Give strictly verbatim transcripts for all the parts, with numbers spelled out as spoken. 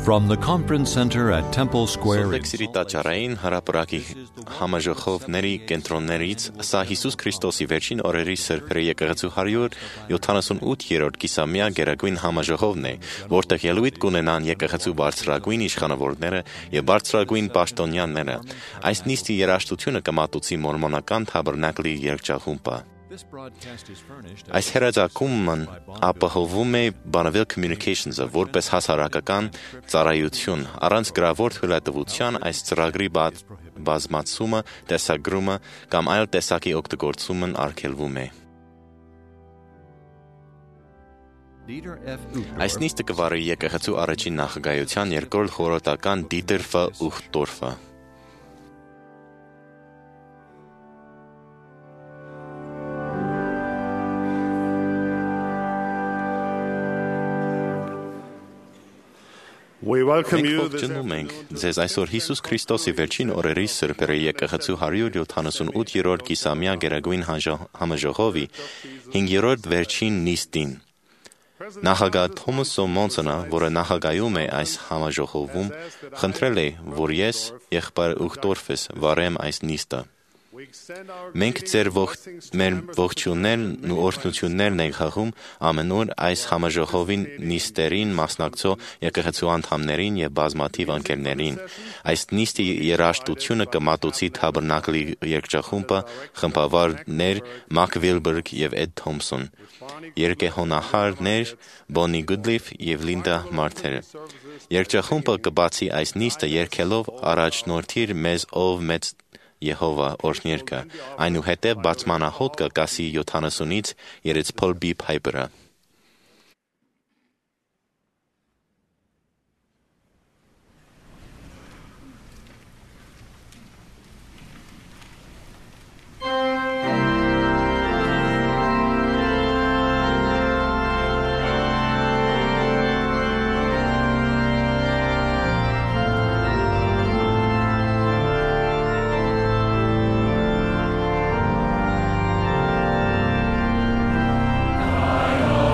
From the conference center at Temple Square in Սովետսիրի տաճարային հրապարակի համաժողովների կենտրոններից սա Հիսուս Քրիստոսի վերջին օրերի սրբերի եկեղեցու հարյուր յոթանասունութերորդ կիսամյա գերագույն համաժողովն է, որտեղ ելույթ կունենան եկեղեցու բարձրագույն իշխանավորները եւ բարձրագույն պաշտոնյաները։ Այս նիստի երաժշտությունը կմատուցի մորմոնական Թաբերնակլի երգչախումբը։ Այս հերաձակումն ապահովում է Bonneville Communications-ը որպես հասարակական ծառայություն, առանց գրավոր թույլատվության այս ծրագրի բազմացումը, տեսագրումը կամ այլ տեսակի օգտագործումն արգելվում է։ Այս նիստը կվարի եկեղեցու առաջին նախագահության երկրորդ խորհրդական Դիտեր Ֆ. Ուխտորֆը։ We welcome Մենք you this ողջունում ենք ձեզ այսօր Հիսուս Քրիստոսի վերջին օրերի սրբերի եկեղեցու հարյուր յոթանասունութերորդ կիսամյա գերագույն համաժողովի հինգերորդ վերջին նիստին։ Նախագահ Թոմաս Մոնսոնը, որը նախագահում է այս համաժողովում, խնդրել է, որ ես եղբայր Ուխտորֆս վարեմ այս նիստը։ Մենք ձեր մեր ողջուններն ու օրհնություններն ենք հղում ամենուր այս համաժողովի նիստերին մասնակցող եկեղեցու անդամներին եւ բազմաթիվ ընկերներին։ Այս նիստի երաժշտությունը կմատուցի Թաբերնակլի երգչախումբը, խմբավարներ Մակ Վիլբերգ եւ Էդ Թոմսոն, երգեհոնահարներ Բոնի Գուդլիֆ եւ Լինդա Մարթեր։ Երգչախումբը կբացի այս նիստը երգելով առաջնորդիր մեզ ով մեծ Եհովա օրհներկը, այնուհետև բացմանահոտ կասի յոթանասունից երեց Փոլ B. Փայպերը։ I know.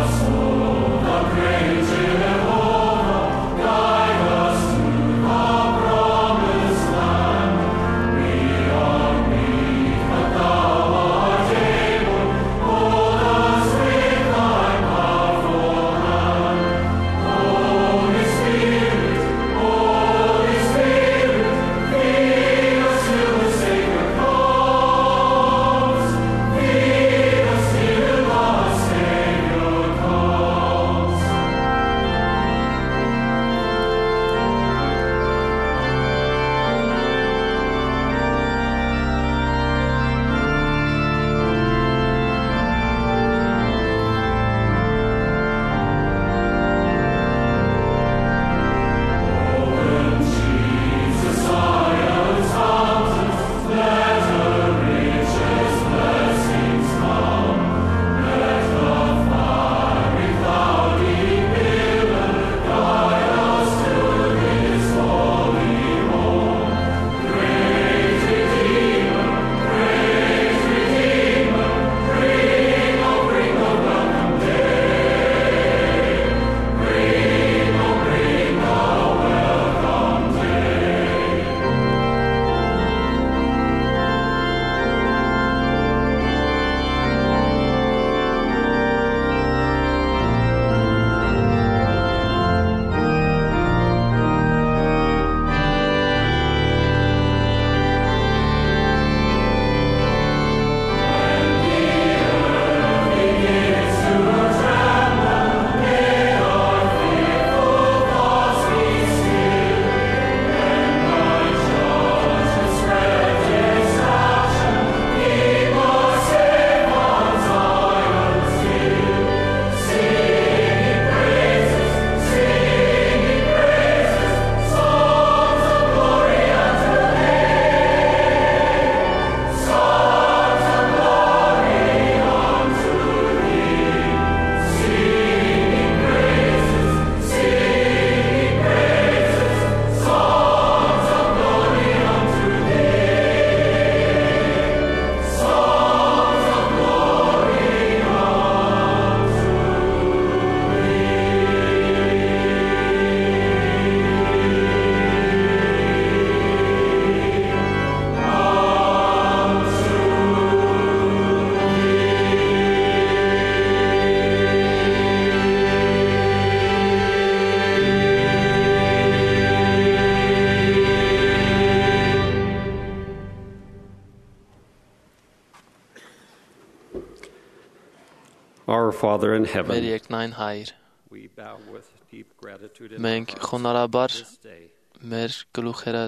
Our Father in Մեր heaven, երկնային Հայր, we bow with deep gratitude in մենք our hearts խոնարհաբար this day մեր գլուխերը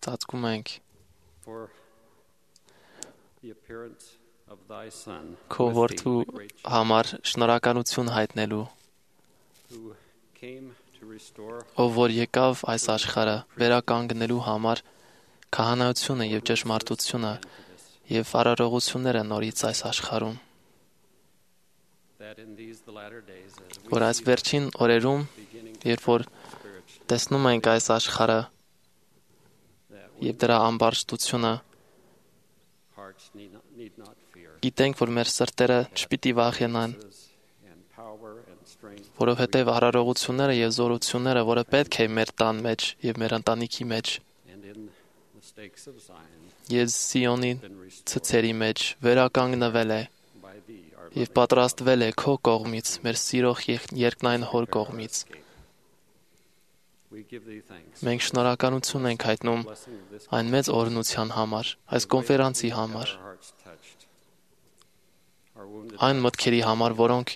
ծածկում ենք for the appearance of thy Son, քո with thee, որդու the great shepherd, համար շնորհակալություն հայտնելու, who came to restore ով որ եկավ այս աշխարհը վերականգնելու համար քահանայությունը եւ ճշմարտությունը եւ արարողությունները նորից այս աշխարհում, that in these the latter days, as we որ այս see վերջին օրերում, beginning երբ որ spiritually, տեսնում ենք այս աշխարհը that we եւ դրա ամբարշտությունը, hearts need not, need not fear. գիտենք, որ մեր սրտերը չպիտի վախենան, And power and strength որովհետեւ արարողությունները եւ զորությունները, որը պետք է մեր տան մեջ եւ մեր ընտանիքի մեջ and in the stakes of Zion եւ Սիոնի been restored ցցերի մեջ վերականգնվել է by thee, our եւ loving պատրաստվել է քո կողմից, մեր սիրող եղ- երկնային հոր կողմից։ escape. We give thee thanks. Մենք շնորհակալություն ենք հայտնում Blessing of this այն մեծ օրհնության համար, այս կոնֆերանսի համար, our hearts touched. Our wounded այն մտքերի համար, որոնք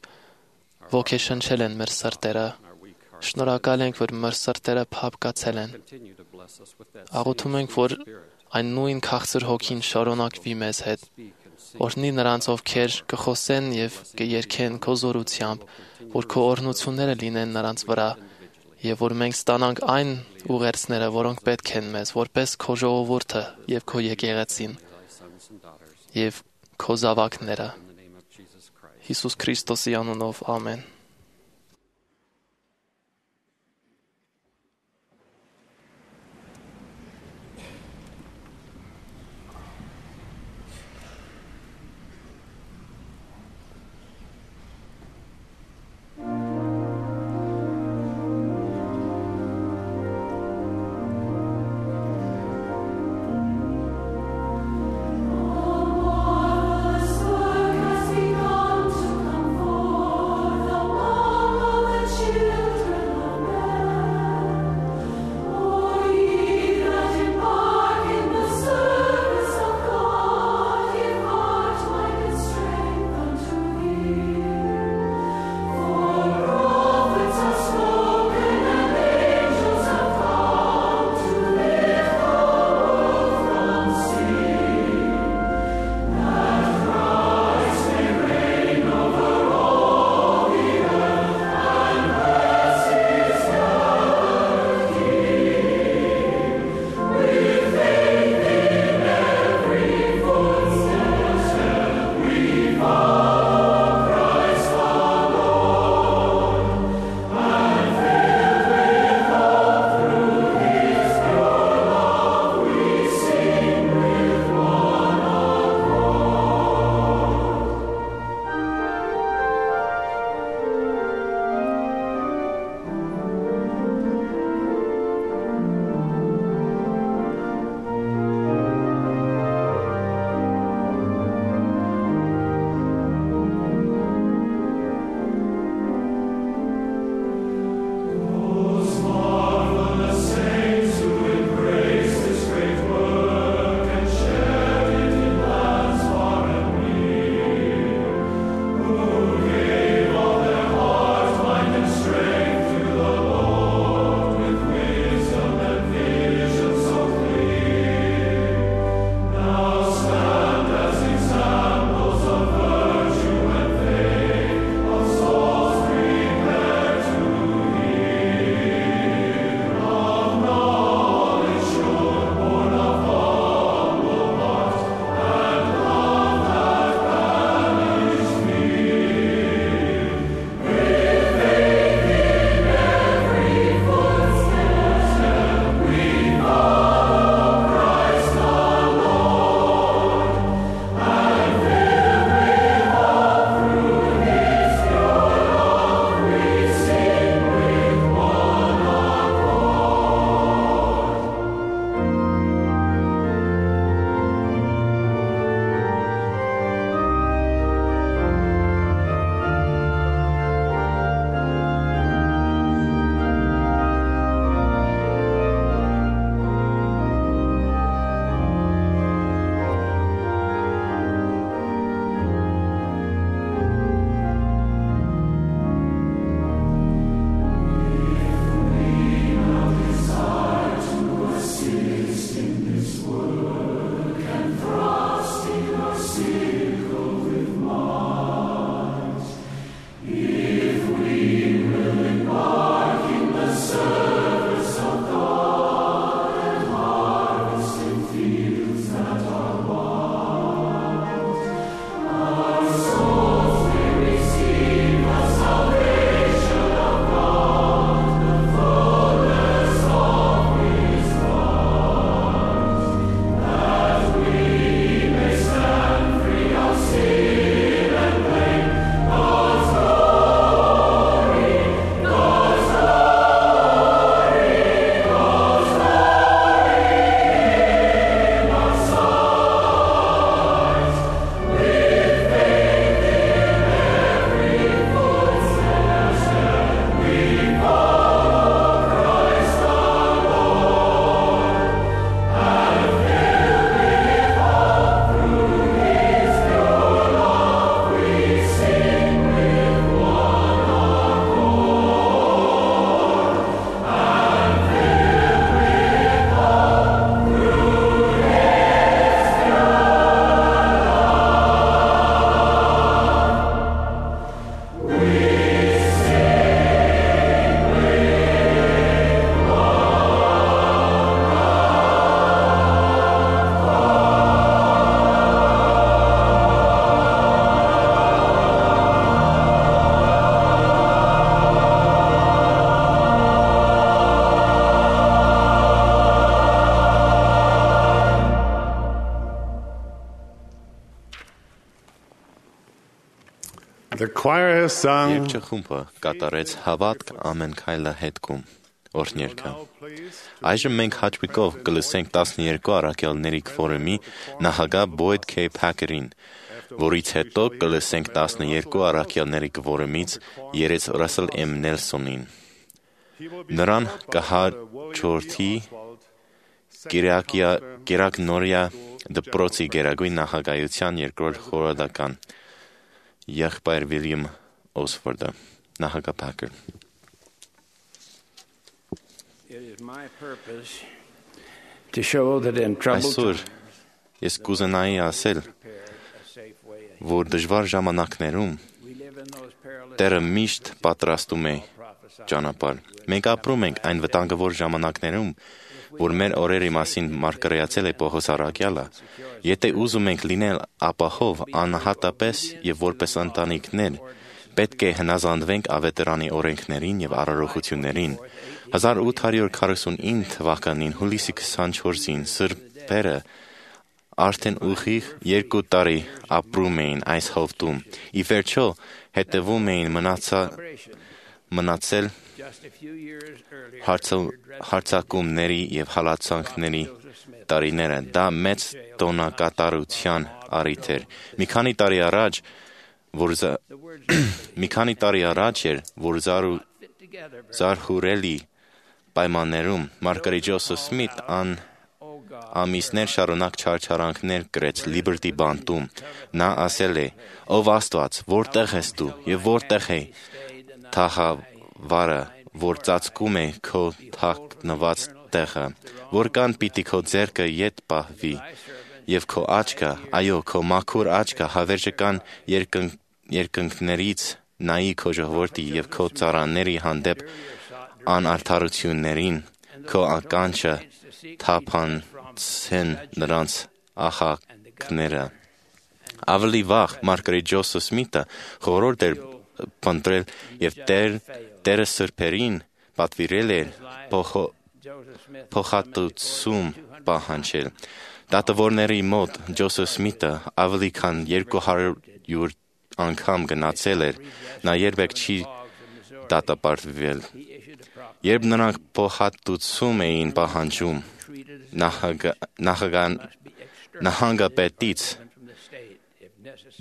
ոգեշնչել են մեր սրտերը։ and our weak hearts. Շնորհակալ ենք, որ մեր սրտերը փափկացել են։ Continue to bless us with that Աղոթում same ենք, որ Spirit. այն նույն քաղցր հոգին շարունակվի մեզ հետ, Speak and sing. օրհնի նրանց, ովքեր կխոսեն եւ կերքեն քո զորությամբ, որ քո օրհնությունները լինեն նրանց վրա, եւ որ մենք ստանանք այն ուղերձները, որոնք պետք են մեզ, որպես քո ժողովուրդը եւ քո եկեղեցին Thy sons and daughters. եւ քո զավակները։ In the name of Jesus Christ. Հիսուս Քրիստոսի անունով, ամեն։ Has begun to come forth. The choir has sung. Երգչախումբը կատարեց հավատք ամեն քայլը հետքում օրհներգը։ Այժմ մենք հաճույքով կլսենք տասներկու առաքյալների քվորումի նախագահ Բոյդ Քեյ Փաքերին, որից հետո կլսենք տասներկու առաքյալների քվորումից երեց Ռասել Էմ Նելսոնին։ Նրան կհաջորդի Կիրակնորիա դպրոցի գերագույն նախագահության երկրորդ խորհրդական եղբայր Վիլյամ Օսֆորդը, նախագահ Փաքեր։ Այսօր ես կուզենայի ասել, որ դժվար ժամանակներում Տերը միշտ պատրաստում է ճանապարհ։ Մենք ապրում ենք այն վտանգավոր ժամանակներում, որ մեր օրերի մասին մարգարեացել է Պողոս առաքյալը, եթե ուզում ենք լինել ապահով, անհատապես եւ որպես ընտանիքներ, պետք է հնազանդվենք ավետարանի օրենքներին եւ առարողություններին։ հազար ութ հարյուր քառասունինը թվականին հուլիսի քսանչորսին սրբերը արդեն ուղիղ երկու տարի ապրում էին այս հովտում։ Ի վերջո հետևում էին մնացել հարցակումների եւ հալածանքների տարիները։ Դա մեծ տոնակատարության առիթ էր։ Մի քանի տարի առաջ, որ մի քանի տարի առաջ էր, որ զարհուրելի պայմաններում Մարգարետ Ջոսեֆ Սմիթ ան ամիսներ շարունակ չարչարանքներ կրեց Լիբերտի բանտում։ Նա ասել է. «Ով Աստված, որտեղ ես դու եւ որտեղ է թագավարը, որ ծածկում է քո թաքնված տեղը, որքան պիտի քո ձեռքը ետ պահվի եւ քո աչքը, այո, քո մաքուր աչքը հավերժական երկնքներից նայի քո ժողովրդի եւ քո ծառաների հանդեպ անարդարություններին, քո ականջը թափանցեն նրանց աղաքները»։ Ավելի վաղ Մարգարետ Ջոսեֆ Սմիթը խորհուրդ էր փնտրել եւ Տերը սրբերին պատվիրել էր փոխհատուցում պահանջել։ Դատավորների մոտ Ջոսեֆ Սմիթը ավելի քան երկու հարյուր անգամ գնացել էր, նա երբեք չի դատապարտվել։ Երբ նրանք փոխհատուցում էին պահանջում, նահանգապետից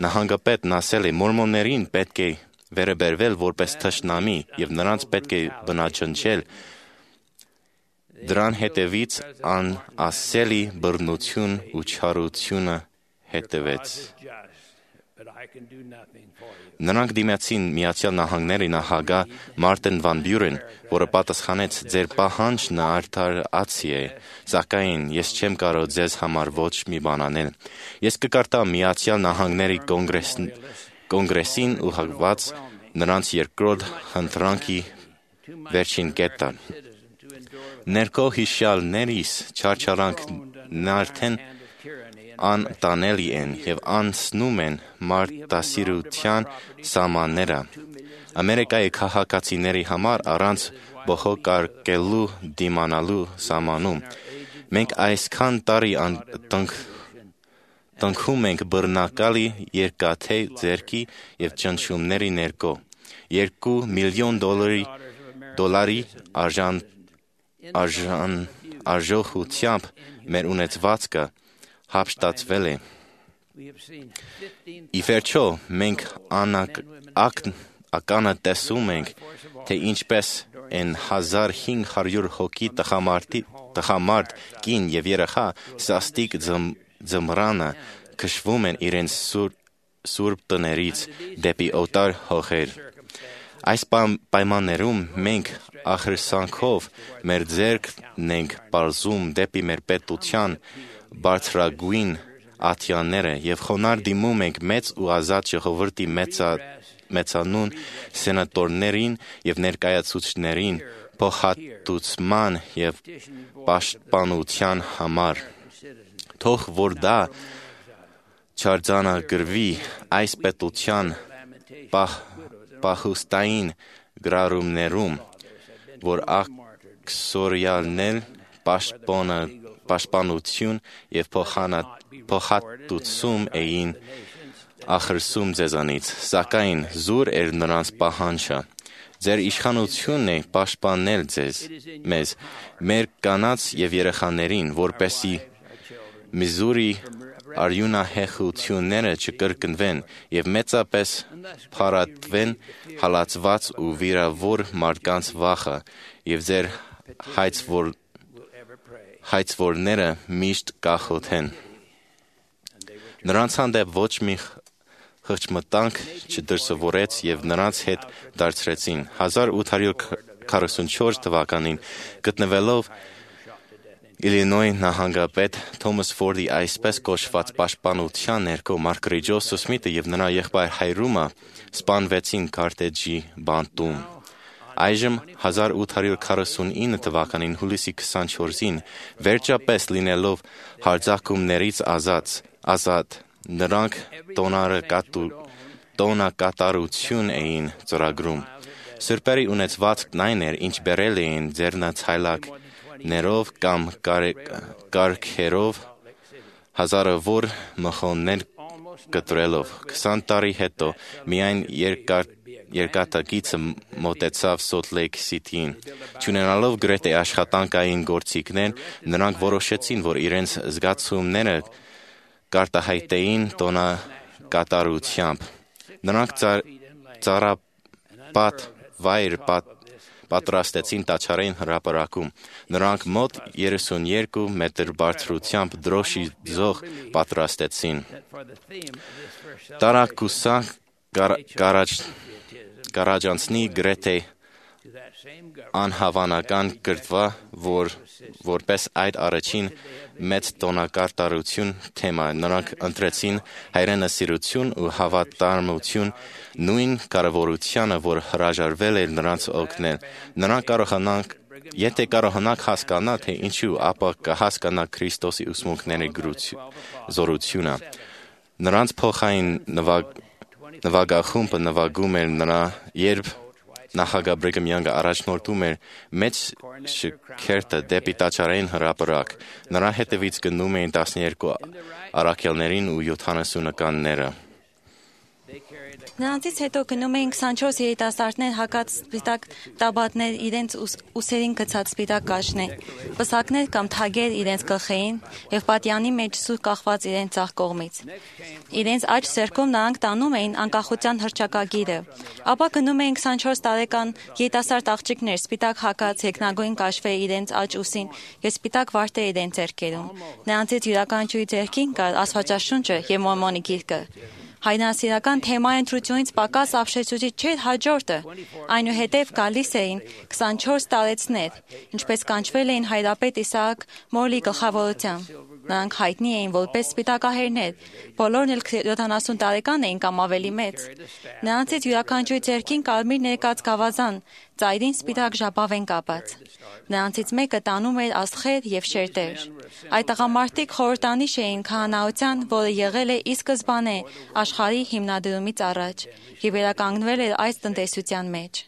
Նահանգապետն ասել է. «Մորմոններին պետք է վերաբերվել որպես թշնամի եւ նրանց պետք է բնաջնջել»։ Դրան հետևից անասելի բռնություն ու չարությունը հետևեց։ Նրանք դիմացին Միացյալ Նահանգների նախագահ Մարտին վան Բյուրեն, որը պատասխանեց. «Ձեր պահանջն արդարացի է, սակայն ես չեմ կարող ձեզ համար ոչ մի բան անել»։ Ես կկարտամ Միացյալ Նահանգների կոնգրեսին ուղղված նրանց երկրորդ ընտրանքի վերջին կետը։ Ներքո հիշյալներիս չարչարանքն արդեն անտանելի են եւ անցնում են մարտահրավերության սահմանները։ Ամերիկայի քաղաքացիների համար առանց բողոքարկելու դիմանալու սահմանում։ Մենք այսքան տարի տնքում ենք բռնակալի երկաթե ձեռքի եւ ճնշումների ներքո։ Երկու միլիոն դոլարի արժան արժողությամբ մեր ունեցվածքը հափշտացվել է։ Ի վերջո, մենք ականը տեսում ենք, թե ինչպես են հազար հինգ հարյուր հոգի տղամարդ, կին եւ երեխա սաստիկ ձմռանը քշվում են իրենց սուրբ տներից դեպի օտար հողեր։ Այս պայմաններում մենք ախրսանքով մեր ձեռքն ենք պարզում դեպի մեր պետության բարձրագույն ատյանները եւ խոնարհ դիմում ենք մեծ ու ազատ ժողովրդի մեծանուն սենատորներին եւ ներկայացուցիչներին փոխհատուցման եւ պաշտպանության համար։ Թող որ դա չարձանագրվի այս պետության պահուստային գրառումներում, որ աքսորիալներ պաշտպանություն եւ փոխհատուցում էին ախրսում ձեզանից, սակայն զուր էր նրանց պահանջը։ Ձեր իշխանությունն է պաշտպանել ձեզ, մեզ, մեր կանանց և երեխաներին, որպեսզի Միզուրի արյունահեղությունները չկրկնվեն և մեծապես փարատվեն հալածված ու վիրավոր մարդկանց վախը և ձեր հայցվոր, հայցվորները միշտ կախոթեն։ Նրանց հանդեպ ոչ մի խղճմտանք չդրսևորեց և նրանց հետ դարձրեցին։ հազար ութ հարյուր քառասունչորս թվականին գտնվելով Իլինոյ նահանգապետ Թոմաս Ֆորդի այսպես կոչված պաշտպանության ներքո Մարգարետ Ջոզեֆ Սմիթը և նրա եղբայր Հայրումը սպանվեցին Քարտեջի բանտում։ Այժմ հազար ութ հարյուր քառասունինը թվականին հուլիսի քսանչորսին վերջապես լինելով հարձակումներից ազատ, ազատ նրանք տոնակատարություն էին ծրագրում։ Սրբերի ունեցվածքն այն էր, ինչ բերել էին ձեռնոցայլակներով կամ կառքերով, հազարավոր մխոններ կտրելով։ Քսան տարի հետո միայն երկաթգիծը մոտեցավ Սոլտ Լեյք Սիթիին։ Չունենալով գրեթե աշխատանքային գործիքներ, նրանք որոշեցին, որ իրենց զգացումները կարտահայտեին տոնակատարությամբ։ Նրանք ծառապատ վայր պատրաստեցին Տաճարային հրապարակում։ Նրանք մոտ երեսունյոթ մետր բարձրությամբ դրոշի ձող պատրաստեցին։ Տարակուսանք կառաջանցի գրեթե անհավանական կրթվա, որ որպես այդ առաջին մեծ տոնակատարություն թեմա։ Նրանք ընտրեցին հայրենասիրություն ու հավատարմություն նույն կարևորությանը, որ հրաժարվել էր նրանց օգնել։ Նրանք կարողանանք, եթե կարողանանք հասկանալ, թե ինչու, ապա կհասկանանք Քրիստոսի ուսմունքների զորությունը։ Նրանց փոխային նվագախումբը նվագում էր նրա, երբ նախագահ Բրիգհամ Յանգը առաջնորդում էր մեծ շքերթը դեպի Տաճարային հրապարակ։ Նրա հետևից գնում էին տասներկու առաքյալներին ու յոթանասունականները։ Նրանցից հետո գնում էին քսանչորս երիտասարդներ հագած սպիտակ տաբատներ, իրենց ուսերին գցած սպիտակ կաշներ, պսակներ կամ թագեր իրենց գլխին և պատյանի մեջ սուր կախված իրենց ձախ կողմից։ Իրենց աջ ձեռքում նրանք տանում էին անկախության հռչակագիրը։ Ապա գնում էին քսանչորս տարեկան երիտասարդ աղջիկներ, սպիտակ հագած, երկնագույն կաշվե իրենց աջ ուսին և սպիտակ վարդեր իրենց ձեռքերում։ Նրանցից յուրաքանչյուրի ձեռքին կար Աստվածաշունչը և Մորմոնի գիրքը։ Հայրենասիրական թեմայի ընտրությունից պակաս ապշեցուցիչ չէր հաջորդը։ Այնուհետև գալիս էին քսանչորս տարեցներ, ինչպես կանչվել էին հայրապետ Իսահակ Մորլի գլխավորությամբ։ Նրանք հայտնի էին որպես սպիտակահերներ, բոլորն էլ յոթանասուն տարեկան էին կամ ավելի մեծ։ Նրանցից յուրաքանչյուրի ձեռքին կարմիր ներկած գավազան, ծայրին սպիտակ ժապավեն կապած։ Նրանցից մեկը տանում էր աստղեր և շերտեր։ Այդ տղամարդիկ խորհրդանիշ էին քահանայության, որը եղել է ի սկզբանե աշխարհի հիմնադրումից առաջ և վերականգնվել էր այս տնտեսության մեջ։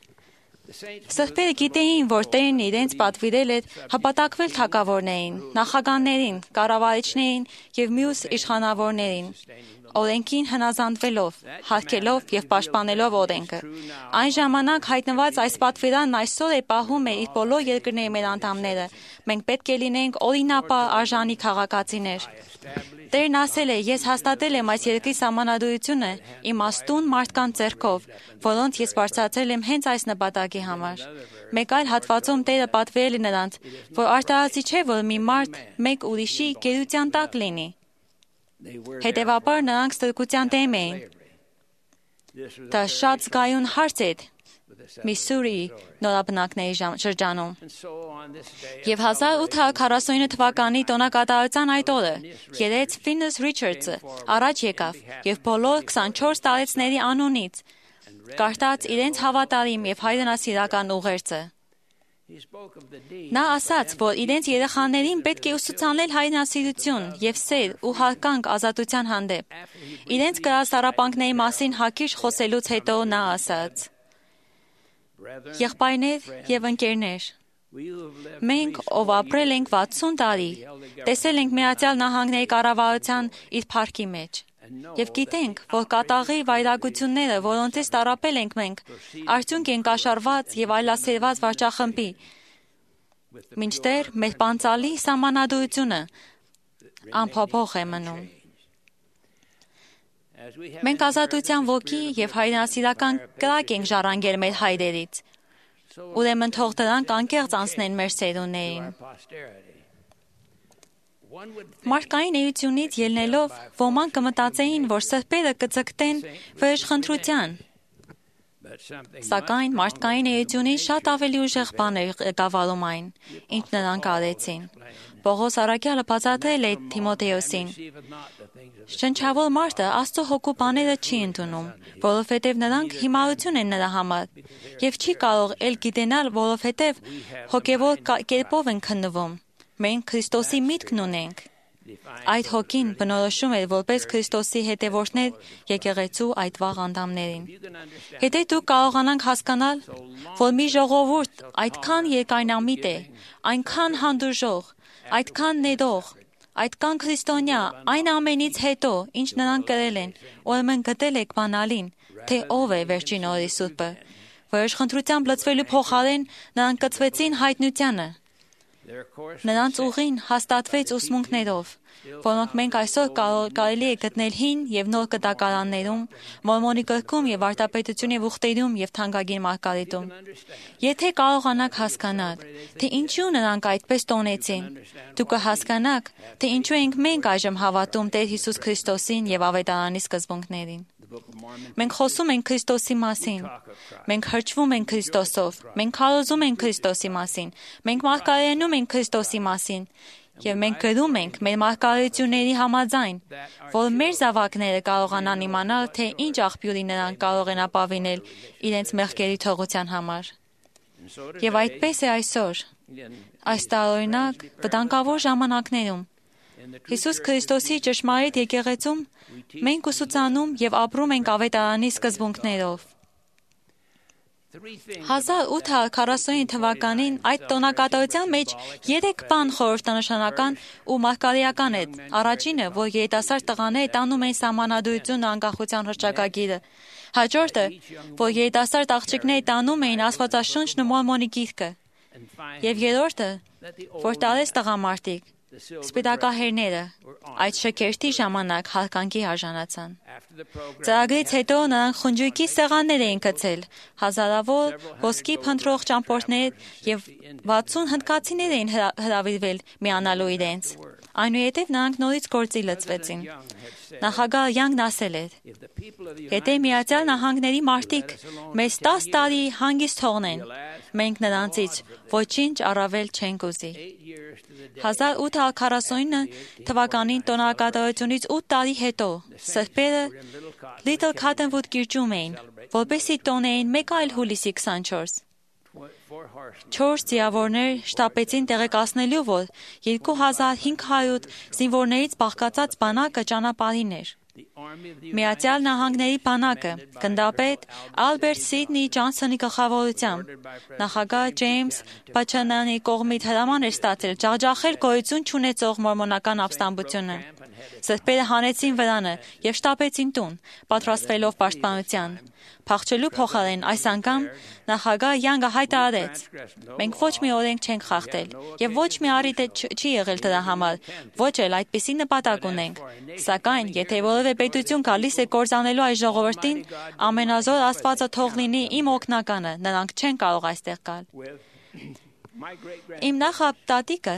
Սրբերը գիտեին, որ Տերն իրենց պատվիրել էր հպատակվել թագավորներին, նախագահներին, կառավարիչներին և մյուս իշխանավորներին, օրենքին հնազանդվելով, հարգելով և պաշտպանելով օրենքը։ Այն ժամանակ հայտնված այս պատվիրանն այսօր է պահում է իր բոլոր երկրների մեր անդամները։ Մենք պետք է լինենք օրինապար արժանի քաղաքացիներ։ Տերն ասել է. «Ես հաստատել եմ այս երկրի սահմանադրությունը իմաստուն մարդկանց ձեռքով, որոնց ես բարձրացրել եմ հենց այս նպատակի համար»։ Մեկ այլ հատվածում Տերը պատվիրել է նրանց, որ արտահայտի չէ, որ մի մարդ մեկ ուրիշի գերության տակ լինի։ Հետևաբար նրանք ստրկության դեմ էին։ Դա շատ զգայուն հարց էր Միսսուրիի նորաբնակների շրջանում։ Եվ հազար ութ հարյուր քառասունինը թվականի տոնակատարության այդ օրը երեց Ֆինես Ռիչարդսը առաջ եկավ և բոլոր քսանչորս տարեցների անունից կարդաց իրենց հավատարիմ և հայրենասիրական ուղերձը։ Նա ասաց, որ իրենց երեխաներին պետք է ուսուցանել հայրենասիրություն և սեր ու հարգանք ազատության հանդեպ։ Իրենց կրած տառապանքների մասին հակիրճ խոսելուց հետո նա ասաց. «Եղբայրներ և ընկերներ, մենք, ով ապրել ենք վաթսուն տարի, տեսել ենք Միացյալ Նահանգների կառավարության իր փառքի մեջ։ Եվ գիտենք, որ կատաղի վայրագությունները, որոնցից տառապել ենք մենք, արդյունք են կաշառված եւ այլասերված վարչախմբի, մինչդեռ մեր պանցալի սահմանադրությունը անփոփոխ է մնում։ Մենք ազատության ոգի եւ հայրենասիրական կրակ ենք ժառանգել մեր հայրերից։ Ուրեմն թող դրանք անկեղծ անցնեն մեր սերունդներին։ Մարդկային էությունից ելնելով ոմանք կմտածեին, որ սրբերը կձգտեն վրեժխնդրության, սակայն մարդկային էությունից շատ ավելի ուժեղ բան էր ղեկավարում այն, ինչ նրանք արեցին։ Պողոս առաքյալը բացատրել է Թիմոթեոսին. շնչավոր մարդը Աստծո հոգու բաները չի ընդունում, որովհետև նրանք հիմարություն են նրա համար, եւ չի կարող էլ գիտենալ, որովհետև հոգևոր կերպով են քննվում։ Մենք Քրիստոսի միտքն ունենք։ Այդ հոգին բնորոշում էր որպես Քրիստոսի հետևորդներ եկեղեցու այդ վաղ անդամներին։ Եթե դուք կարողանանք հասկանալ, որ մի ժողովուրդ այդքան երկայնամիտ է, այնքան հանդուրժող, այդքան ներող, այդքան քրիստոնյա, այն ամենից հետո, ինչ նրանք կրել են, ուրեմն գտել եք բանալին, թե ով է վերջին օրի սուրբը։ Վրեժխնդրությամբ լցվելու փոխարեն նրանք կցվեցին հայտնությանը։ Նրանց ուղին հաստատվեց ուսմունքներով, որոնք մենք այսօր կարելի է գտնել հին եւ նոր կտակարաններում, Մորմոնի գրքում եւ Արտապետությունի ուխտերում եւ Թանկագին Մարգարիտում։ Եթե կարողանաք հասկանալ, թե ինչու նրանք այդպես տոնեցին, դուք կհասկանաք, թե ինչու ենք մենք այժմ հավատում Տեր Հիսուս Քրիստոսին եւ Ավետարանի սկզբունքներին։ Մենք խոսում ենք Քրիստոսի մասին, մենք հրճվում ենք Քրիստոսով, մենք քարոզում ենք Քրիստոսի մասին, մենք մարգարենում ենք Քրիստոսի մասին, եւ մենք գրում ենք մեր մարգարեությունների համաձայն, որ մեր զավակները կարողանան իմանալ, թե ինչ աղբյուրի նրանք կարող են ապավինել իրենց մեղքերի թողության համար։ Եվ այդպես է այսօր, այս տարօրինակ վտանգավոր ժամանակներում, Հիսուս Քրիստոսի ճշմարիտ եկեղեցում մենք ուսուցանում եւ ապրում ենք Ավետարանի սկզբունքներով։ հազար ութ հարյուր քառասունինը թվականին այդ տոնակատարության մեջ երեք բան խորհրդանշանական ու մարգարեական է։ Առաջինը, որ երիտասարդ տղաները տանում են սահմանադրությունն ու անկախության հռչակագիրը։ Հաջորդը, որ երիտասարդ աղջիկները տանում էին Աստվածաշունչն ու Մորմոնի գիրքը։ Եվ երրորդը, որ տարեց տղամարդիկ, սպիտակահերները, այդ շքերթի ժամանակ հարգանքի արժանացան։ Ծրագրից հետո նրանք խնջույքի սեղաններ էին գցել, հազարավոր ոսկի փնտրող ճամփորդներ եւ վաթսուն հնդկացիներ էին հրավիրվել միանալու իրենց։ Այնուհետև նրանք նորից գործի լծվեցին։ Նախագահ Յանգն ասել էր. «Եթե Միացյալ Նահանգների մարդիկ մեզ տասը տարի հանգիստ թողնեն, մենք նրանցից ոչինչ առավել չենք ուզի»։ հազար ութ հարյուր քառասունինը թվականին տոնակատարությունից ութ տարի հետո սրբերը Little Cottonwood կիրճում էին, որպեսզի տոնեին մեկ այլ հուլիսի քսանչորս։ Չորս ձիավորներ շտապեցին տեղեկացնելու, որ երկու հազար հինգ հարյուր զինվորներից բաղկացած բանակը ճանապարհին էր։ Միացյալ Նահանգների բանակը գնդապետ Ալբերտ Սիդնի Ջոնսոնի գլխավորությամբ նախագահ Ջեյմս Բաչանանի կողմից հրաման էր ստացել ջախջախել գոյություն չունեցող մորմոնական ապստամբությունը։ Սրբերը հանեցին վրանը եւ շտապեցին տուն, պատրաստվելով պաշտպանության։ Փախչելու փոխարեն այս անգամ նախագահ Յանգը հայտարարեց. «Մենք ոչ մի օրենք չենք խախտել եւ ոչ մի առիթ չի եղել դրա համար, ոչ էլ այդպիսի նպատակ ունենք։ Սակայն, եթե որևէ պետություն գալիս է կործանելու այս ժողովրդին, ամենազոր Աստվածը թող լինի իմ օգնականը, նրանք չեն կարող այստեղ գալ»։ Իմ նախապատիկը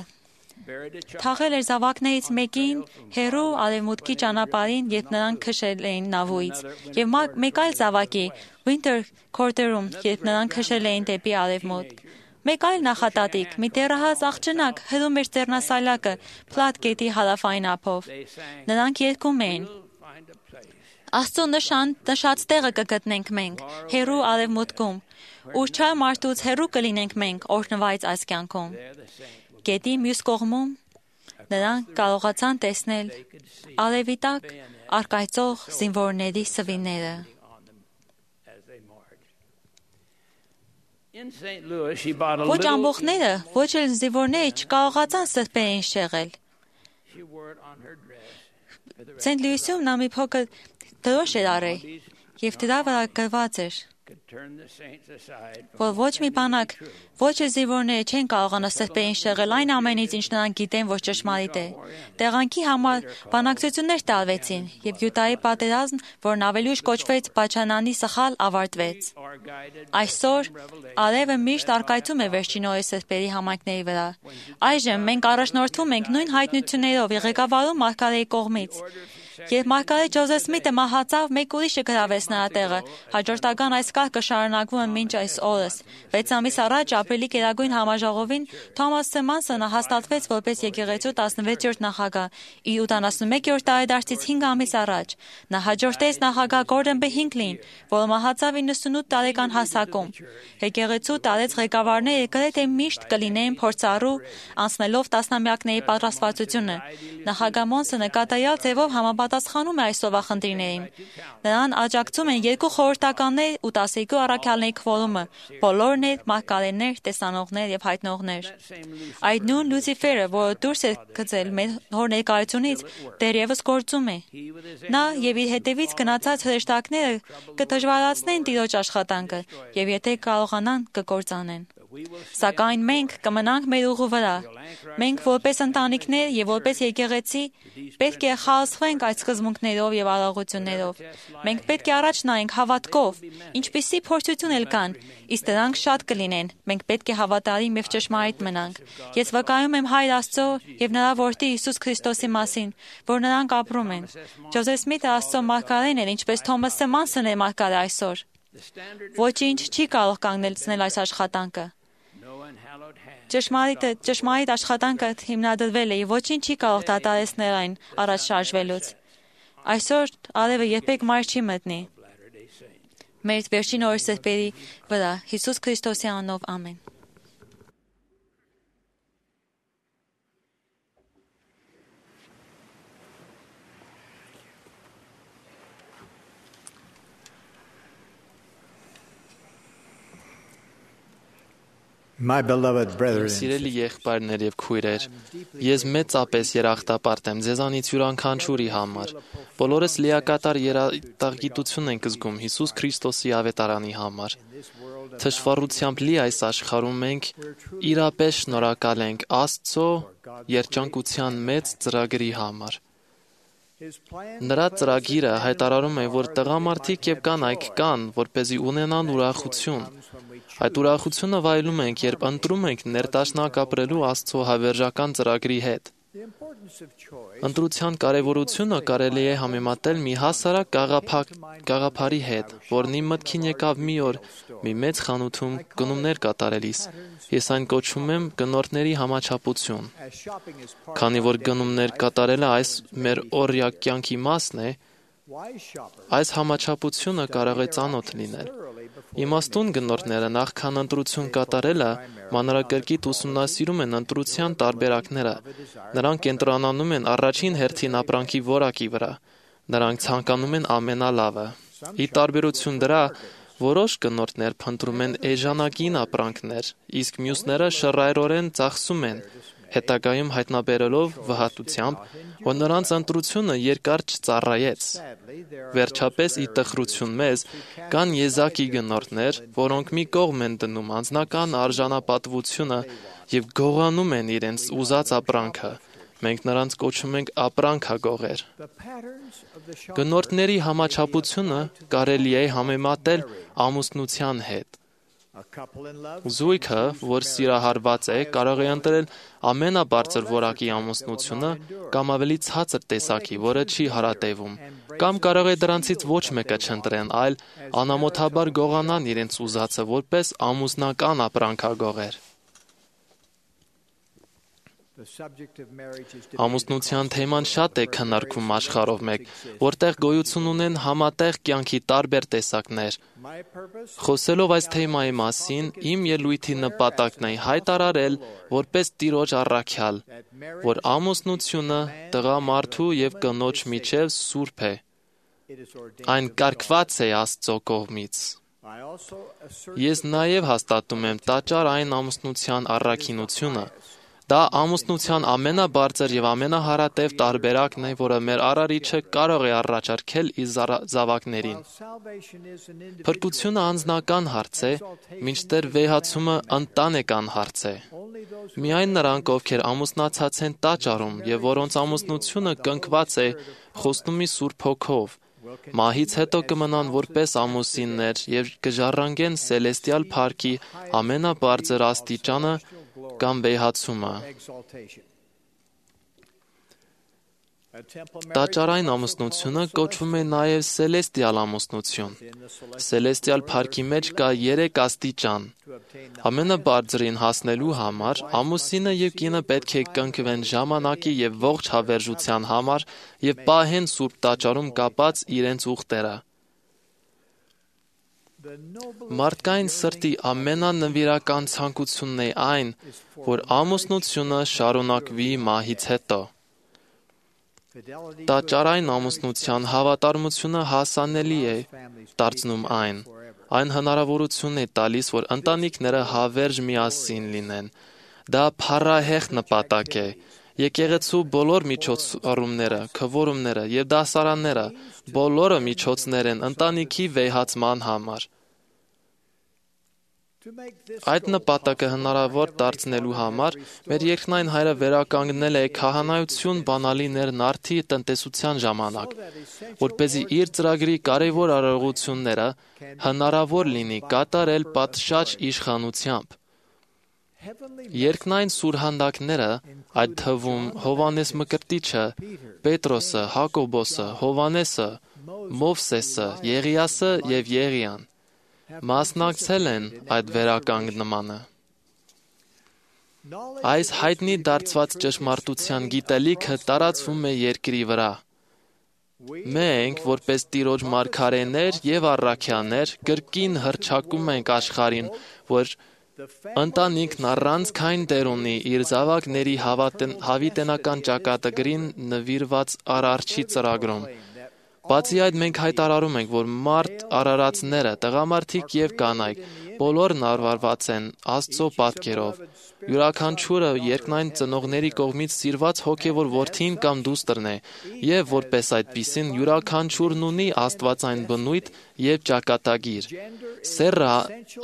թաղել էր զավակներից մեկին հերու արևմուտքի ճանապարհին, երբ նրանք քշել էին նավուից, եւ մեկ այլ զավակի Winter Quarter-ում, երբ նրանք քշել էին դեպի արևմուտք։ Մեկ այլ նախատատիկ, մի դեռահաս աղջնակ հրում էր ձեռնասայլակը Փլատ գետի հարավային ափով։ Նրանք երգում էին. «Աստծո նշան նշած տեղը կգտնենք մենք, հերու արևմուտքում, ուր չար մարդուց հերու կլինենք մենք օրհնված այս կյանքում»։ Գետի մյուս կողմում նրանք կարողացան տեսնել արևի տակ առկայծող զինվորների սվինները։ Ոչ ամբողջները, ոչ էլ զինվորները չկարողացան սրբերին շեղել։ Սենտ Լուիսում նա մի փոքր դրոշ էր արել եւ դրա վրա գրված էր, որ ոչ մի բանակ, ոչ էլ զինվորները չեն կարողանա սրբերին շեղել այն ամենից, ինչ նրանք գիտեն, որ ճշմարիտ է։ Տեղանքի համար բանակցություններ տարվեցին, եւ Յուդայի պատերազմն, որն ավելի ուշ կոչվեց Բաչանանի սխալ, ավարտվեց։ Այսօր արևը միշտ արկայծում է վերջին օրի սրբերի համայնքների վրա։ Այժմ մենք առաջնորդվում ենք նույն հայտնություններով եւ ղեկավարում Մարգարեի կողմից։ Երբ Մարգարետ Ջոզեֆ Սմիթը մահացավ, մեկ ուրիշը գրավեց նրա տեղը։ Հաջորդական այս կարգը շարունակվում է մինչ այս օրս։ Վեց ամիս առաջ ապրիլի Գերագույն համաժողովին Թոմաս Սեմանսոնը հաստատվեց որպես եկեղեցու տասնվեցերորդ նախագահ, իր ութանասունմեկերորդ տարեդարձից հինգ ամիս առաջ։ Նա հաջորդեց նախագահ Գորդոն B. Հինքլին, որը մահացավ իննսունութ տարեկան հասակում։ Եկեղեցու տարեց ղեկավարները գրեթե միշտ կլինեին փորձառու, անցնելով տասնամյակների պատրաստվածությունը։ Նախագահ Մոնսոնը կատարյալ ձևով համապատասխանում է այս սովախնդիրներին։ Նրան աջակցում են երկու խորհրդականներ ու տասներկու առաքյալների քվորումը, բոլորն էլ մարգարեներ, տեսանողներ եւ հայտնողներ։ Այդ նույն Լուցիֆերը, որը դուրս է գծել մեր հոր ներկայությունից, դեռևս գործում է։ Նա եւ իր հետևից գնացած հրեշտակները կդժվարացնեն Տիրոջ աշխատանքը եւ եթե կարողանան կկործանեն։ Սակայն մենք կմնանք մեր ուղու վրա։ Մենք որպես ընտանիքներ եւ որպես եկեղեցի պետք է խաղացվենք այդ սկզբունքներով եւ արարողություններով։ Մենք պետք է առաջ նայենք հավատքով, ինչպիսի փորձություն էլ կան, իսկ դրանք շատ կլինեն։ Մենք պետք է հավատարիմ եւ ճշմարիտ մնանք։ Ես վկայում եմ Հայր Աստծո եւ նրա որդի Հիսուս Քրիստոսի մասին, որ նրանք ապրում են։ Ջոզեֆ Սմիթը Աստծո մարգարեն էր, ինչպես Թոմաս Սեմանսոնն է մարգարե այսօր։ Ոչինչ չի կարող կանգնեցնել այս աշխատանքը։ Ճշմարիտ ճշմարիտ աշխատանքը հիմնադրվել է եւ ոչինչ չի կարող դադարեցնել այն առաջ շարժվելուց։ Այսօր արևը երբեք մայր չի մտնի։ Մեր վերջին օրի սրբերի վրա Հիսուս Քրիստոսի անունով ամեն։ My beloved brethren, Սիրելի եղբայրներ եւ քույրեր, ես մեծապես երախտապարտ եմ ձեզանից յուրաքանչյուրի համար։ Բոլորս լիակատար երախտագիտություն ենք զգում Հիսուս Քրիստոսի ավետարանի համար։ Թշվառությամբ լի այս աշխարհում մենք իրապես շնորհակալ ենք Աստծո երջանկության մեծ ծրագրի համար։ Նրա ծրագիրը հայտարարում է, որ տղամարդիկ եւ կանայք կան, որպեսզի ունենան ուրախություն։ Այդ ուրախությունը վայելում ենք, երբ ընտրում ենք ներդաշնակ ապրելու Աստծո հավերժական ծրագրի հետ։ Ընտրության կարևորությունը կարելի է համեմատել մի հասարակ գաղափարի հետ, որն իմ մտքին եկավ մի օր մի մեծ խանութում գնումներ կատարելիս։ Ես այն կոչում եմ գնորդների համաչափություն։ Քանի որ գնումներ կատարելը այս մեր օրյա կյանքի մասն է, այս համաչափությունը կարող է ծանոթ լինել։ Իմաստուն գնորդները նախքան ընտրություն կատարելը մանրակրկիտ ուսումնասիրում են ընտրության տարբերակները։ Նրանք կենտրոնանում են առաջին հերթին ապրանքի որակի վրա։ Նրանք ցանկանում են ամենալավը։ Ի տարբերություն դրա, որոշ գնորդներ փնտրում են էժանագին ապրանքներ, իսկ մյուսները շռայլորեն ծախսում են, հետագայում հայտնաբերելով վհատությամբ, որ նրանց ընտրությունը երկար չծառայեց։ Վերջապես, ի տխրություն մեզ, կան եզակի գնորդներ, որոնք մի կողմ են դնում անձնական արժանապատվությունը եւ գողանում են իրենց ուզած ապրանքը։ Մենք նրանց կոչում ենք ապրանքագողեր։ Գնորդների համաչափությունը կարելի է համեմատել ամուսնության հետ։ Զույգը, որ սիրահարված է, կարող է ընտրել ամենաբարձր որակի ամուսնությունը կամ ավելի ցածր տեսակի, որը չի հարատևում, կամ կարող է դրանցից ոչ մեկը չընտրեն, այլ անամոթաբար գողանան իրենց ուզածը որպես ամուսնական ապրանքագողեր։ Ամուսնության թեման շատ է քննարկվում աշխարհով մեկ, որտեղ գոյություն ունեն համատեղ կյանքի տարբեր տեսակներ։ Խոսելով այս թեմայի մասին, իմ ելույթի նպատակն է հայտարարել որպես Տիրոջ առաքյալ, որ ամուսնությունը տղամարդու եւ կնոջ միջև սուրբ է։ Այն կարգված է Աստծո կողմից։ Ես նաև հաստատում եմ տաճար այն ամուսնության առաքինությունը, Դա ամուսնության ամենաբարձր եւ ամենահարատև տարբերակն է, որը մեր Արարիչը կարող է առաջարկել իր զավակներին։ Փրկությունը անձնական հարց է, մինչդեռ վեհացումը ընտանեկան հարց է։ Միայն նրանք, ովքեր ամուսնացած են տաճարում եւ որոնց ամուսնությունը կնքված է խոստումի Սուրբ Հոգով, մահից հետո կմնան որպես ամուսիններ եւ կժառանգեն սելեստիալ փառքի ամենաբարձր աստիճանը կամ վեհացումը։ Տաճարային ամուսնությունը կոչվում է նաև սելեստիալ ամուսնություն։ Սելեստիալ փառքի մեջ կա երեք աստիճան։ Ամենաբարձրին հասնելու համար ամուսինը եւ կինը պետք է կնքվեն ժամանակի եւ ողջ հավերժության համար եւ պահեն Սուրբ Տաճարում կապած իրենց ուխտերը։ Մարդկային սրտի ամենանվիրական ցանկությունն է այն, որ ամուսնությունը շարունակվի մահից հետո։ Տաճարային ամուսնության հավատարմությունը հասանելի է դարձնում այն։ Այն հնարավորություն է տալիս, որ ընտանիքները հավերժ միասին լինեն։ Դա փառահեղ նպատակ է։ Եկեղեցու բոլոր միջոցառումները, քվորումները եւ դասարանները բոլորը միջոցներ են ընտանիքի վեհացման համար։ Այդ նպատակը հնարավոր դարձնելու համար մեր երկնային Հայրը վերականգնել է քահանայություն բանալիներ նարդի տնտեսության ժամանակ, որպեսզի իր ծրագրի կարևոր արարողությունները հնարավոր լինի կատարել պատշաճ իշխանությամբ։ Երկնային սուրհանդակները, այդ թվում Հովանես Մկրտիչը, Պետրոսը, Հակոբոսը, Հովանեսը, Մովսեսը, Եղիասը եւ Եղիան մասնակցել են այդ վերականգնմանը։ Այս հայտնի դարձված ճշմարտության գիտելիքը տարածվում է երկրի վրա։ Մենք, որպես Տիրոջ մարգարեներ եւ առաքյաներ, կրկին հռչակում ենք աշխարհին, որ ընտանիքն առանցքային դեր ունի իր զավակների հավիտենական ճակատագրին նվիրված Արարչի ծրագրում։ Բացի այդ, մենք հայտարարում ենք, որ մարդ արարածները, տղամարդիկ եւ կանայք, բոլորն արարված են Աստծո պատկերով։ Յուրաքանչյուրը երկնային ծնողների կողմից սիրված հոգևոր որդին կամ դուստրն է, եւ որպես այդպիսին յուրաքանչյուրն ունի աստվածային բնույթ եւ ճակատագիր։ Սեռը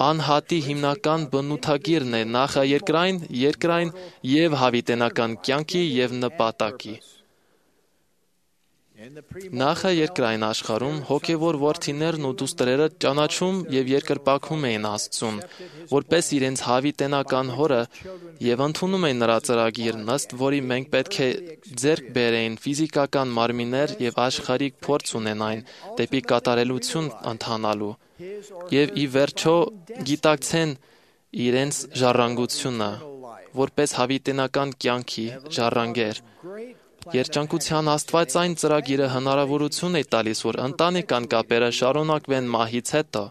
անհատի հիմնական բնութագիրն է նախաերկրային, երկրային եւ հավիտենական կյանքի եւ նպատակի։ Նախաերկրային աշխարհում հոգևոր որդիներն ու դուստրերը ճանաչում եւ երկրպագում էին Աստծուն, որպես իրենց հավիտենական հորը եւ ընդունում էին նրա ծրագիրն, ըստ որի մենք պետք է ձեռք բերեին ֆիզիկական մարմիններ եւ աշխարհիկ փորձ ունենային դեպի կատարելություն ընթանալու եւ ի վերջո գիտակցեն իրենց ժառանգությունը, որպես հավիտենական կյանքի ժառանգեր։ Երջանկության աստվածային ծրագիրը հնարավորություն է տալիս, որ ընտանեկան կապերը շարունակվեն մահից հետո։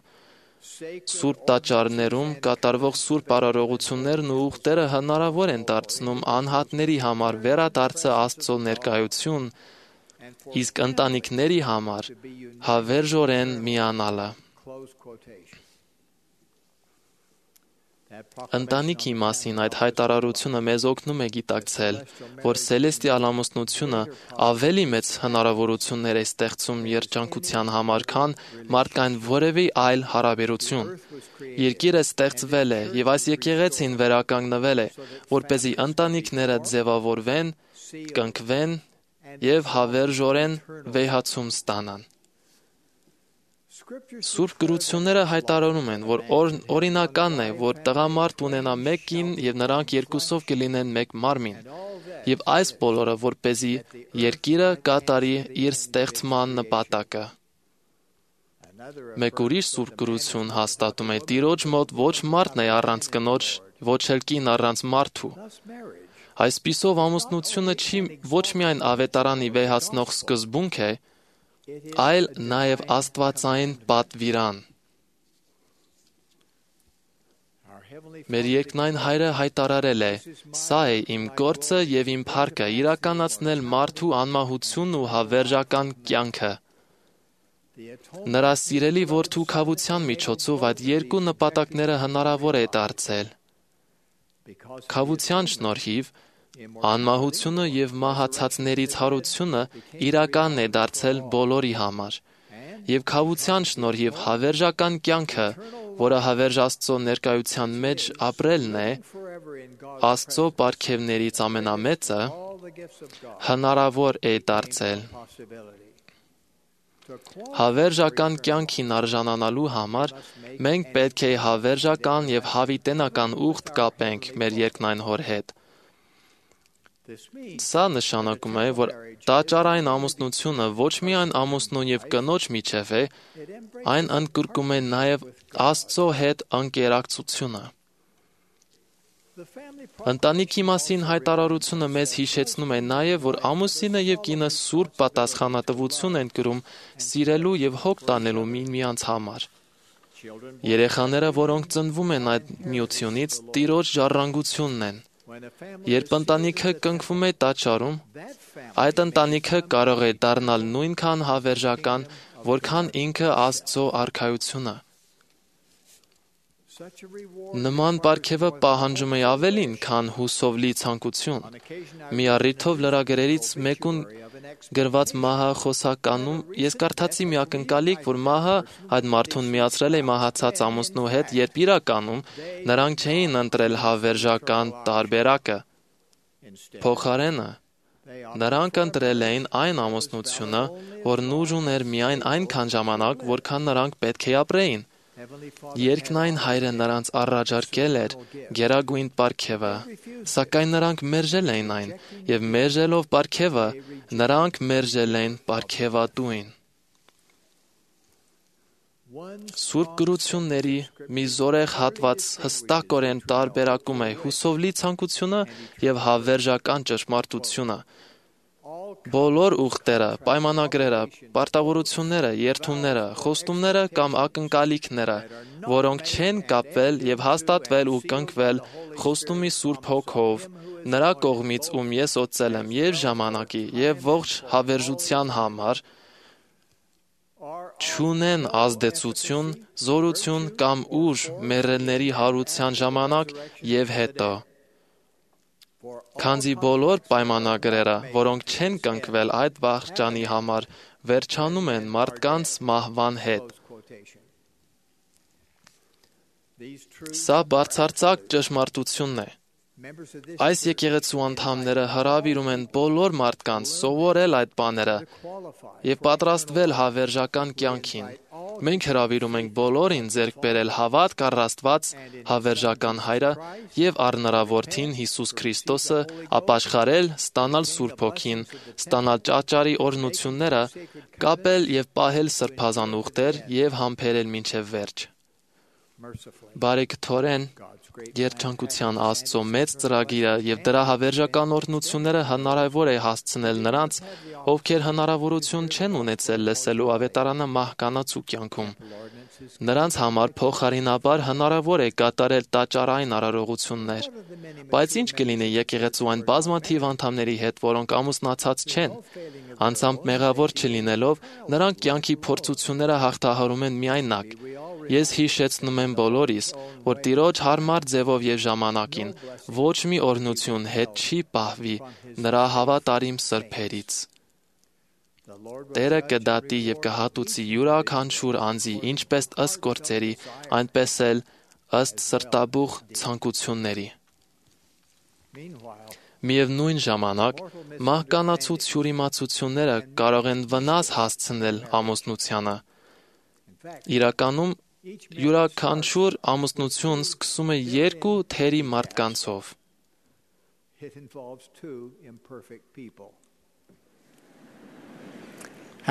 Սուրբ տաճարներում կատարվող սուրբ արարողություններն ու ուխտերը հնարավոր են դարձնում անհատների համար վերադարձը Աստծո ներկայություն, իսկ ընտանիքների համար հավերժորեն միանալը։ Ընտանիքի մասին այդ հայտարարությունը մեզ օգնում է գիտակցել, որ սելեստիալ ամուսնությունը ավելի մեծ հնարավորություններ է ստեղծում երջանկության համար, քան մարդկային որևէ այլ հարաբերություն։ Երկիրը ստեղծվել է եւ այս եկեղեցին վերականգնվել է, որպեսզի ընտանիքները ձևավորվեն, կնքվեն եւ հավերժորեն վեհացում ստանան։ Սուրբ գրությունները հայտարարում են, որ օրինականն է, որ տղամարդ ունենա մեկ կին եւ նրանք երկուսով կլինեն մեկ մարմին, եւ այս բոլորը որպեսզի երկիրը կատարի իր ստեղծման նպատակը։ Մեկ ուրիշ սուրբ գրություն հաստատում է Տիրոջ մոտ ոչ մարդն է առանց կնոջ, ոչ էլ կին առանց մարդու։ Այսպիսով ամուսնությունը չի ոչ միայն ավետարանի վեհացնող սկզբունք է, այլ նաև աստվածային պատվիրան։ Մեր երկնային Հայրը հայտարարել է. «Սա է իմ գործը եւ իմ փառքը՝ իրականացնել մարդու անմահությունն ու հավերժական կյանքը»։ Նրա սիրելի որդու քավության միջոցով այդ երկու նպատակները հնարավոր է դարձել։ Քավության շնորհիվ անմահությունը եւ մահացածներից հարությունը իրական է դարձել բոլորի համար, եւ քավության շնորհիվ հավերժական կյանքը, որը հավերժ Աստծո ներկայության մեջ ապրելն է, Աստծո պարգևներից ամենամեծը, հնարավոր է դարձել։ Հավերժական կյանքին արժանանալու համար մենք պետք է հավերժական եւ հավիտենական ուխտ կապենք մեր երկնային Հոր հետ։ Սա նշանակում է, որ տաճարային ամուսնությունը ոչ միայն ամուսնու եւ կնոջ միջև է, այն ընդգրկում է նաեւ Աստծո հետ անկերակցությունը։ Ընտանիքի մասին հայտարարությունը մեզ հիշեցնում է նաև, որ ամուսինը եւ կինը սուրբ պատասխանատվություն են կրում սիրելու եւ հոգ տանելու միմյանց համար։ Երեխաները, որոնք ծնվում են այդ միությունից, Տիրոջ ժառանգությունն են։ Երբ ընտանիքը կնքվում է տաճարում, այդ ընտանիքը կարող է դառնալ նույնքան հավերժական, որքան ինքը Աստծո արքայությունը։ Նման պարգևը պահանջում է ավելին, քան հուսով լի ցանկություն։ Մի առիթով լրագրերից մեկուն գրված մահը խոսականում ես կարդացի մի ակնկալիք, որ մահը այդ մարդուն միացրել է մահացած ամուսնու հետ, երբ իրականում նրանք չէին ընտրել հավերժական տարբերակը։ Փոխարենը նրանք ընտրել էին այն ամուսնությունը, որն ուժ ուներ միայն այնքան ժամանակ, որքան նրանք պետք է ապրեին։ Երկնային Հայրը նրանց առաջարկել էր գերագույն պարգևը, սակայն նրանք մերժել էին այն, եւ մերժելով պարգևը, նրանք մերժել են պարգևատուին։ Սուրբ գրությունների մի զորեղ հատված հստակորեն տարբերակում է հուսով լի ցանկությունը եւ հավերժական ճշմարտությունը։ Բոլոր ուխտերը, պայմանագրերը, պարտավորությունները, երդումները, խոստումները կամ ակնկալիքները, որոնք չեն կապվել եւ հաստատվել ու կնքվել խոստումի Սուրբ Հոգով, նրա կողմից, ում ես օծել եմ եւ ժամանակի եւ ողջ հավերժության համար, չունեն ազդեցություն, զորություն կամ ուժ մեռելների հարության ժամանակ եւ հետո։ Քանզի բոլոր պայմանագրերը, որոնք չեն կնքվել այդ վախճանի համար, վերջանում են մարդկանց մահվան հետ։ Սա բարձրացակ ճշմարտությունն է։ Այս եկեղեցու անդամները հրավիրում են բոլոր մարդկանց սովորել այդ բաները եւ պատրաստվել հավերժական կյանքին։ Մենք հրավիրում ենք բոլորին ձեռք բերել հավատք առ Աստված, հավերժական Հայրը եւ առ նրա Որդին Հիսուս Քրիստոսը, ապաշխարել, ստանալ Սուրբ Հոգին, ստանալ ճաճարի օրհնությունները, կապել եւ պահել սրբազան ուխտեր եւ համբերել մինչեւ վերջ։ Բարեգթորեն երջանկության Աստծո մեծ ծրագիրը եւ դրա հավերժական օրհնությունները հնարավոր է հասցնել նրանց, ովքեր հնարավորություն չեն ունեցել լսելու ավետարանը մահկանացու կյանքում։ Նրանց համար փոխարինաբար հնարավոր է կատարել տաճարային արարողություններ։ Բայց ինչ կլինի եկեղեցու այն բազմաթիվ անդամների հետ, որոնք ամուսնացած չեն։ Անձամբ մեղավոր չլինելով, նրանք կյանքի փորձությունները հաղթահարում են միայնակ։ Ես հիշեցնում եմ բոլորիս, որ Տիրոջ հարմար ձևով եւ ժամանակին ոչ մի օրհնություն հետ չի պահվի նրա հավատարիմ սրբերից։ Տերը կդատի եւ կհատուցի յուրաքանչյուր անձի ինչպես ըստ գործերի, այնպես էլ ըստ սրտաբուխ ցանկությունների։ Միևնույն ժամանակ, մահկանացու թյուրիմացությունները կարող են վնաս հասցնել ամուսնությանը։ Իրականում յուրաքանչյուր ամուսնություն սկսում է երկու թերի մարդկանցով։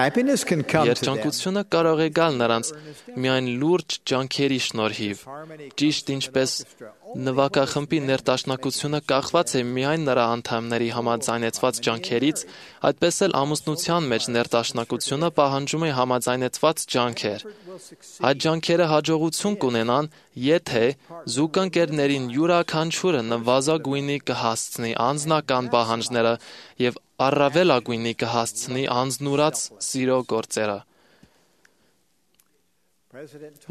Երջանկությունը կարող է գալ նրանց միայն լուրջ ջանքերի շնորհիվ, ճիշտ ինչպես նվագախմբի ներդաշնակությունը կախված է միայն նրա անդամների համաձայնեցված ջանքերից, այդպես էլ ամուսնության մեջ ներդաշնակությունը պահանջում է համաձայնեցված ջանքեր։ Այդ ջանքերը հաջողություն կունենան, եթե զուգընկերներին յուրաքանչյուրը նվազագույնի կհասցնի անձնական պահանջները եւ առավելագույնի կհասցնի անձնուրաց սիրո գործերը։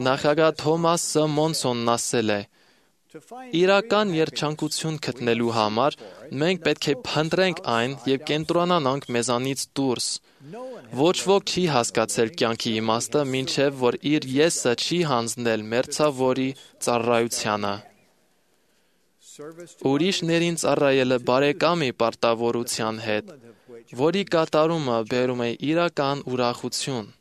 Նախագահ Թոմաս Մոնսոնն ասել է. Իրական երջանկություն գտնելու համար մենք պետք է փնտրենք այն եւ կենտրոնանանք մեզանից դուրս։ Ոչ ոք չի հասկացել կյանքի իմաստը, մինչև որ իր եսը չի հանձնել մերձավորի ծառայությանը։ Ուրիշներին ծառայելը բարեկամի պարտավորության հետ, որի կատարումը բերում է իրական ուրախություն։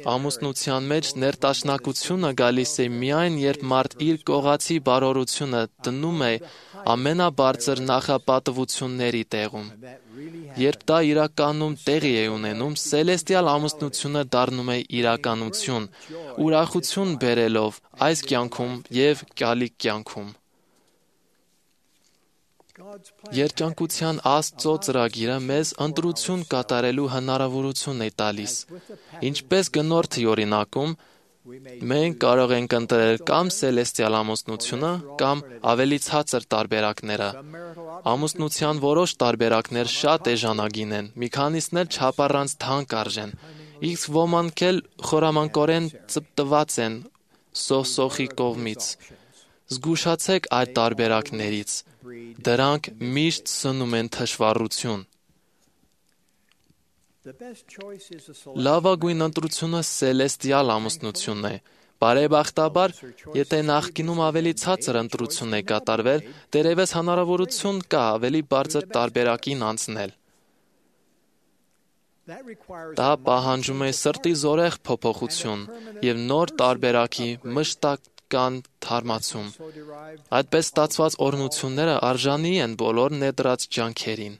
Ամուսնության մեջ ներդաշնակությունը գալիս է միայն, երբ մարդ իր կողացի բարօրությունը դնում է ամենաբարձր նախապատվությունների տեղում։ Երբ դա իրականում տեղի է ունենում, սելեստիալ ամուսնությունը դառնում է իրականություն, ուրախություն բերելով այս կյանքում և գալիք կյանքում։ Երջանկության Աստծո ծրագիրը մեզ ընտրություն կատարելու հնարավորություն է տալիս։ Ինչպես գնորդի օրինակում, մենք կարող ենք ընտրել կամ սելեստիալ ամուսնությունը, կամ ավելի ցածր տարբերակները։ Ամուսնության որոշ տարբերակներ շատ էժանագին են, մի քանիսն էլ չափառանց թանկ արժեն, իսկ ոմանք էլ խորամանկորեն ծպտված են սոխսոխի կողմից։ Զգուշացեք այդ տարբերակներից, դրանք միշտ սնում են թշվառություն։ Լավագույն ընտրությունը սելեստիալ ամուսնությունն է։ Բարեբախտաբար, եթե նախկինում ավելի ցածր ընտրություն է կատարվել, դեռևս հնարավորություն կա ավելի բարձր տարբերակին անցնել։ Դա պահանջում է սրտի զորեղ փոփոխություն և նոր տարբերակի մշտական թարմացում։ Այդպես ստացված օրհնությունները արժանի են բոլոր ներդրած ջանքերին։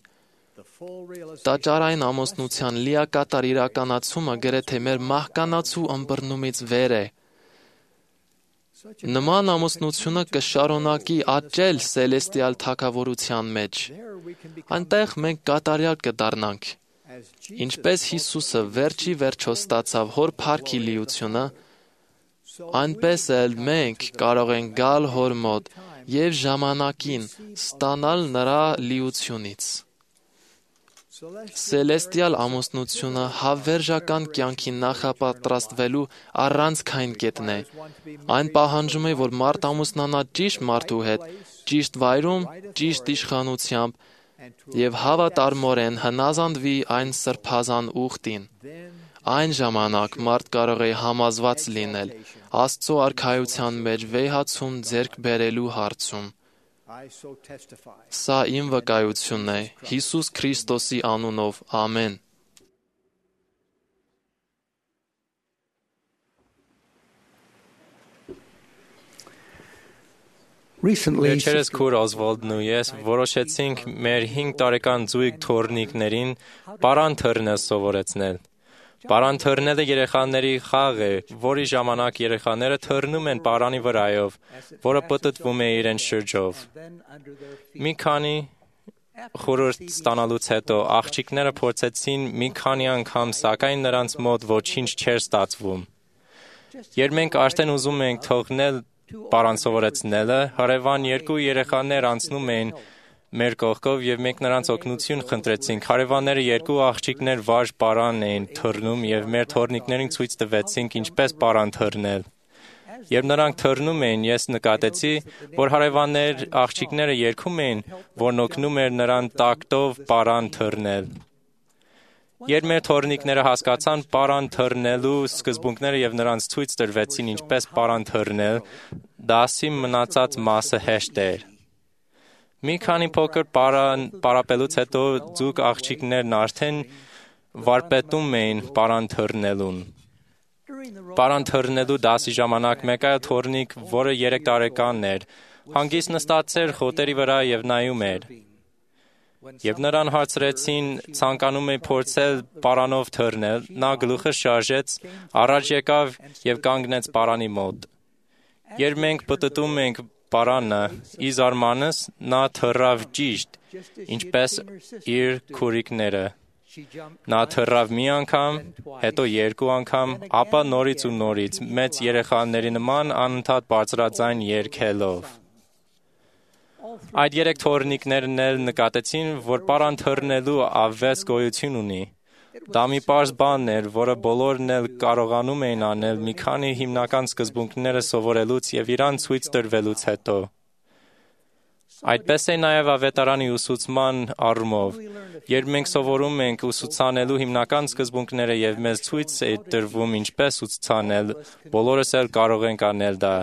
Տաճարային ամուսնության լիակատար իրականացումը գրեթե մեր մահկանացու ըմբռնումից վեր է։ Նման ամուսնությունը կշարունակի աճել սելեստիալ թագավորության մեջ։ Այնտեղ մենք կատարյալ կդառնանք։ Ինչպես Հիսուսը վերջի վերջո ստացավ Հոր փառքի լիությունը, այնպես էլ մենք կարող ենք գալ Հոր մոտ և ժամանակին ստանալ նրա լիությունից։ Սելեստիալ ամուսնությունը հավերժական կյանքի նախապատրաստվելու առանցքային կետն է։ Այն պահանջում է, որ մարդ ամուսնանա ճիշտ մարդու հետ, ճիշտ վայրում, ճիշտ իշխանությամբ և հավատարմորեն հնազանդվի այն սրբազան ուխտին։ Այն ժամանակ մարդ կարող է համոզված լինել Աստծո արքայության մեջ վեհացում ձեռք բերելու հարցում։ Սա իմ վկայությունն է, Հիսուս Քրիստոսի անունով, ամեն։ Վերջերս քուր Օզվոլդն ու ես որոշեցինք մեր հինգ տարեկան ձույգ թոռնիկներին պարան թռնել սովորեցնել։ Պարան թռնելը երեխաների խաղ է, որի ժամանակ երեխաները թռնում են պարանի վրայով, որը պտտվում է իրենց շրջով։ Մի քանի խորհուրդ ստանալուց հետո աղջիկները փորձեցին մի քանի անգամ, սակայն նրանց մոտ ոչինչ չէր ստացվում։ Երբ մենք արդեն ուզում էինք թողնել պարան սովորեցնելը, հարևան երկու երեխաներ անցնում էին մեր կողքով և մենք նրանց օգնություն խնդրեցինք։ Հարևանները երկու աղջիկներ վարժ պարան էին թռնում և մեր թոռնիկներին ցույց տվեցինք ինչպես պարան թռնել։ Երբ նրանք թռնում էին, ես նկատեցի, որ հարևաններ աղջիկները երգում էին, որն օգնում էր նրան տակտով պարան թռնել։ Երբ մեր թոռնիկները հասկացան պարան թռնելու սկզբունքները և նրանց ցույց տրվեցին ինչպես պարան թռնել, դասի մնացած մասը հեշտ էր։ Մի քանի փոքր պարան պարապելուց հետո ձուկ աղջիկներն արդեն վարպետում էին պարան թռնելուն։ Պարան թռնելու դասի ժամանակ մեկ այլ թոռնիկ, որը երեք տարեկան էր, հանգիստ նստած էր խոտերի վրա և նայում էր։ Երբ նրան հարցրեցին ցանկանում է փորձել պարանով թռնել, նա գլուխը շարժեց, առաջ եկավ և կանգնեց պարանի մոտ։ Երբ մենք պտտում ենք պարանը, ի զարմանս նա թռավ ճիշտ, ինչպես իր քուրիկները։ Նա թռավ մի անգամ, հետո երկու անգամ, ապա նորից ու նորից, մեծ երեխաների նման անընդհատ բարձրաձայն երգելով։ Այդ երեք թոռնիկներն էլ նկատեցին, որ պարան թռնելու ավես գոյություն ունի։ Դա մի պարզ բան էր, որը բոլորն էլ կարողանում էին անել մի քանի հիմնական սկզբունքները սովորելուց և իրան ցույց տրվելուց հետո։ Այդպես է նաև ավետարանի ուսուցման առումով։ Երբ մենք սովորում ենք ուսուցանելու հիմնական սկզբունքները և մեզ ցույց է տրվում ինչպես ուսուցանել, բոլորս էլ կարող ենք անել դա։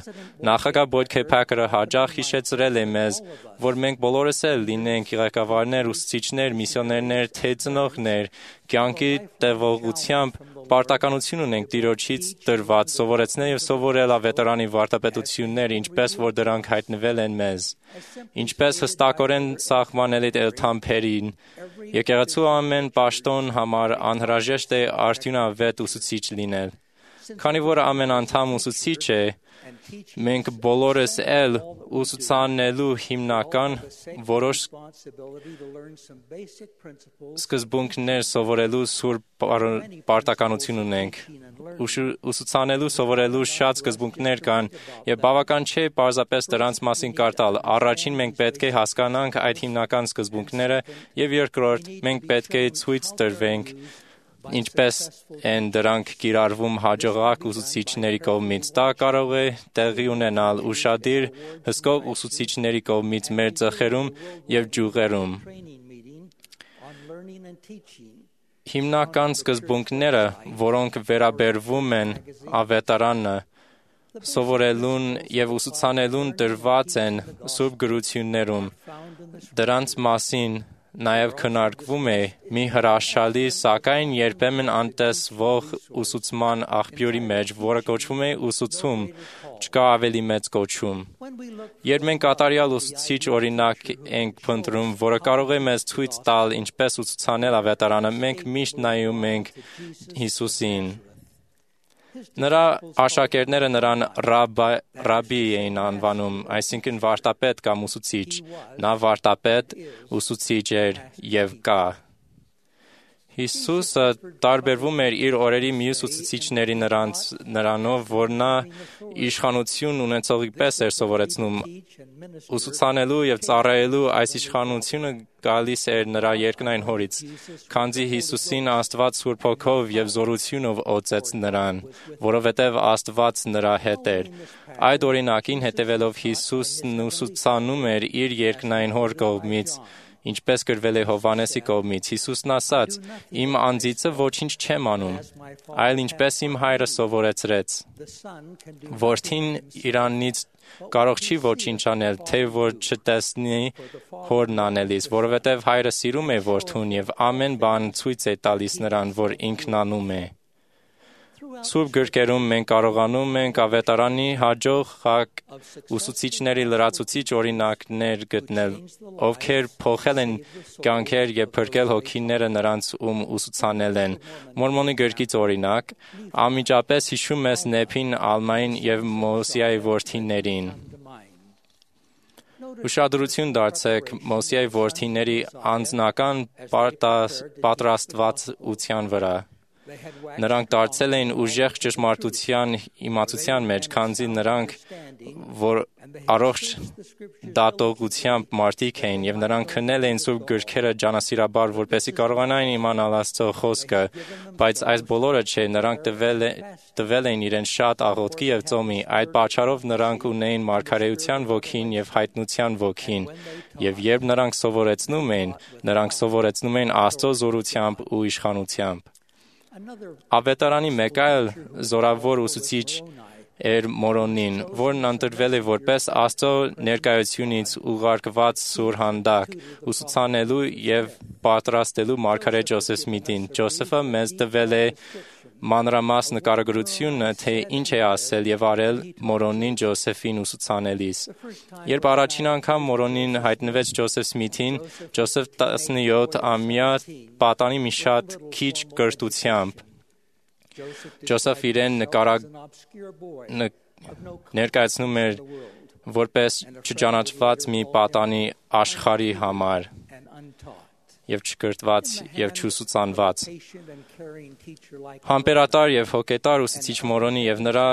Նախագահ Բոյդ Քեյ Փաքերը հաճախ հիշեցրել է մեզ, որ մենք բոլորս էլ լինենք ղեկավարներ, ուսուցիչներ, միսիոներներ, թե ծնողներ, կյանքի տևողությամբ պարտականություն ունենք Տիրոջից տրված սովորեցնել և սովորել ավետարանի վարդապետությունները, ինչպես որ դրանք հայտնվել են մեզ։ Ինչպես հստակորեն սահմանել է Թամփերին, եկեղեցու ամեն պաշտոն համար անհրաժեշտ է արդյունավետ ուսուցիչ լինել։ Քանի որ ամեն անդամ ուսուցիչ է, մենք բոլորս էլ ուսուցանելու հիմնական որոշ սկզբունքներ սովորելու սուրբ պարտականություն ունենք։ Ուսուցանելու սովորելու շատ սկզբունքներ կան, և բավական չէ պարզապես դրանց մասին կարդալ։ Առաջին մենք պետք է հասկանանք այդ հիմնական սկզբունքները, և երկրորդ մենք պետք է ցույց տրվենք ինչպես են դրանք կիրառվում հաջողակ ուսուցիչների կողմից։ Դա կարող է տեղի ունենալ ուշադիր, հսկող ուսուցիչների կողմից մեր ծխերում և ջուղերում։ Հիմնական սկզբունքները, որոնք վերաբերվում են ավետարանը, սովորելուն և ուսուցանելուն տրված են Սուրբ գրություններում։ Դրանց մասին նաև քննարկվում է մի հրաշալի, սակայն երբեմն անտեսվող ուսուցման աղբյուրի մեջ, որը կոչվում է ուսուցում, չկա ավելի մեծ կոչում։ Երբ մենք կատարյալ ուսուցիչ օրինակ ենք փնտրում, որը կարող է մեզ ցույց տալ ինչպես ուսուցանել ավետարանը, մենք միշտ նայում ենք Հիսուսին։ Նրա աշակերտները նրան ռաբբի էին անվանում, այսինքն վարդապետ կամ ուսուցիչ։ Նա վարդապետ, ուսուցիչ էր և կա։ Հիսուսը տարբերվում էր իր օրերի մյուս ուսուցիչների նրանով, որ նա իշխանություն ունեցողի պես էր սովորեցնում։ Ուսուցանելու և ծառայելու այս իշխանությունը գալիս էր նրա երկնային Հորից, քանզի Հիսուսին Աստված Սուրբ Հոգով և զորությունով օծեց նրան, որովհետև Աստված նրա հետ էր։ Այդ օրինակին հետևելով Հիսուսն ուսուցանում էր իր երկնային Հոր կողմից, ինչպես գրվել է Հովհաննեսի կողմից։ Հիսուսն ասաց. «Իմ անձիցը ոչինչ չեմ անում, այլ ինչպես իմ Հայրը սովորեցրեց»։ Որդին իրանից կարող չի ոչինչ անել, թե որ չտեսնի Հորն անելիս, որովհետև Հայրը սիրում է Որդուն և ամեն բան ցույց է տալիս նրան, որ ինքն անում է։ Սուրբ գրքերում մենք կարողանում ենք ավետարանի հաջող ուսուցիչների լրացուցիչ օրինակներ գտնել, ովքեր փոխել են կյանքեր և փրկել հոգիները նրանց, ում ուսուցանել են։ Մորմոնի գրքից օրինակ, անմիջապես հիշում ես Նեփին, Ալմային և Մոսիայի որդիներին։ Ուշադրություն դարձրեք Մոսիայի որդիների անձնական պատրաստվածության վրա։ Նրանք դարձել էին ուժեղ ճշմարտության իմացության մեջ, քանզի նրանք, որ առողջ դատողությամբ մարդիկ էին, և նրանք քննել էին Սուրբ գրքերը ջանասիրաբար, որպեսզի կարողանային իմանալ Աստծո խոսքը, բայց այս բոլորը չէ, նրանք տվել, տվել էին իրենց շատ աղոթքի և ծոմի, այդ պատճառով նրանք ունեին մարգարեության ոգին և հայտնության ոգին, և երբ նրանք սովորեցնում էին, նրանք սովորեցնում էին Աստծո զորությամբ ու իշխանությամբ։ Ավետարանի մեկ այլ զորավոր ուսուցիչ էր Մորոնին, որն ընտրվել է որպես Աստծո ներկայությունից ուղարկված սուրհանդակ, ուսուցանելու և պատրաստելու մարգարե Ջոսեֆ Սմիթին։ Ջոսեֆը մեզ տվել է մանրամաս նկարագրությունը, թե ինչ է ասել և արել Մորոնին Ջոսեֆին ուսուցանելիս։ Երբ առաջին անգամ Մորոնին հայտնվեց Ջոսեֆ Սմիթին, Ջոսեֆ տասնյոթամյա պատանի մի շատ քիչ կրթությամբ, Ջոսեֆ իրեն նկարա... ն... ներկայացնում էր որպես չճանաչված մի պատանի աշխարհի համար և չկրթված և չուսուցանված։ Համբերատար և հոգետար ուսուցիչ Մորոնի և նրա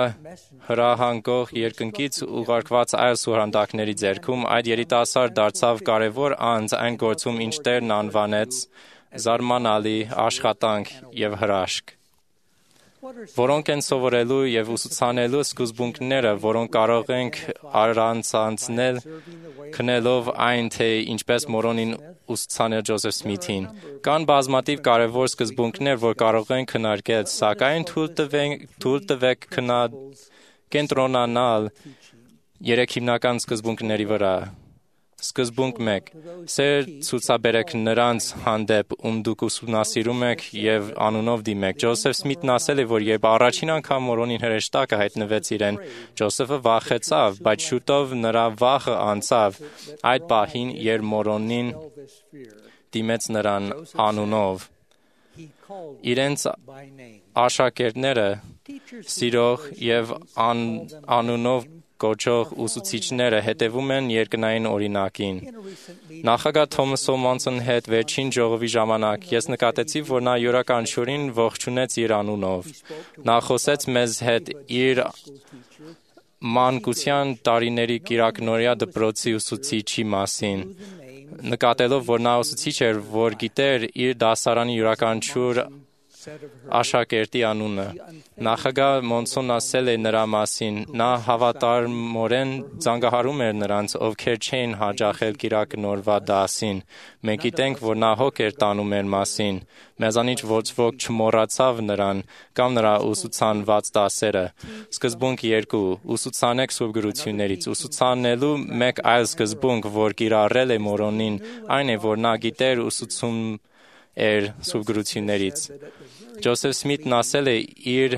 հրահանգող երկնքից ուղարկված այլ սուրհանդակների ձեռքում այդ երիտասարդ դարձավ կարևոր անձ այն գործում, ինչ Տերն անվանեց զարմանալի աշխատանք եւ հրաշք։ Որոնք են սովորելու եւ ուսուցանելու սկզբունքները, որոնք կարող ենք առանցանցնել քնելով այն, թե ինչպես մորոնին ուսուցանել Ջոզեֆ Սմիթին։ Կան բազմաթիվ կարևոր սկզբունքներ, որ կարող են քննարկել, սակայն թույլ տվեք կենտրոնանալ երեք հիմնական սկզբունքների վրա։ Սկզբունք մեկ. Սեր ցուցաբերեք նրանց հանդեպ, ում դուք ուսումնասիրում եք եւ անունով դիմեք։ Ջոզեֆ Սմիթն ասել է, որ երբ առաջին անգամ մորոնին հրեշտակը հայտնվեց իրեն, Ջոզեֆը վախեցավ, բայց շուտով նրա վախը անցավ այդ պահին, երբ մորոնին դիմեց նրան անունով։ Իրենց աշակերտները սիրող եւ ան, անունով կոչող ուսուցիչները հետևում են երկնային օրինակին։ Նախագահ Թոմաս Սոմոնսոն հետ վերջին ժողովի ժամանակ ես նկատեցի, որ նա յուրաքանչյուրին ողջունեց իր անունով։ Նա խոսեց մեզ հետ իր մանկության տարիների Կիրակնորիա դպրոցի ուսուցիչի մասին, նկատելով, որ նա ուսուցիչ էր, որ գիտեր իր դասարանի յուրաքանչյուր աշակերտի անունը։ Նախագահ Մոնսոն ասել է նրա մասին, նա հավատարմորեն զանգահարում էր նրանց, ովքեր չէին հաճախել կիրակնորվա դասին։ Մենք գիտենք, որ նա հոգ էր տանում մեր մասին։ Մեզանից ոչ ոք չմոռացավ նրան կամ նրա ուսուցանված դասերը։ Սկզբունք երկու. ուսուցանեք սուրբ գրություններից։ Ուսուցանելու մեկ այլ սկզբունք, որ կիրառել է մորոնին, այն է, որ նա գիտեր ուսուցում էր սուրբ գրություններից։ Ջոզեֆ Սմիթն ասել է, իր,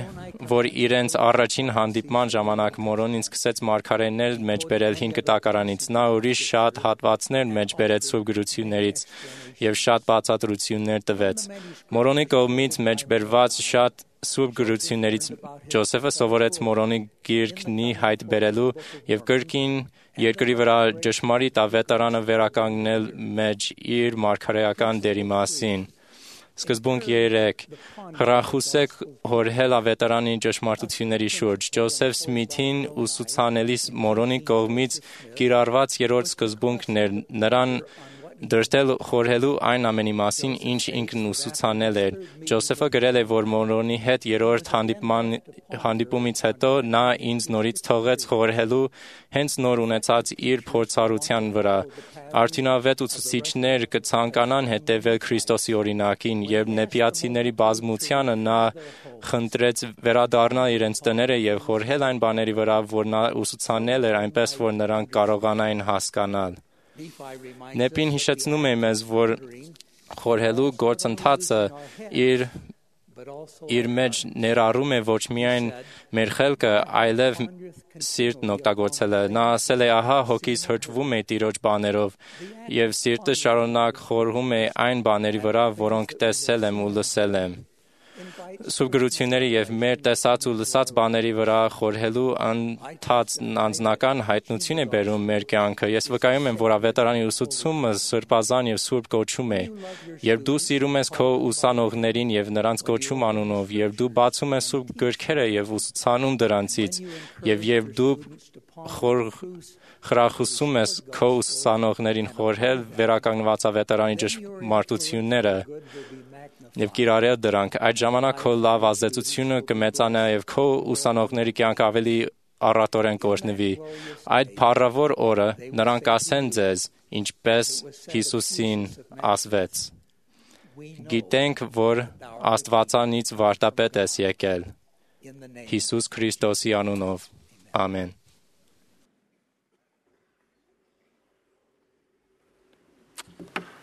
որ իրենց առաջին հանդիպման ժամանակ մորոնին սկսեց մարգարեներ մեջբերել հին կտակարանից։ Նա ուրիշ շատ հատվածներ մեջբերեց սուրբ գրություններից եւ շատ բացատրություններ տվեց։ Մորոնի կողմից մեջբերված շատ սուրբ գրություններից Ջոզեֆը սովորեց մորոնի գիրքնի հայտ բերելու եւ կրկին երկրի վրա ճշմարիտ ավետարանը վերականգնել մեջ իր մարգարեական դերի մասին։ Սկզբունք երեք. Խրախուսեք հորհել ավետարանի ճշմարտությունների շուրջ։ Ջոզեֆ Սմիթին ուսուցանելիս մորոնի կողմից կիրառված երրորդ սկզբունքն էր նրան դրդել խորհելու այն ամենի մասին, ինչ ինքն ուսուցանել էր։ Ջոզեֆը գրել է, որ մորոնի հետ երրորդ հանդիպումից հետո նա ինձ նորից թողեց խորհելու հենց նոր ունեցած իր փորձառության վրա։ Արդյունավետ ուսուցիչներ կցանկանան հետևել Քրիստոսի օրինակին, երբ նեպիացիների բազմությանը նա խնդրեց վերադառնալ իրենց տները եւ խորհել այն բաների վրա, որ նա ուսուցանել էր, այնպես որ նրանք կարողանային հասկանալ։ Նեպին հիշեցնում է մեզ, որ խորհելու գործընթացը իր իր մեջ ներառում է ոչ միայն մեր խելքը, այլև սիրտն օգտագործելը։ Նա ասել է, ահա հոգիս հրճվում է Տիրոջ բաներով, եւ սիրտը շարունակ խորհում է այն բաների վրա, որոնք տեսել եմ ու լսել եմ։ Սուրբ գրությունների եւ մեր տեսած ու լսած բաների վրա խորհելու ընթաց անձնական հայտնություն է բերում մեր կյանքը։ Ես վկայում եմ, որ ավետարանի ուսուցումը սրբազան եւ սուրբ կոչում է։ Երբ դու սիրում ես քո ուսանողներին եւ նրանց կոչում անունով, երբ դու բացում ես սուրբ գրքերը եւ ուսուցանում դրանցից, եւ երբ դու խոր խրախուսում ես քո ուսանողներին խորհել վերականգնված ավետարանի ճշմարտությունները եւ կիրառել դրանք, այդ ժամանակ քո լավ ազդեցությունը կմեծանա եւ քո ուսանողների կյանքը ավելի առատորեն կօրհնվի։ Այդ փառավոր օրը նրանք ասեն ձեզ, ինչպես Հիսուսին ասվեց. Գիտենք, որ Աստվածանից վարդապետ ես եկել։ Հիսուս Քրիստոսի անունով։ Ամեն։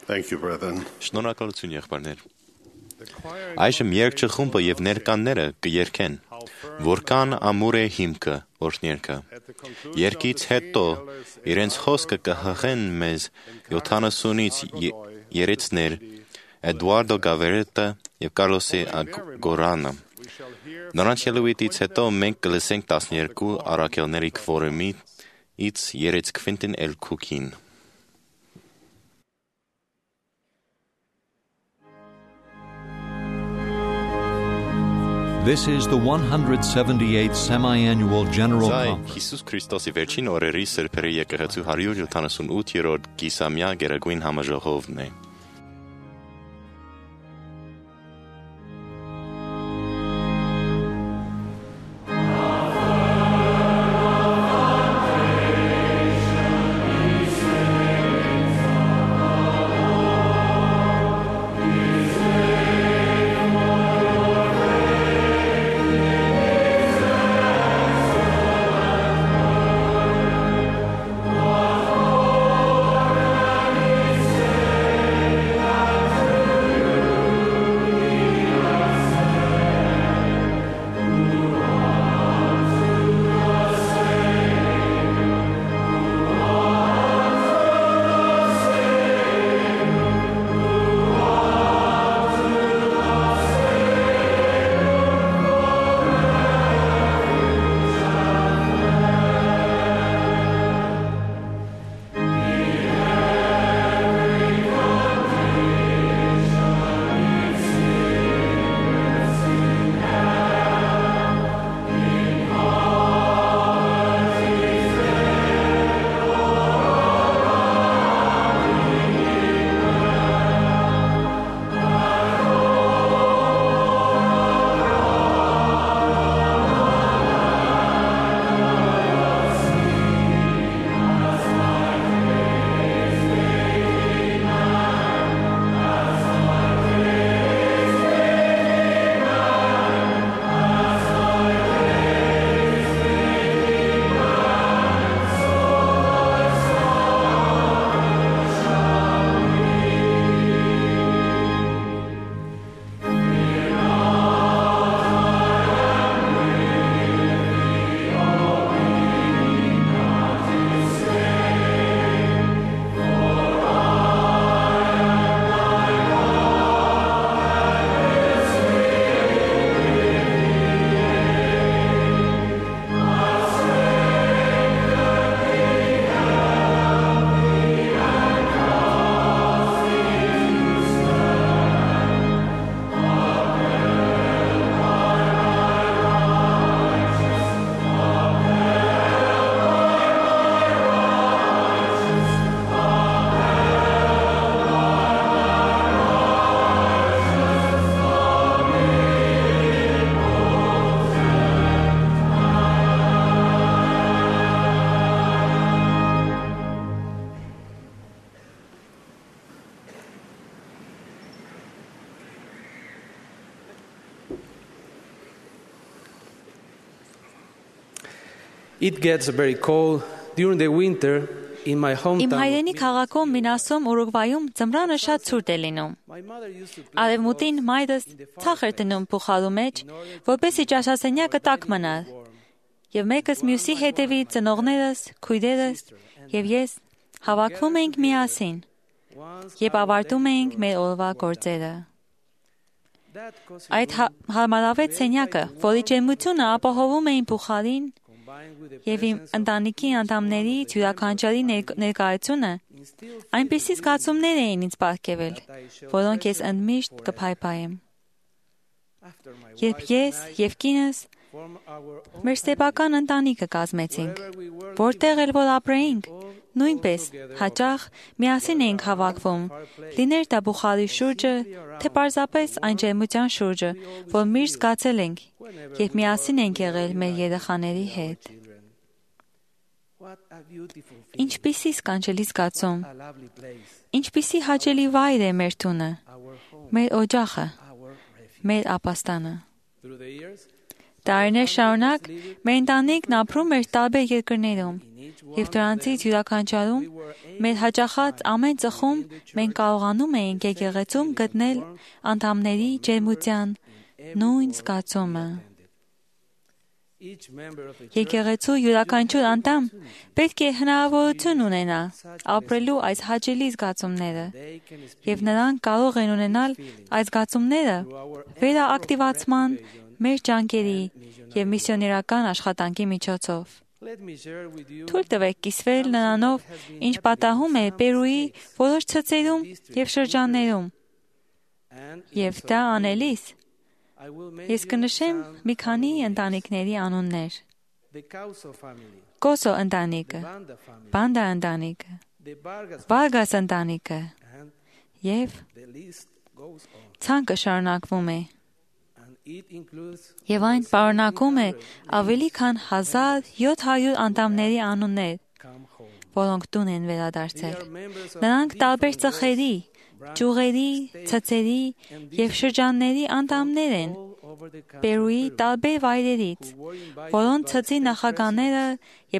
Thank you, brethren. Շնորհակալություն, եղբայրներ։ Այժմ երգչի խումբը եւ ներկանները կերկեն, որքան ամուր է հիմքը օրհներքը։ Երգից հետո իրենց խոսքը կհղեն մեզ յոթանասունից երեցներ Էդուարդո Գավերետը եւ Կարլոսի Ագորանը։ Նրանց ելույթից հետո մենք կլսենք տասներկու առաքելների քվորումից երեց Քվինտին Էլ Քուքին։ This is the one hundred seventy-eighth Semi-Annual General Conference. Հիսուս Քրիստոսի վերջին օրերի սրբերի եկեղեցու հարյուր յոթանասունութերորդ գիսամյա գերագույն համաժողովն է։ It gets very cold during the winter in my Իմ hometown. հայրենի քաղաքում Մինասում Ուրուգվայում ձմռանը շատ ցուրտ է լինում։ Արևմուտին մայրս ցախ էր դնում փոխալու մեջ, որպեսզի ճաշասենյակը տաք մնա։ Եվ մեկս մյուսի հետևից ծնողներս, քույրերս եւ ես հավաքվում էինք միասին եւ ավարտում էինք մեր օրվա գործերը։ Այդ հարմարավետ սենյակը, որի ջերմությունը ապահովում էին փոխարին եւ իմ ընտանիքի անդամների յուրաքանչյուրի ներկայությունը, այնպիսի զգացումներ էին ինձ պարգևել, որոնք ես ընդմիշտ կփայփայեմ։ Երբ ես եւ կինս մեր սեփական ընտանիքը կազմեցինք, որտեղ էլ որ ապրեինք, նույնպես հաճախ միասին էինք հավաքվում, լիներ դա բուխարի շուրջը, թե պարզապես այն ջերմության շուրջը, որ միշտ զգացել ենք, երբ միասին ենք եղել մեր երեխաների հետ։ Ինչպիսի սքանչելի զգացում, ինչպիսի հաճելի վայր է մեր տունը, մեր օջախը, մեր ապաստանը։ Տարիներ շարունակ մեր ընտանիքն ապրում էր տարբեր երկրներում, եւ դրանցից յուրաքանչյուրում մեր հաճախած ամեն ծխում մենք կարողանում էինք եկեղեցում գտնել անդամների ջերմության նույն զգացումը։ Եկեղեցու յուրաքանչյուր անդամ պետք է հնարավորություն ունենա ապրելու այս հաճելի զգացումները, եւ նրանք կարող են ունենալ այս զգացումները վերաակտիվացման մեր ջանքերի եւ միսիոներական աշխատանքի միջոցով։ Թույլ տվեք կիսվել նրանով, ինչ պատահում է Պերուի որոշ ցցերում եւ շրջաններում։ Եվ դա անելիս ես կնշեմ մի քանի ընտանիքների անուններ. Կոսո ընտանիքը, Բանդա ընտանիքը, Վարգաս ընտանիքը եւ ցանկը շարունակվում է։ Եվ այն պարունակում է ավելի քան հազար յոթ հարյուր անդամների անուններ, որոնք տուն են վերադարձել։ Նրանք տարբեր ծխերի, ճյուղերի, ցցերի եւ շրջանների անդամներ են Պերուի տարբեր վայրերից, որոնց ցցի նախագահները,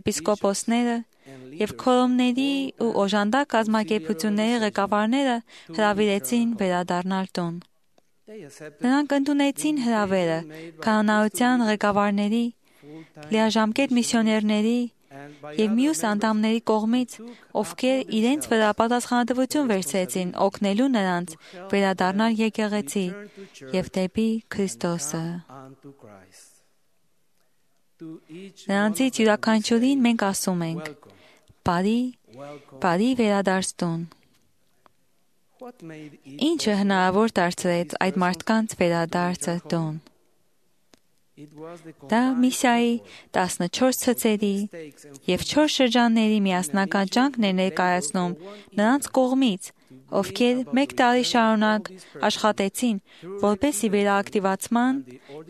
եպիսկոպոսները եւ քորոմների ու օժանդակ կազմակերպությունների ղեկավարները հրավիրեցին վերադառնալ տուն։ Նրանք ընդունեցին հրավերը կանոնայության ղեկավարների, լիաժամկետ միսիոներների եւ մյուս անդամների կողմից, ովքեր իրենց վրա պատասխանատվություն վերցրեցին օգնելու նրանց վերադառնալ եկեղեցի եւ դեպի Քրիստոսը։ Նրանցից յուրաքանչյուրին մենք ասում ենք. «Բարի, բարի վերադարձ տուն»։ Ինչը հնարավոր դարձրեց այդ մարդկանց վերադարձը տուն։ Դա միսիայի տասնչորս ցցերի եւ չորս շրջանների միասնական ջանքն է ներկայացնում նրանց կողմից, ովքեր մեկ տարի շարունակ աշխատեցին, որպեսզի վերաակտիվացման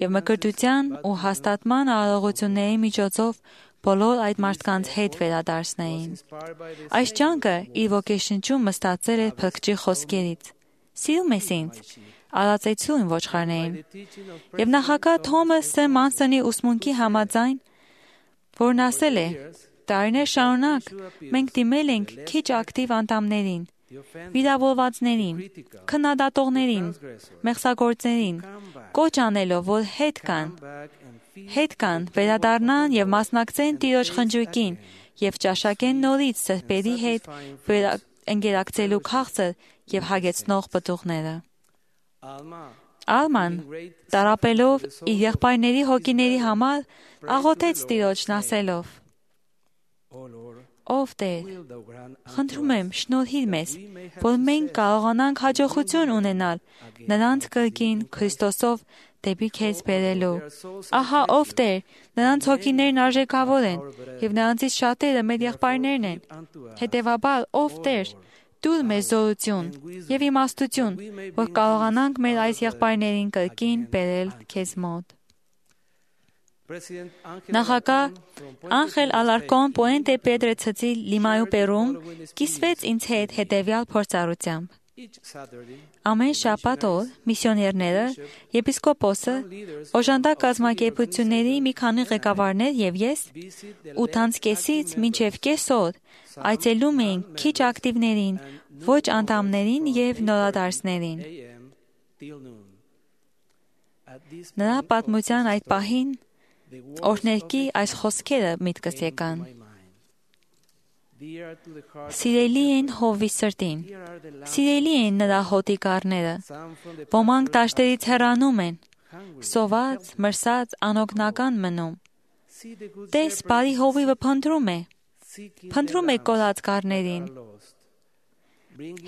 եւ մկրտության ու հաստատման արարողությունների միջոցով բոլոր այդ մարդկանց հետ վերադարձնեին։ Այս ջանքը իր ոգեշնչումը ստացել է Փրկչի խոսքերից. «Սիրում ես ինձ, արածեցու իմ ոչխարներին»։ Եվ նախագահ Թոմաս Ս. Մանսոնի ուսմունքի համաձայն, որն ասել է. «Տարիներ շարունակ մենք դիմել ենք քիչ ակտիվ անդամներին, վիրավորվածներին, քննադատողներին, մեղսագործներին, կոչ անելով, որ հետ կան, հետ կան, վերադառնան եւ մասնակցեն Տիրոջ խնջույքին եւ ճաշակեն նորից սրբերի հետ ընկերակցելու քաղցր եւ հագեցնող պտուղները»։ Ալման, տարապելով իր եղբայրների հոգիների համար, աղոթեց Տիրոջն ասելով. «Ով Տեր, խնդրում եմ, շնորհիր մեզ, որ մենք կարողանանք հաջողություն ունենալ նրանց կրկին Քրիստոսով դեպի քեզ բերելու։ Ահա ով Տեր, նրանց հոգիներն արժեքավոր են, եւ նրանցից շատերը մեր եղբայրներն են։ Հետևաբար, ով Տեր, տուր մեզ զորություն եւ իմաստություն, որ կարողանանք մեր այս եղբայրներին կրկին բերել քեզ մոտ»։ Նախագահ Անխել Ալարկոն Պուենտե Պետրե ցցի Լիմայու Պերում կիսվեց ինձ հետ հետևյալ փորձառությամբ. Ամեն շաբաթ օր միսիոներները, եպիսկոպոսը, օժանդակ կազմակերպությունների մի քանի ղեկավարներ եւ ես ութանց կեսից մինչեւ կես օր այցելում էինք քիչ ակտիվներին, ոչ անդամներին եւ նորադարձներին։ Նրա պատմության այդ պահին օրհներկի այս խոսքերը միտքս եկան. Սիրելի են Հովի սրտին, սիրելի են նրա հոտիկարները, ոմանք դաշտերից հեռանում են, սոված, մրսած, անօգնական մնում։ Տես բարի հովիվը փնտրում է, փնտրում է կորած կարներին,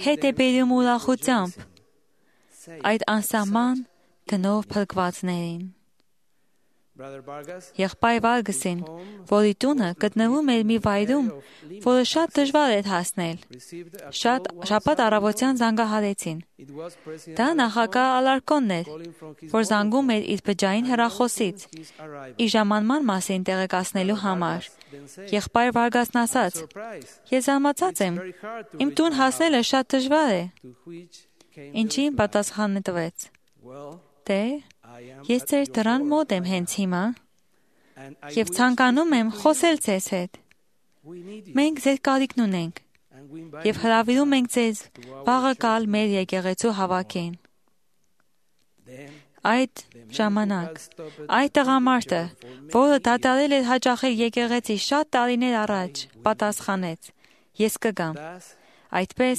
հետ է բերում ուրախությամբ այդ անսահման գնով փրկվածներին։ Եղբայր Վարգսին, որի տունը գտնվում էր մի վայրում, որը շատ դժվար էր հասնել, շատ շաբաթ առավոտյան զանգահարեցին։ Դա նախագահ Ալարկոնն էր, որ զանգում էր իր բջջային հեռախոսից, իր ժամանման մասին տեղեկացնելու համար։ Եղբայր Վարգասն ասաց. «Ես զարմացած եմ, իմ տուն հասնելը շատ դժվար է»։ Ինչին պատասխանը տվեց. «Դե, ես ձեր դռան մոտ եմ հենց հիմա և ցանկանում եմ խոսել ձեզ հետ։ Մենք ձեր կարիքն ունենք և հրավիրում ենք ձեզ վաղը գալ մեր եկեղեցու հավաքին»։ Այդ ժամանակ այդ տղամարդը, որը դադարել էր հաճախել եկեղեցի շատ տարիներ առաջ, պատասխանեց. «Ես կգամ»։ Այդպես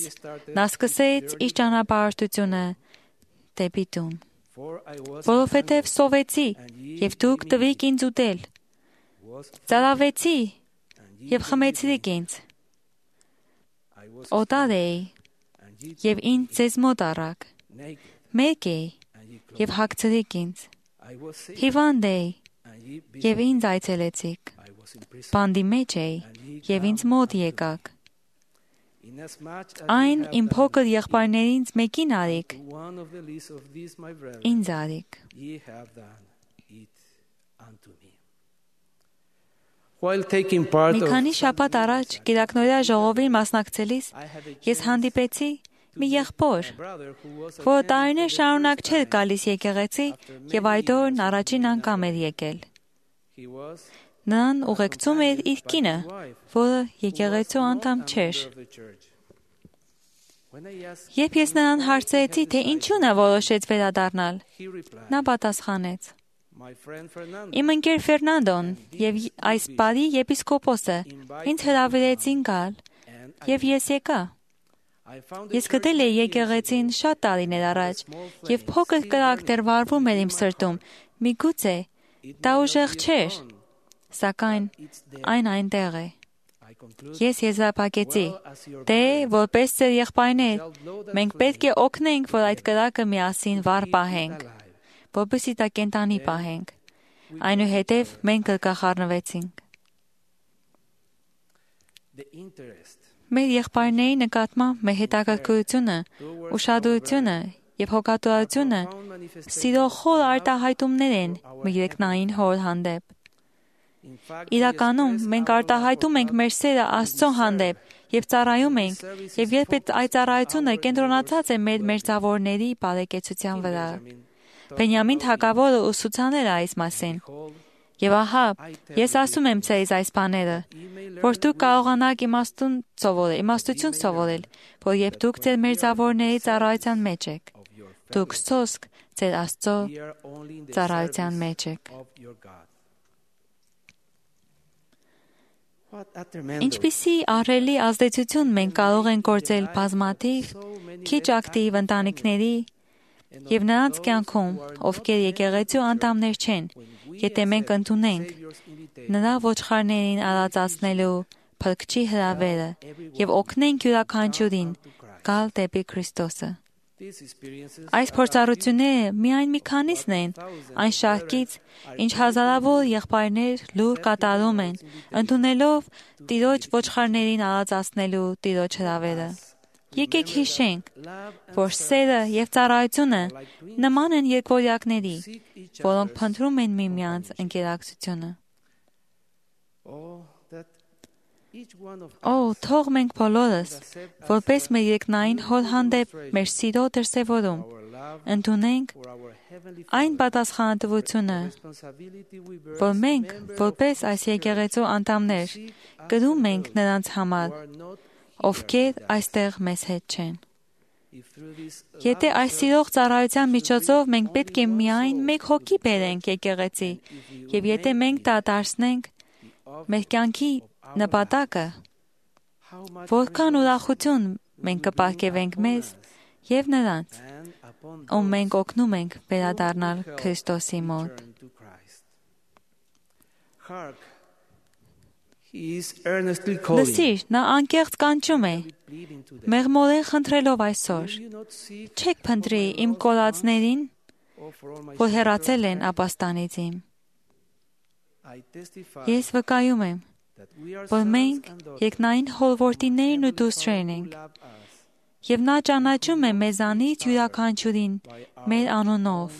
նա սկսեց իր ճանապարհորդությունը դեպի տուն։ Որովհետև սովեցի և դուք տվիք ինձ ուտել, ծարավեցի և խմեցրիք ինձ, օտար էի և ինձ ձեզ մոտ առաք, մեկ էի և հագցրիք ինձ, հիվանդ էի և ինձ այցելեցիք, բանդի մեջ էի և ինձ մոտ եկաք, այն իմ փոքր եղբայրներից մեկին արիք, ինձ արիք։ Մի քանի շաբաթ առաջ գիտակնորյա ժողովին մասնակցելիս ես հանդիպեցի մի եղբոր, որը տարիներ շարունակ չէր գալիս եկեղեցի և այդ օրն առաջին անգամ էր եկել։ Նրան ուղեկցում էր իր կինը, որը եկեղեցու անդամ չէր։ Երբ ես նրան հարցրեցի, թե ինչու նա որոշեց վերադառնալ, նա պատասխանեց. «Իմ ընկեր Ֆերնանդոն և այս բարի եպիսկոպոսը ինձ հրավիրեցին գալ, և ես եկա։ Ես գտել էի եկեղեցին շատ տարիներ առաջ, և փոքր կրակ դեռ վառվում էր իմ սրտում, միգուցե դա ուժեղ չէր, սակայն այն այնտեղ է։ Ես եզրափակեցի. դե, որպես ձեր եղբայրներ, մենք պետք է օգնենք, որ այդ կրակը միասին վառ պահենք, որպեսզի դա կենդանի պահենք։ Այնուհետև մենք գրկախառնվեցինք։ Մեր եղբայրների նկատմամբ մեր հետաքրքրությունը, ուշադրությունը և հոգատուրությունը սիրո խոր արտահայտումներ են մեր երկնային Հոր հանդեպ։ Իրականում մենք արտահայտում ենք մեր սերը Աստծո հանդեպ և ծառայում ենք, և երբ այդ ծառայությունը կենտրոնացած է մեր մերձավորների բարեկեցության վրա։ Բենյամին թագավորը ուսուցանել է այս մասին։ Եվ ահա, ես ասում եմ ձեզ այս բաները, որ դուք կարողանաք իմաստություն սովորել, որ երբ դուք ձեր մերձավորների ծառայության մեջ եք, դուք սոսկ ձեր Աստծո ծառայության մեջ եք։ Ինչպիսի ահռելի ազդեցություն մենք կարող ենք գործել բազմաթիվ, քիչ ակտիվ ընտանիքների և նրանց կյանքում, ովքեր եկեղեցու անդամներ չեն, եթե մենք ընդունենք նրա ոչխարներին արածացնելու Փրկչի հրավերը և օգնենք յուրաքանչյուրին գալ դեպի Քրիստոսը։ Այս փորձառությունները միայն մի քանիսն են այն շարքից, ինչ հազարավոր եղբայրներ լուր կատարում են, ընդունելով Տիրոջ ոչխարներին արածացնելու Տիրոջ հրավերը։ Եկեք հիշենք, որ սերը և ծառայությունը նման են երկվորյակների, որոնք փնտրում են միմյանց ընկերակցությունը։ Օ, թող մենք բոլորս, որպես մեր երկնային հոր հանդեպ մեր սիրո դրսևորում, ընդունենք այն պատասխանատվությունը, որ մենք, որպես այս եկեղեցու անդամներ, կրում ենք նրանց համար, ովքեր այստեղ մեզ հետ չեն։ Եթե այս սիրող ծառայության միջոցով մենք պետք է միայն մեկ հոգի բերենք եկեղեցի, եւ եթե մենք դա դարձնենք մեր կյանքի նպատակը, որքան ուրախություն մենք կպարգևենք մեզ եւ նրանց, ում մենք օգնում ենք վերադառնալ Քրիստոսի մոտ։ Լսիր, նա անկեղծ կանչում է, մեղմորեն խնդրելով այսօր, չեք փնտրի իմ կորածներին, որ հեռացել են ապաստանից իմ։ Ես վկայում եմ, որ մենք երկնային հորորդիներն ու դուստրերն ենք, եւ նա ճանաչում է մեզանից յուրաքանչյուրին մեր անունով։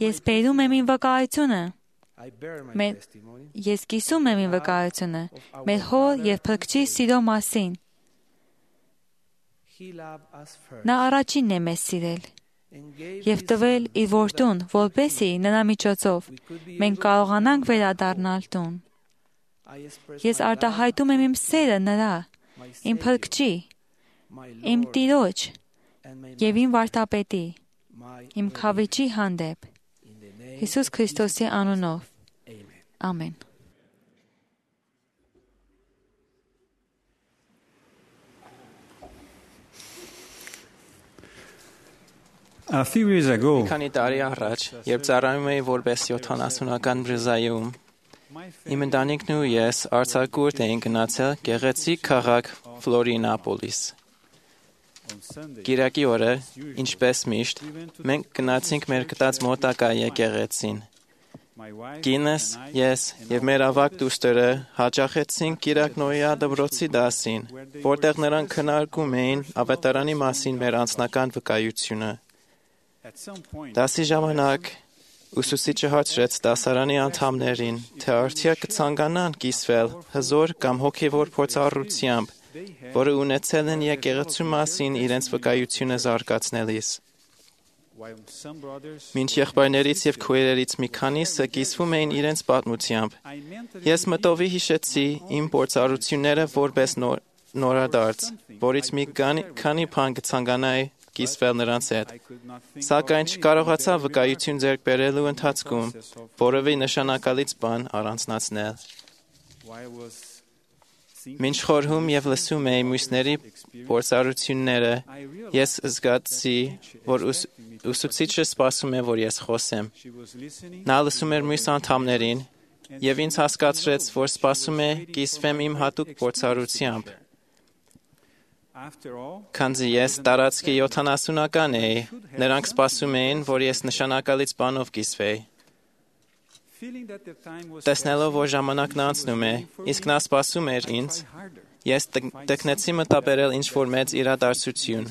Ես բերում եմ իմ վկայությունը, մեր, ես կիսում եմ իմ վկայությունը մեր հոր եւ Փրկչի սիրո մասին։ Նա առաջինն է մեզ սիրել եւ տվել իր որդուն, որպեսզի նրա միջոցով մենք կարողանանք վերադառնալ տուն։ Ես արտահայտում եմ իմ սերը նրա, իմ Փրկչի, իմ Տիրոջ եւ իմ վարդապետի, իմ Քավիճի հանդեպ, Հիսուս Քրիստոսի անունով։ Ամեն։ A few years ago, Քանի տարի առաջ, երբ ծառայում էի որպես յոթանասունական բրզայում, իմ ընտանիքն ու ես արձակուրդ էինք գնացել գեղեցիկ քաղաք Ֆլորինապոլիս։ Կիրակի օրը, ինչպես միշտ, մենք գնացինք մեր գտած մոտակա եկեղեցին։ Կինս, ես եւ մեր ավագ դուստրը հաճախեցինք Կիրակնոյա դպրոցի դասին, որտեղ նրանք քննարկում էին ավետարանի մասին մեր անձնական վկայությունը։ Դասի ժամանակ ուսուցիչը հարցրեց դասարանի անդամներին, թե արդյոք կցանկանան կիսվել հզոր կամ հոգևոր փորձառությամբ, որը ունեցել են եկեղեցու մասին իրենց վկայությունը զարգացնելիս։ Մինչ եղբայրներից եւ քույրերից մի քանիսը կիսվում էին իրենց պատմությամբ, ես մտովի հիշեցի իմ փորձառությունները որպես նոր, նորադարձ, որից մի քանի բան կցանկանայի կիսվել նրանց հետ, սակայն չկարողացա վկայություն ձեռք բերելու ընթացքում որևէ նշանակալից բան առանձնացնել։ Մինչ խորհում եւ լսում էի մյուսների փորձառությունները, ես զգացի, որ ուս, ուսուցիչը սպասում է, որ ես խոսեմ։ Նա լսում էր մյուս անդամներին եւ ինձ հասկացրեց, որ սպասում է կիսվեմ իմ հատուկ փորձառությամբ։ Քանզի ես տարածքի յոթանասունական էի, նրանք սպասում էին, որ ես նշանակալից բանով կիսվեի։ Տեսնելով, որ ժամանակն անցնում է, իսկ նա սպասում էր ինձ, ես տկնեցի մտաբերել ինչ-որ մեծ իրադարձություն։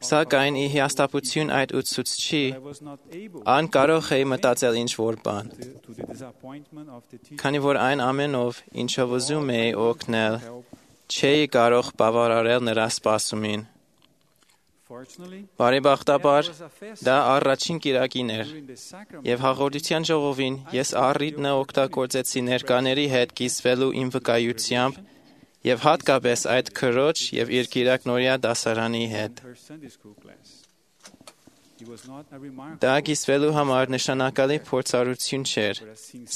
Սակայն ի հիասթափություն այդ ուսուցչի, անկարող էի մտածել ինչ-որ բան։ Քանի որ այն ամենով, ինչով ուզում էի օգնել, չէի կարող բավարարել նրա սպասումին։ Բարեբախտաբար, դա առաջին կիրակին էր, եւ հաղորդության ժողովին ես առիթն օգտագործեցի ներկաների հետ կիսվելու իմ վկայությամբ եւ հատկապես այդ քրոջ եւ իր կիրակնօրյա դասարանի հետ։ Դա կիսվելու համար նշանակալի փորձառություն չէր,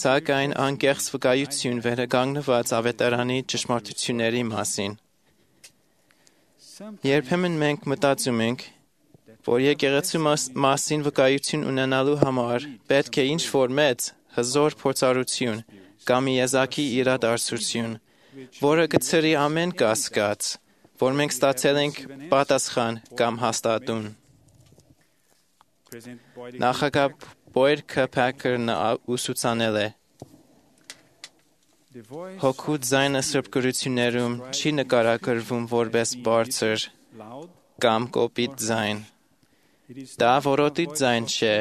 սակայն անկեղծ վկայություն վերականգնված ավետարանի ճշմարտությունների մասին։ Երբեմն մենք մտածում ենք, որ եկեղեցու մասին վկայություն ունենալու համար պետք է ինչ-որ մեծ, հզոր փորձառություն կամ եզակի իրադարձություն, որը կցրի ամեն կասկած, որ մենք ստացել ենք պատասխան կամ հաստատուն։ Նախագահ Բոյր Քըփակերն ուսուցանել է. Հոգու ձայնը սրբ գրություններում չի նկարագրվում որպես բարձր կամ կոպիտ ձայն։ Դա որոտի ձայն չէ,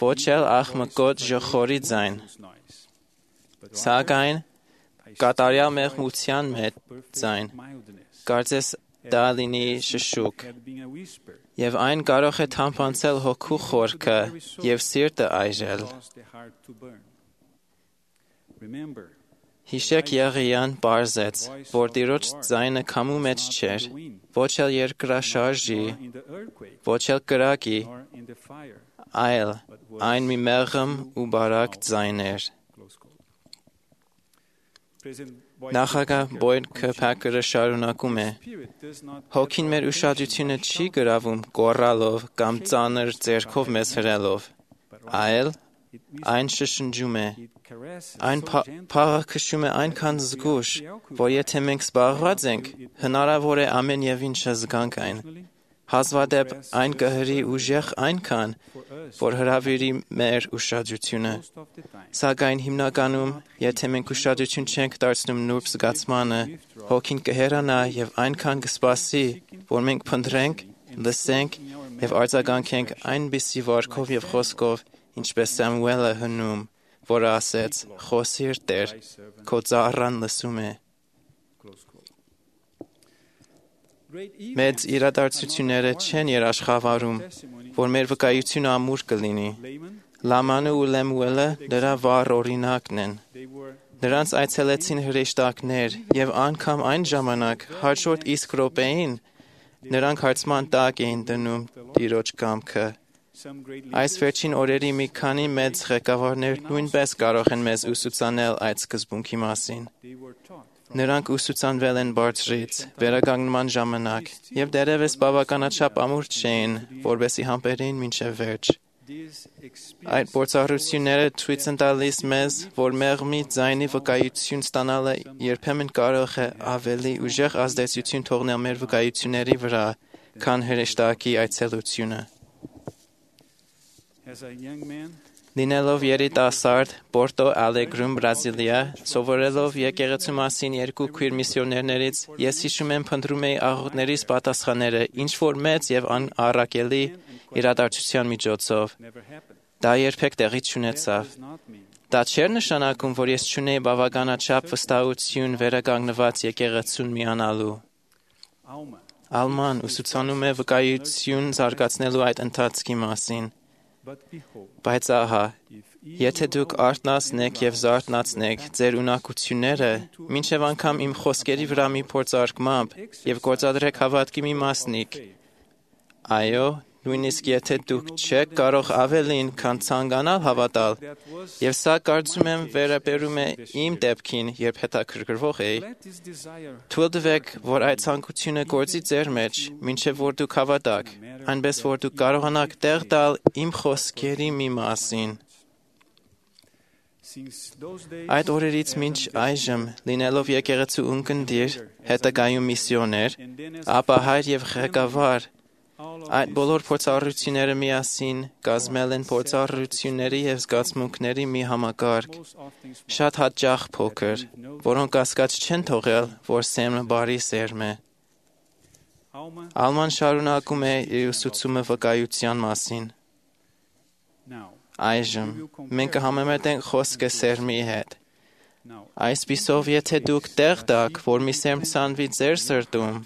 ոչ էլ աղմկոտ ժխորի ձայն։ Սակայն կատարյալ մեղմության մեջ ձայն, կարծես դա լինի շշուկ, և այն կարող է թամփանցել հոգու խորքը և սիրտը այրել։ Հիշեք Եղիան պարզեց, որ Տիրոջ ձայնը քամու մեջ չէր, ոչ էլ երկրաշարժի, ոչ էլ կրակի, այլ այն մի մեղմ ու բարակ ձայն էր։ Նախագահ Բոյդ Քըրփակերը շարունակում է. Հոգին մեր ուշադրությունը չի գրավում գոռալով կամ ծանր ձեռքով մեզ հրելով, այլ այն շշնջում է, այն փաղը քշում է այնքան զգույշ, որ եթե մենք զբաղված ենք, հնարավոր է ամեն եւ ինչը զգանք այն։ Հազվադեպ այն կհրի ուժեղ այնքան, որ հրավիրի մեր ուշադրությունը։ Սակայն հիմնականում, եթե մենք ուշադրություն չենք դարձնում նուրբ զգացմանը, հոգին կհեռանա եւ այնքան կսպասի, որ մենք փնտրենք, լսենք եւ արձագանքենք այնպիսի վարքով եւ խոսքով, ինչպես Սամուելը հնում, որը ասեց. «Խոսիր Տեր, քո ծառան լսում է»։ Մեծ իրադարձությունները չեն երաշխավորում, որ մեր վկայությունը ամուր կլինի։ Լամանը ու Լեմուելը դրա վառ օրինակն են։ Նրանց այցելեցին հրեշտակներ եւ անգամ այն ժամանակ հաջորդ իսկ րոպեին նրանք հարցման տակ էին դնում Տիրոջ կամքը։ Այս վերջին օրերի մի քանի մեծ ղեկավարներ նույնպես կարող են մեզ ուսուցանել այդ սկզբունքի մասին։ Նրանք ուսուցանվել են բարձրից, վերականգնման ժամանակ, եւ դեռևս բավականաչափ ամուր չէին, որպեսզի համբերեին մինչև վերջ։ Այդ փորձառությունները ցույց են տալիս մեզ, որ մեղմի ձայնի վկայություն ստանալը երբեմն կարող է ավելի ուժեղ ազդեցություն թողնել մեր վկայությունների վրա, քան հրեշտակի այցելությունը։ Լինելով երիտասարդ Պորտո Ալեգրում, Բրազիլիա, սովորելով եկեղեցու մասին երկու քույր միսիոներներից, ես հիշում եմ փնտրում էի աղոթներիս պատասխանները ինչ որ մեծ եւ անառակելի իրադարձության միջոցով։ Դա երբեք տեղի չունեցավ։ Դա չէր նշանակում, որ ես չունեի բավականաչափ վստահություն վերականգնված եկեղեցուն միանալու։ Ալման ուսուցանում է վկայություն զարգացնելու այդ ընթացքի մասին։ Բայց ահա, եթե դուք արթնացնեք եւ զարթնացնեք ձեր ունակությունները, մինչև անգամ իմ խոսքերի վրա մի փորձարկմամբ եւ գործադրեք հավատքի մի մասնիկ, այո, նույնիսկ եթե դուք չեք կարող ավելին, քան ցանկանալ հավատալ, եւ սա կարծում եմ վերաբերում է իմ դեպքին, երբ հետաքրքրվող էի, թույլ տվեք, որ այդ ցանկությունը գործի ձեր մեջ, մինչև որ դուք հավատաք, այնպես որ դուք կարողանաք տեղ տալ իմ խոսքերի մի մասին։ Այդ օրերից մինչ այժմ, լինելով եկեղեցու ունկնդիր, հետագայում միսիոներ, ապա հայր եւ ղեկավար, այդ բոլոր փորձառությունները միասին կազմել են փորձառությունների եւ զգացմունքների մի համակարգ, շատ հաճախ փոքր, որոնք կասկած չեն թողել, որ Սեմը բարի սերմ է։ Ալման շարունակում է իր ուսուցումը վկայության մասին։ Այժմ մենք կհամեմատենք խոսքը սերմի հետ։ Այսպիսով, եթե դուք տեղ տաք, որ մի սերմ ցանվի ձեր սրտում,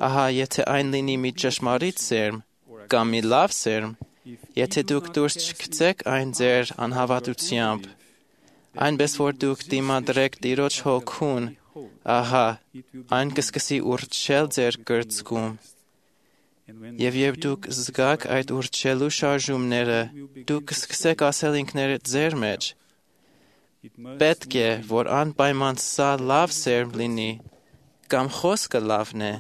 ահա, եթե այն լինի մի ճշմարիտ սերմ կամ մի լավ սերմ, եթե դուք դուրս չգցեք այն ձեր անհավատությամբ, այնպես որ դուք դիմադրեք Տիրոջ հոգուն, ահա, այն կսկսի ուռչել ձեր կրծքում։ Եվ երբ դուք զգաք այդ ուռչելու շարժումները, դուք կսկսեք ասել ինքներդ ձեր մեջ. պետք է, որ անպայման սա լավ սերմ լինի, կամ խոսքը լավն է,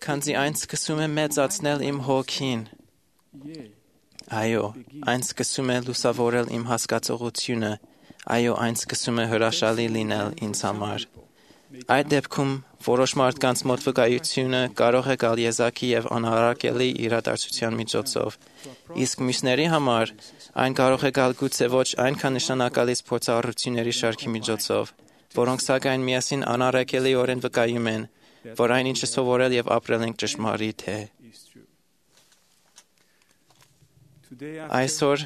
քանզի այն սկսում է մեծացնել իմ հոգին։ Այո, այն սկսում է լուսավորել իմ հասկացողությունը, այո, այն սկսում է հրաշալի լինել ինձ համար։ Այդ դեպքում որոշ մարդկանց մոտ վկայությունը կարող է գալ եզակի եւ անհարակելի իրադարձության միջոցով, իսկ մյուսների համար այն կարող է գալ գուցե ոչ այնքան նշանակալից փորձառությունների շարքի միջոցով, որոնք սակայն միասին անառակելիորեն վկայում են, որ այն ինչը սովորել եւ ապրել ենք ճշմարիտ է։ Այսօր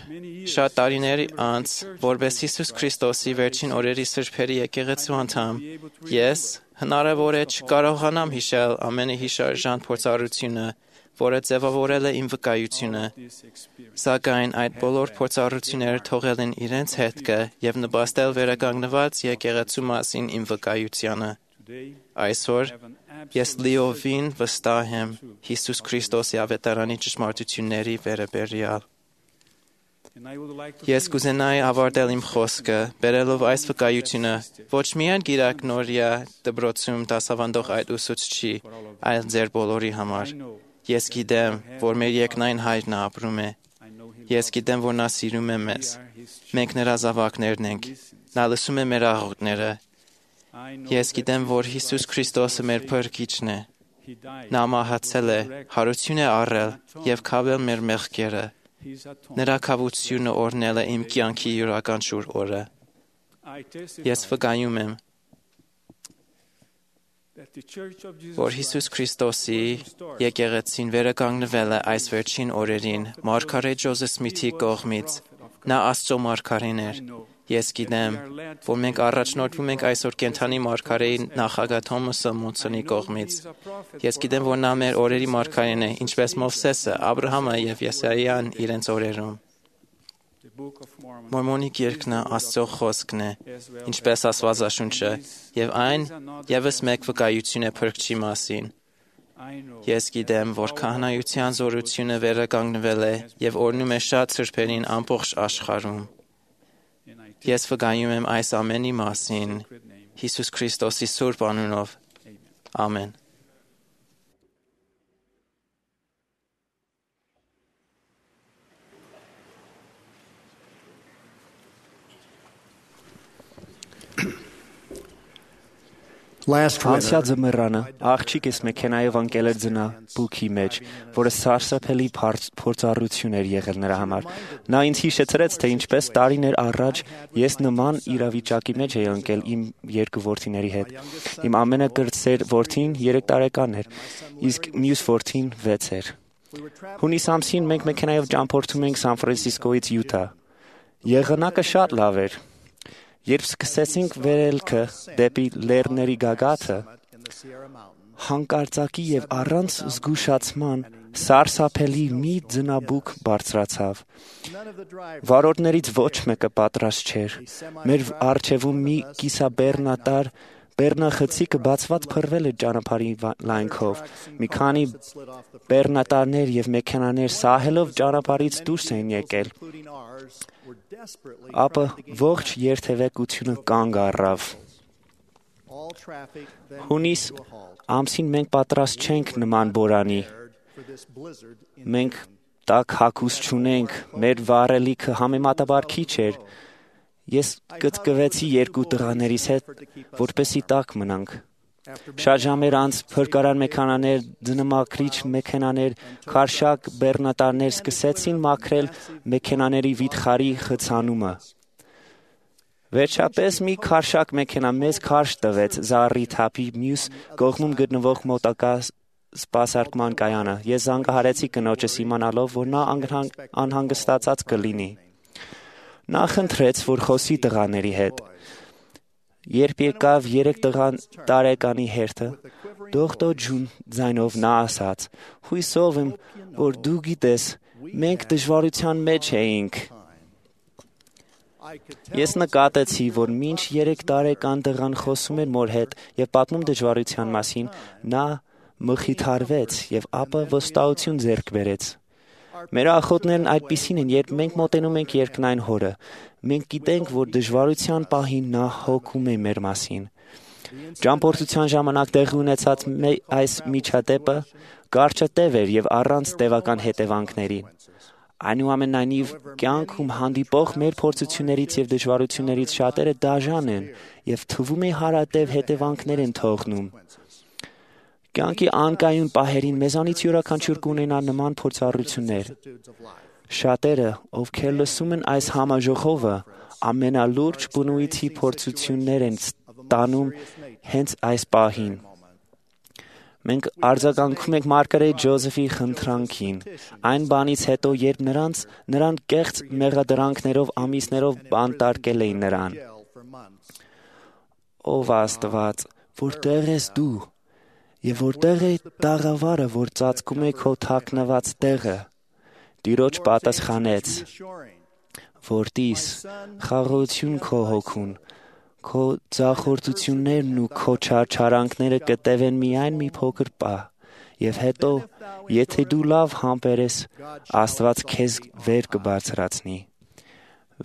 շատ տարիներ անց, որպես Հիսուս Քրիստոսի վերջին օրերի սրբերի եկեղեցու անդամ, ես հնարավոր է չկարողանամ հիշել ամենը հիշարժան փորձառությունը, որը ձևավորել է իմ վկայությունը, սակայն այդ բոլոր փորձառությունները թողել են իրենց հետքը և նպաստել վերականգնված եկեղեցու մասին իմ վկայությանը։ Այսօր ես լիովին վստահ եմ Հիսուս Քրիստոսի ավետարանի ճշմարտությունների վերաբերյալ։ Ես կուզենայի ավարտել իմ խոսքը, բերելով այս վկայությունը ոչ միայն գիրակնորյա դպրոցում դասավանդող այդ ուսուցչի, այլ ձեր բոլորի համար։ Ես գիտեմ, որ մեր երկնային Հայրն ապրում է։ Ես գիտեմ, որ նա սիրում է մեզ։ Մենք նրա զավակներն ենք։ Նա լսում է մեր աղոթքները։ Ես գիտեմ, որ Հիսուս Քրիստոսը մեր փրկիչն է։ Նա մահացել է, հարություն է առել և քավել մեր մեղքերը։ Նրա քավությունը օրհնել է իմ կյանքի յուրաքանչյուր օրը։ Ես վկայում եմ, որ Հիսուս Քրիստոսի եկեղեցին վերականգնվել է այս վերջին օրերին մարգարե Ջոզեֆ Սմիթի կողմից։ Նա Աստծո մարգարեն էր։ Ես գիտեմ, որ մենք առաջնորդվում ենք այսօր կենդանի մարգարեի նախագահ Թոմասը Մոնսոնի կողմից։ Ես գիտեմ, որ նա մեր օրերի մարգարեն է, ինչպես Մովսեսը, Աբրահամը և Եսայիան իրենց օրերում։ Մորմոնի գիրքն Աստծո խոսքն է, ինչպես Աստվածաշունչը, և այն ևս մեկ վկայություն է Փրկչի մասին։ Ես գիտեմ, որ քահանայության զորությունը վերականգնվել է և օրհնում է շատ սրբերին ամբողջ աշխարհում։ Ես վկայում եմ այս ամենի մասին Հիսուս Քրիստոսի սուրբ անունով։ Ամեն։ Անցյալ ձմեռանը աղջիկս մեքենայով ընկել էր ձնաբուքի մեջ, որը սարսափելի փորձառություն էր եղել նրա համար։ Նա ինձ հիշեցրեց, թե ինչպես տարիներ առաջ ես նման իրավիճակի մեջ էի ընկել իմ երկու որդիների հետ։ Իմ ամենակրտսեր որդին երեք տարեկան էր, իսկ մյուս որդին վեց էր։ Հունիս ամսին մենք մեքենայով ճամփորդում էինք Սան Ֆրանցիսկոից Յուտա։ Եղանակը շատ լավ էր։ Երբ սկսեցինք վերելքը դեպի լեռների գագաթը, հանկարծակի և առանց զգուշացման սարսափելի մի ձնաբուք բարձրացավ։ Վարորդներից ոչ մեկը պատրաստ չէր։ Մեր առջևում մի կիսաբեռնատար բեռնախցիկը բացված փռվել էր ճանապարհի լայնքով։ Մի քանի բեռնատարներ և մեքենաներ սահելով ճանապարհից դուրս էին եկել։ Ապա ողջ երթևեկությունը կանգ առավ։ Հունիս ամսին մենք պատրաստ չենք նման բորանի։ Մենք տաք հագուստ չունենք, մեր վառելիքը համեմատաբար քիչ էր։ Ես կծկվեցի երկու տղաներիս հետ, որպեսզի տաք մնանք։ Շատ ժամեր անց փրկարար մեքենաներ, ձնամաքրիչ մեքենաներ, քարշակ բեռնատարներ սկսեցին մաքրել մեքենաների վիթխարի խցանումը։ Վերջապես մի քարշակ մեքենա մեզ քարշ տվեց Զառի թափի մյուս կողմում գտնվող մոտակա սպասարկման կայանը։ Ես զանգահարեցի կնոջս իմանալով, որ նա անհանգստացած կլինի։ Նա խնդրեց, որ խոսի տղաների հետ։ Երբ եկավ երեք տարեկանի հերթը, դողդոջուն ձայնով նա ասաց. «Հույսով եմ, որ դու գիտես, մենք դժվարության մեջ էինք»։ Ես նկատեցի, որ մինչ երեք տարեկան տղան խոսում էր մոր հետ և պատմում դժվարության մասին, նա մխիթարվեց և ապա վստահություն ձեռք բերեց։ Մեր աղոթքներն այդպիսին են, երբ մենք մոտենում ենք երկնային Հորը, մենք գիտենք, որ դժվարության պահին նա հոգում է մեր մասին։ Ճամփորդության ժամանակ տեղի ունեցած այս միջադեպը կարճատև էր և առանց տևական հետևանքների։ Այնուամենայնիվ, կյանքում հանդիպող մեր փորձություններից և դժվարություններից շատերը դաժան են և թվում է հարատև հետևանքներ են թողնում։ Կյանքի անկայուն պահերին մեզանից յուրաքանչյուր կունենա նման փորձառություններ։ Շատերը, ովքեր լսում են այս համաժողովը, ամենալուրջ բնույթի փորձություններ են ստանում հենց այս պահին։ Մենք արձագանքում ենք Մարգարետ Ջոզեֆի խնդրանքին։ Այն բանից հետո, երբ նրանց նրան կեղծ մեղադրանքներով ամիսներով բանտարկել էին նրան։ Ով Աստված, որտեղ ես դու, եւ որտեղ է տաղավարը, որ ծածկում է քո թաքնված տեղը։ Տիրոջ պատասխանեց. Որտիս, խաղաղություն քո հոգուն, քո ձախորդություններն ու քո չարչարանքները կտևեն միայն մի փոքր պահ, եւ հետո, եթե դու լավ համբերես, Աստված քեզ վեր կբարձրացնի։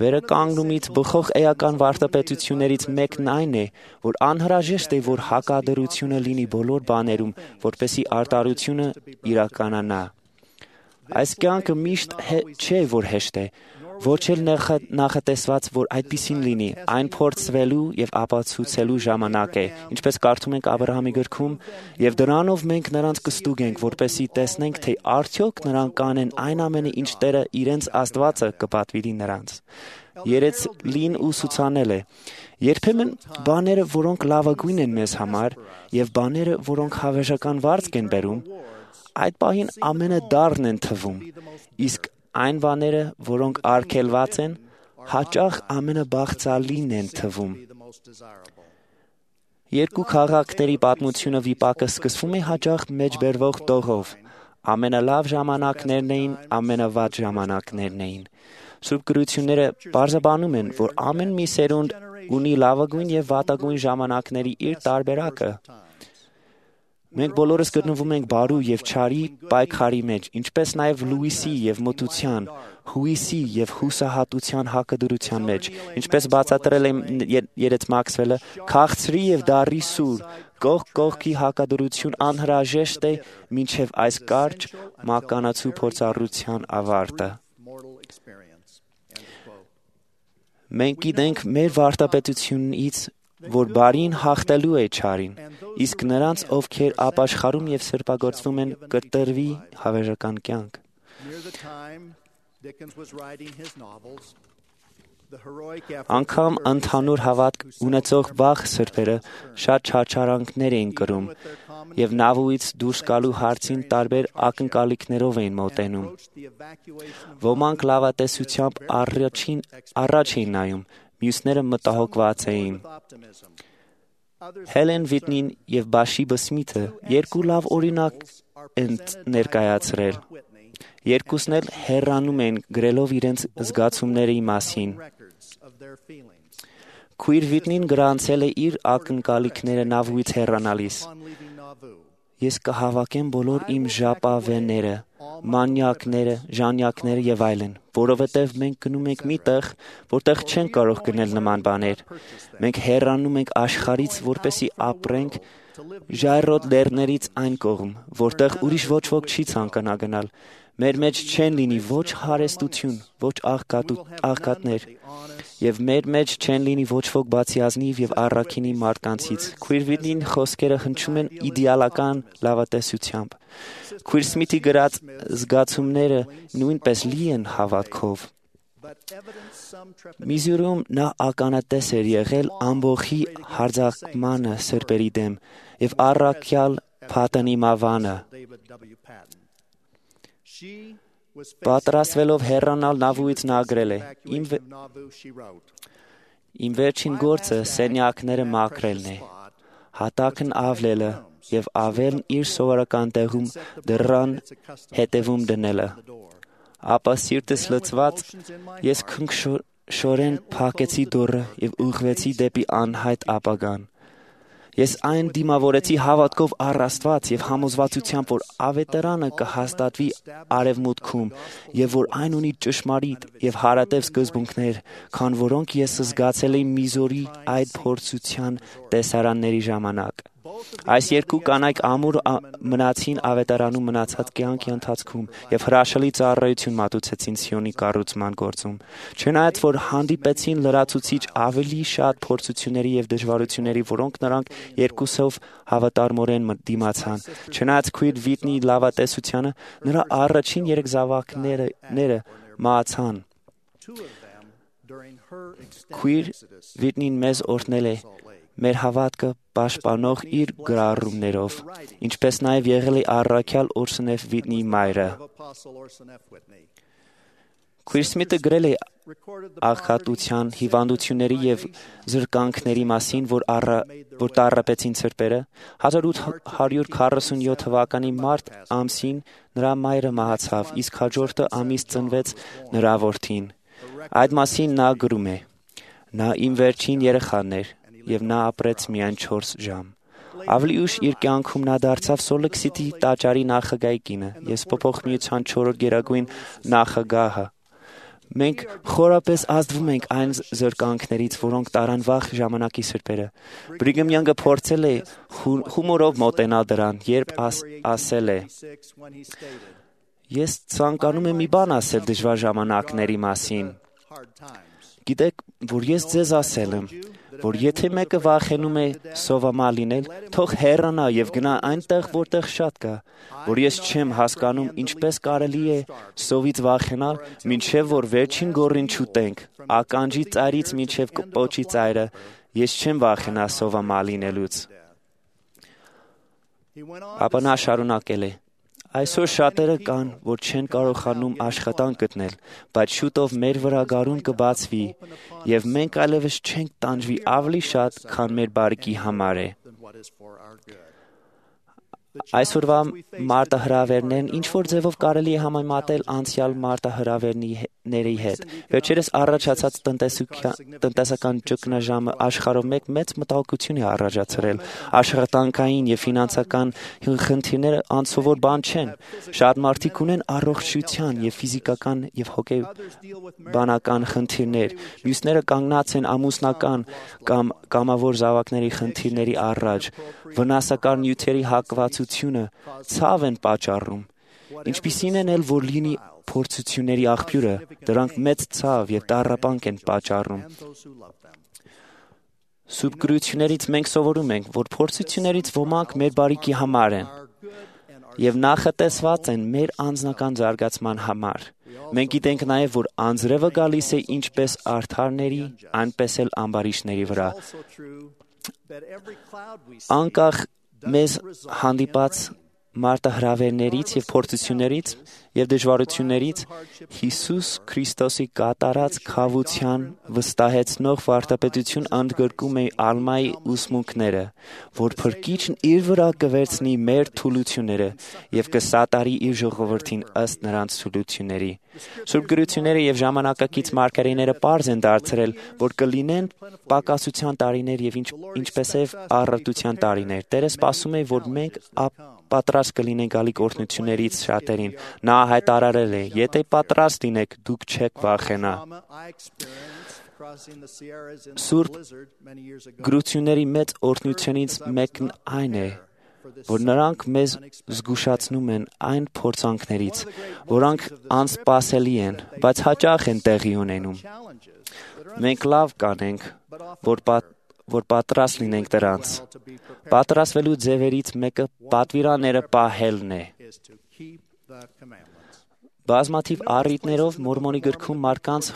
Վերականգնումից բխող էական վարդապետություններից մեկն այն է, որ անհրաժեշտ է, որ հակադրությունը լինի բոլոր բաներում, որպեսզի արտարությունը իրականանա։ Այս կյանքը միշտ չէ, որ հեշտ է, ոչ էլ նախատեսված, որ այդպիսին լինի, այն փորձվելու եւ ապացուցելու ժամանակ է, ինչպես կարդում ենք Աբրահամի գրքում, եւ դրանով մենք նրանց կստուգենք, որպեսզի տեսնենք, թե արդյոք նրանք կանեն այն ամենը, ինչ Տերը իրենց Աստվածը կպատվիրի նրանց։ Երեց լին ու սուցանել է։ Երբեմն բաները, որոնք լավագույն են մեզ համար, եւ բաները, որոնք հավերժական վարձք են բերում, այդ պահին ամենադառն են թվում, իսկ այն բաները, որոնք արգելված են, հաճախ ամենաբաղձալին են թվում։ Երկու քաղաքների պատմությունը վիպակը սկսվում է հաճախ մեջբերվող տողով։ Ամենալավ ժամանակներն էին, ամենավատ ժամանակներն էին։ Սուրբ գրությունները պարզաբանում են, որ ամեն մի սերունդ ունի լավագույն եւ վատագույն ժամանակների իր տարբերակը։ Մենք բոլորս գտնվում ենք բարու եւ չարի պայքարի մեջ, ինչպես նաեւ լույսի եւ մթության, հույսի եւ հուսահատության հակադրության մեջ, ինչպես բացատրել է երեց Մաքսվելը, քաղցրի եւ դառի սուր, կողք կողքի հակադրություն անհրաժեշտ է մինչեւ այս կարճ մականացու փորձառության ավարտը։ Մենք գիտենք մեր վարդապետությունից, որ բարին հաղթելու է չարին, իսկ նրանց, ովքեր ապաշխարում եւ սրբագործվում են, կտրվի հավերժական կյանք։ Անգամ ընդհանուր հավատք ունեցող վաղ սրբերը շատ չարչարանքներ էին կրում եւ նավուից դուրս գալու հարցին տարբեր ակնկալիքներով էին մոտենում։ Ոմանք լավատեսությամբ առաջին առաջ էին նայում, մյուսները մտահոգված էին։ Հելեն Վիտնին եւ Բաշիբը Սմիթը երկու լավ օրինակ են ներկայացրել։ Երկուսն էլ հեռանում են գրելով իրենց զգացումների մասին։ Քույր Վիտնին գրանցել է իր ակնկալիքները նավուից հեռանալիս։ Ես կհավաքեմ բոլոր իմ ժապավենները, մանյակները, ժանյակները եւ այլն, որովհետեւ մենք գնում ենք մի տեղ, որտեղ չեն կարող գնել նման բաներ։ Մենք հեռանում ենք աշխարհից, որպեսզի ապրենք ժայռոտ լեռներից այն կողմ, որտեղ ուրիշ ոչ ոք չի ցանկանա գնալ։ Մեր մեջ չեն լինի ոչ հարստություն, ոչ աղքատներ, եւ մեր մեջ չեն լինի ոչ ոք բացի ազնիվ եւ առաքինի մարդկանցից։ Քույր Վիտնին խոսքերը հնչում են իդեալական լավատեսությամբ։ Քույր Սմիթի գրած զգացումները նույնպես լի են հավատքով։ Միզուրում նա ականատես էր եղել ամբողջի հարձակմանը սրբերի դեմ եւ առաքյալ Փաթանի մավանը։ Պատրաստվելով հեռանալ նավուից նա գրել է. Իմ, վե... Իմ վերջին գործը սենյակները մաքրելն է, հատակն ավլելը եւ ավելն իր սովորական տեղում դռան հետևում դնելը։ Ապա սիրտս լցված ես քնքշորեն փակեցի դուռը եւ ուղղվեցի դեպի անհայտ ապագան։ Ես այն դիմավորեցի հավատքով առ Աստված եւ համոզվածությամբ, որ ավետարանը կհաստատվի արևմուտքում եւ որ այն ունի ճշմարիտ եւ հարատև սկզբունքներ, քան որոնք ես զգացել եմ Միզորի այդ փորձության տեսարանների ժամանակ։ Այս երկու կանայք ամուր մնացին ավետարանում մնացած կյանքի ընթացքում եւ հրաշալի ծառայություն մատուցեցին Սիոնի կառուցման գործում։ Չնայած որ հանդիպեցին լրացուցիչ ավելի շատ փորձությունների եւ դժվարությունների, որոնք նրանք երկուսով հավատարմորեն դիմացան, չնայած քույր Վիտնի լավատեսությանը, նրա առաջին երեք զավակները մահացան։ Քույր Վիտնին մեզ օրհնել է. մեր հավատքը պաշտպանող իր գրառումներով, ինչպես նաև եղել է առաքյալ Օրսնեֆ Վիտնի մայրը։ Քույր Սմիթը գրել է աղքատության, հիվանդությունների և զրկանքների մասին, որ, առա, որ տառապեցին սրբերը։ հազար ութ հարյուր քառասունյոթ թվականի մարտ ամսին նրա մայրը մահացավ, իսկ հաջորդը ամիս ծնվեց նրա որդին։ Այդ մասին նա գրում է. «Նա իմ վերջին երեխան էր, և նա ապրեց միայն չորս ժամ։ Ավելի ուշ իր կյանքում նա դարձավ Սոլտ Սիթի տաճարի նախագահի կինը, Եսպոփող միության չորրորդ գերագույն նախագահը։ Մենք խորապես ազդվում ենք այն զրկանքներից, որոնք տարան վաղ ժամանակի սրբերը։ Բրիգեմ Յանգը փորձել է հումորով մոտենալ դրան, երբ աս, ասել է. «Ես ցանկանում եմ մի բան ասել դժվար ժամանակների մասին։ Գիտեք, որ ես ձեզ ասել եմ, որ եթե մեկը վախենում է սովամա լինել, թող հեռանա և գնա այնտեղ, որտեղ շատ կա, որ ես չեմ հասկանում ինչպես կարելի է սովից վախենալ, մինչև որ վերջին գոռին չուտենք, ականջի ծայրից մինչև պոչի ծայրը, ես չեմ վախենա սովամա լինելուց»։ Ապա նա շարունակել է. «Այսօր շատերը կան, որ չեն կարողանում աշխատանք գտնել, բայց շուտով մեր վրա գարուն կբացվի, և մենք այլևս չենք տանջվի ավելի շատ, քան մեր բարիքի համար է»։ Այսօրվա մարտահրավերներն ինչ-որ ձևով կարելի է համեմատել անցյալ մարտահրավերների հետ։ Վերջերս առաջացած տնտեսական ճգնաժամը աշխարհով մեկ մեծ մտահոգություն է առաջացրել։ Աշխատանքային և ֆինանսական խնդիրները անսովոր բան չեն։ Շատ մարդիկ ունեն առողջության և ֆիզիկական և հոգեբանական խնդիրներ, մյուսները կանգնած են ամուսնական կամ կամավոր զավակների խնդիրների առաջ, վնասակար նյութերի հակվածությունը ցավ են պատճառում։ Ինչպիսին են էլ որ լինի փորձությունների աղբյուրը, դրանք մեծ ցավ և տառապանք են պատճառում։ Սուրբ գրություններից մենք սովորում ենք, որ փորձություններից ոմանք մեր բարիքի համար են և նախատեսված են մեր անձնական զարգացման համար։ Մենք գիտենք նաև, որ անձրևը գալիս է ինչպես արդարների, այնպես էլ ամբարիշտների վրա։ Անկախ մեզ հանդիպած մարտահրավերներից և փորձություններից և դժվարություններից Հիսուս Քրիստոսի կատարած քավության վստահեցնող վարդապետություն ընդգրկում է Ալմայի ուսմունքները, որ Փրկիչն իր վրա կվերցնի մեր թուլությունները և կսատարի իր ժողովրդին ըստ նրանց թուլությունների։ Սուրբ գրությունները և ժամանակակից մարգարեները պարզ են դարձրել, որ կլինեն պակասության տարիներ և ինչպեսև առատության տարիներ։ Տերը սպասում է, որ մենք պատրաստ կլինենք գալիք օրհնություններից շատերին։ Նա հայտարարել է. «Եթե պատրաստ լինեք, դուք չեք վախենա»։ Սուրբ գրությունների մեծ օրհնությունից մեկն այն է, որ նրանք մեզ զգուշացնում են այն փորձանքներից, որոնք անսպասելի են, բայց հաճախ են տեղի ունենում։ Մենք լավ կանենք, որ պատ որ պատրաստ լինենք դրանց։ Պատրաստվելու ձևերից մեկը պատվիրանները պահելն է։ Բազմաթիվ առիթներով Մորմոնի գրքում մարդկանց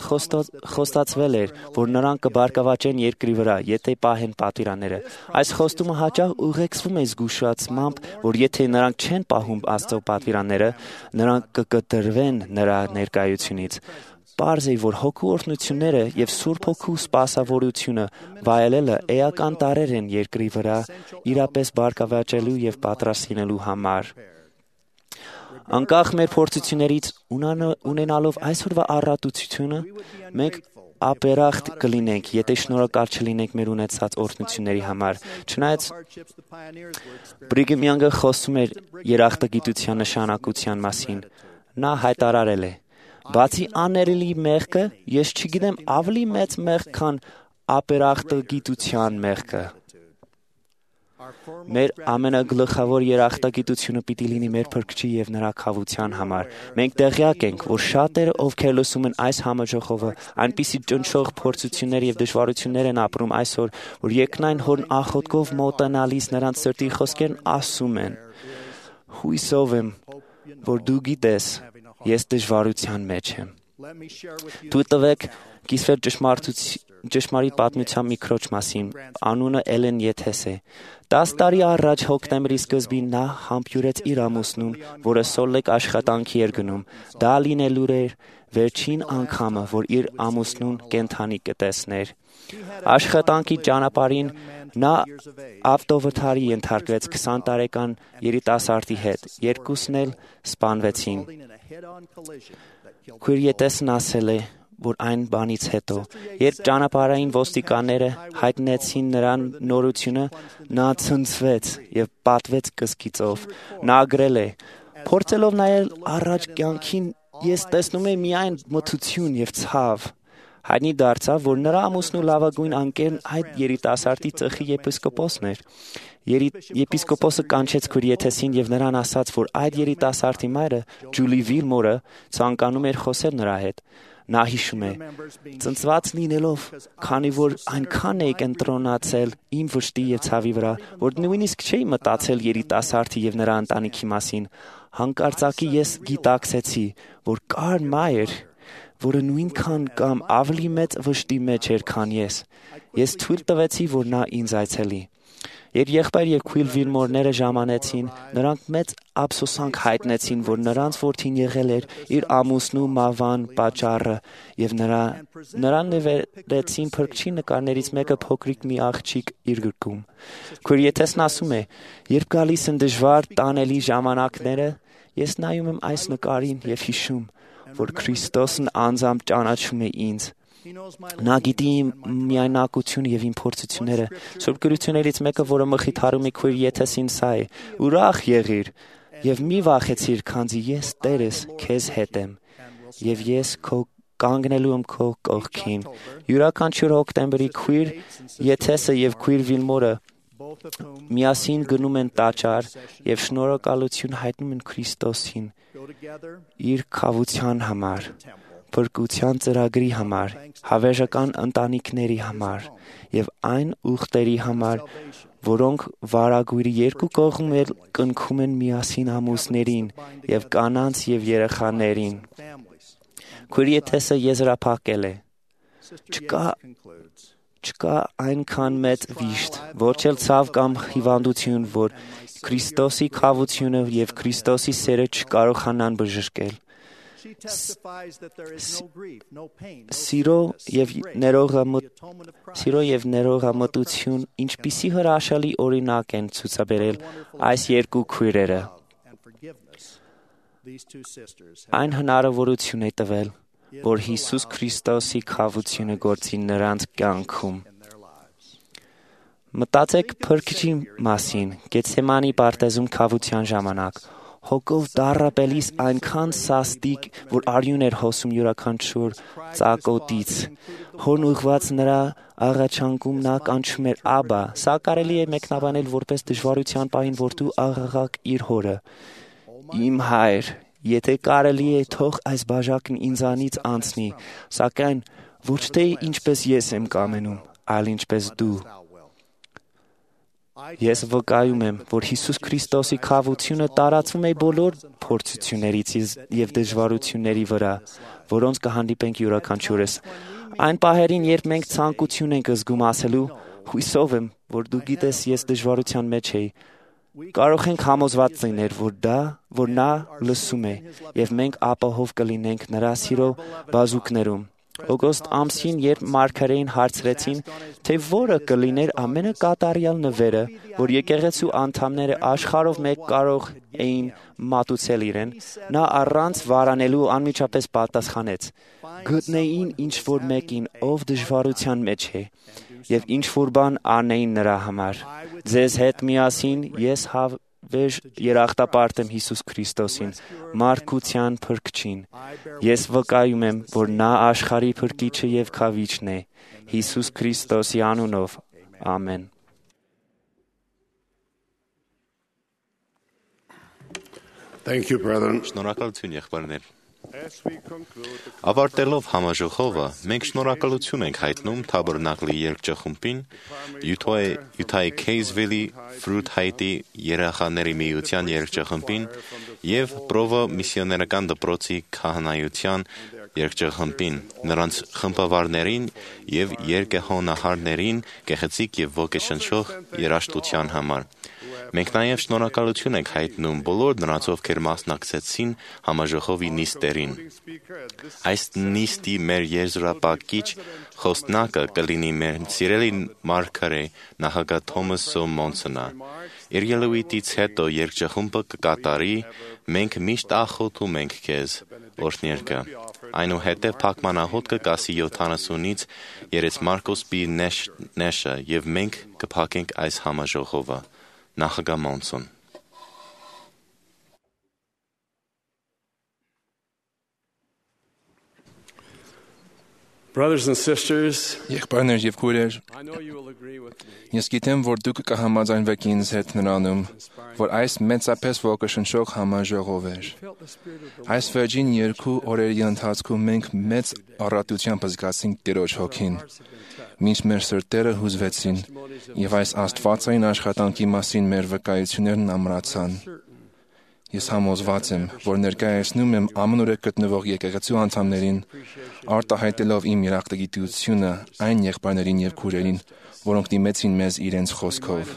խոստացվել էր, որ նրանք կբարգավաճեն երկրի վրա, եթե պահեն պատվիրանները։ Այս խոստումը հաճախ ուղեկցվում է զգուշացմամբ, որ եթե նրանք չեն պահում Աստծո պատվիրանները, նրանք կկտրվեն նրա ներկայությունից։ Պարզ է, որ հոգու օրհնությունները և Սուրբ Հոգու սպասավորությունը վայելելը էական տարրեր են երկրի վրա իրապես բարգավաճելու և պատրաստ լինելու համար։ Անկախ մեր փորձություններից ունենալով այսօրվա առատությունը, մենք ապերախտ կլինենք, եթե շնորհակալ չլինենք մեր ունեցած օրհնությունների համար։ Չնայած Բրիգեմ Յանգը խոսում էր երախտագիտության նշանակության մասին, նա հայտարարել է. «Բացի աներելի մեղքը, ես չգիտեմ ավելի մեծ մեղք, քան ապերախտագիտության մեղքը»։ Մեր ամենագլխավոր երախտագիտությունը պիտի լինի մեր Փրկչի և նրա քավության համար։ Մենք տեղյակ ենք, որ շատերը, ովքեր լսում են այս համաժողովը, այնպիսի ճնշող փորձություններ և դժվարություններ են ապրում այսօր, որ երկնային Հորն աղոթքով մոտենալիս նրանց սրտի խոսքերն ասում են. «Հույսով եմ, որ դու գիտես, ես դժվարության մեջ եմ»։ Թույլ տվեք կիսվեր ճշմարիտ պատմության մի քրոջ մասին, անունը Էլեն Եթես է։ տասը տարի առաջ հոկտեմբերի սկզբին նա համբյուրեց իր ամուսնուն, որը սոլեկ աշխատանքի էր գնում։ Դա լինելու էր վերջին անգամը, որ իր ամուսնուն կենդանի կտեսներ։ Աշխատանքի ճանապարհին նա ավտովթարի ենթարկվեց քսան տարեկան երիտասարդի հետ, երկուսն էլ սպանվեցին։ Քույր Եթեսն ասել է, որ այն բանից հետո, երբ ճանապարհային ոստիկանները հայտնեցին նրան նորությունը, նա ցնցվեց եւ պատվեց կսկիծով։ Նա գրել է. «Փորձելով նայել առաջ կյանքին, ես տեսնում եմ միայն մթություն եւ ցավ»։ Հայտնի դարձավ, որ նրա ամուսնու լավագույն անկերն այդ երիտասարդի ծխի եպիսկոպոսն էր։ Եպիսկոպոսը կանչեց քույր Եթեսին եւ նրան ասաց, որ այդ երիտասարդի մայրը, Ջուլի Վիլմորը, ցանկանում էր խոսել նրա հետ։ Նա հիշում է. «Ծնծված լինելով, քանի որ այնքան էի կենտրոնացել իմ վշտի եւ ցավի վրա, որ նույնիսկ չէի մտածել երիտասարդի եւ նրա ընտանիքի մասին, հանկարծակի ես գիտակցեցի, որ կար մայր, որը նույնքան կամ ավելի մեծ վշտի մեջ էր, քան ես։ Ես թույլ տվեցի, որ նա ինձ այցելի։ Երբ եղբայր եւ քույր Վիլմորները ժամանեցին, նրանք մեծ ափսոսանք հայտնեցին, որ նրանց որդին եղել էր իր ամուսնու մահվան պատճառը եւ նրա նրան նվերեցին փրկչի նկարներից մեկը փոքրիկ մի աղջիկ իր գրկում։ Քույր Եթեսն ասում է. «Երբ գալիս են դժվար տանելի ժամանակները, ես նայում եմ այս նկարին եւ հիշում, որ Քրիստոսն անձամբ ճանաչում է ինձ։ Նա գիտի իմ միայնակությունը եւ իմ փորձությունները։ Սուրբ գրություններից մեկը, որը մխիթարում է քույր Եթեսին, սա է. ուրախ եղիր եւ մի վախեցիր, քանզի ես Տերս քեզ հետ եմ եւ ես քո կանգնելու եմ քո կողքին»։ Յուրաքանչյուր հոկտեմբերի քույր Եթեսը եւ քույր Վիլմորը միասին գնում են տաճար եւ շնորհակալություն հայտնում են Քրիստոսին իր քավության համար, փրկության ծրագրի համար, հավերժական ընտանիքների համար եւ այն ուխտերի համար, որոնք վարագույրի երկու կողմեր կնքում են միասին ամուսներին եւ կանանց եւ երեխաներին։ Քույր Եթեսը եզրափակել է. «Չկա չկա այնքան մեծ վիշտ, ոչ էլ ցավ կամ հիվանդություն, որ Քրիստոսի քավությունը եւ Քրիստոսի սերը չկարողանան բժշկել։ Սիրո եւ Սիրո եւ ներողամտություն ինչպիսի հրաշալի օրինակ են ցուցաբերել այս երկու քույրերը։ Այն հնարավորություն է տվել, որ Հիսուս Քրիստոսի քավությունը գործի նրանց կյանքում։ Մտածեք Փրկչի մասին Գեթսեմանի պարտեզում քավության ժամանակ։ Հոգով դառապելիս այնքան սաստիկ, որ արյուն էր հոսում յուրաքանչյուր ծակոտից։ Հոն ուղված նրա աղաչանքում նա կանչում էր Աբա։ Սա կարելի է մեկնաբանել որպես դժվարության պահին որդու աղաղակ իր հորը. «Իմ հայր, եթե կարելի է, թող այս բաժակն ինձանից անցնի, սակայն ոչ թե ինչպես ես եմ կամենում, այլ ինչպես դու»։ Ես վկայում եմ, որ Հիսուս Քրիստոսի քավությունը տարածվում է բոլոր փորձություններից եւ դժվարությունների վրա, որոնց կհանդիպենք յուրաքանչյուրս։ Այն պահերին, երբ մենք ցանկություն ենք զգում ասելու, հույսով եմ, որ դու գիտես, ես դժվարության մեջ եի, կարող ենք համոզված լինել, որ դա, որ նա լսում է, եւ մենք ապահով կլինենք նրա սիրո բազուկներում։ Օգոստոս ամսին, երբ մարգարեին հարցրեցին, թե որը կլիներ ամենակատարյալ նվերը, որ եկեղեցու անդամները աշխարհով մեկ կարող էին մատուցել իրեն, նա առանց վարանելու անմիջապես պատասխանեց. «Գտնեին ինչ-որ մեկին, ով դժվարության մեջ է, եւ ինչ-որ բան անեին նրա համար։ Ձեզ հետ միասին ես հավերժ երախտապարտ եմ Հիսուս Քրիստոսին, մարդկության Փրկչին։ Ես վկայում եմ, որ նա աշխարհի Փրկիչը եւ Քավիչն է, Հիսուս Քրիստոսի անունով։ Ամեն»։ Thank you, brethren. Շնորհակալություն, եղբայրներ։ Ավարտելով համաժողովը, մենք շնորհակալություն ենք հայտնում Թաբերնակլի երգչախումբին, Յուտայի Քեյզվիլի Ֆրութ Հայտի երեխաների միության երգչախումբին եւ Պրովո միսիոներական դպրոցի քահանայության երկճղխմբին, նրանց խմբավարներին եւ երկեհոնահարներին գեղեցիկ եւ ոգեշնչող երաժշտության համար։ Մենք նաև շնորհակալություն ենք հայտնում բոլոր նրանց, ովքեր մասնակցեցին համաժողովի նիստերին։ Այս նիստի մեր եզրափակիչ խոսնակը կլինի մեր սիրելի մարգարե նախագահ Թոմաս Սոմոնսոնը։ Իր ելույթից հետո երկճղխումբը կկատարի «Մենք միշտ աղոթում ենք քեզ» օրհներգը։ Այնուհետև փակմանահոտ կկասի յոթանասունից երեցմարկոսպի նեշը եւ մենք կփակենք այս համաժողովը։ Նախագահ Մոնսոն։ Brothers and sisters, Եղբայրներ եւ քույրեր, ես գիտեմ, որ դուք կհամաձայնվեք ինձ հետ նրանում, որ այս մեծապես ոգեշնչող համաժողով էր։ Այս վերջին երկու օրերի ընթացքում մենք մեծ առատությամբ զգացինք Տիրոջ հոգին, մինչ մեր սրտերը հուզվեցին եւ այս աստվածային աշխատանքի մասին մեր վկայություններն ամրացան։ Ես համոզված եմ, որ ներկայացնում եմ ամենուրեք գտնվող եկեղեցու անդամներին, արտահայտելով իմ երախտագիտությունը այն եղբայրներին եւ քույրերին, որոնք դիմեցին մեզ իրենց խոսքով։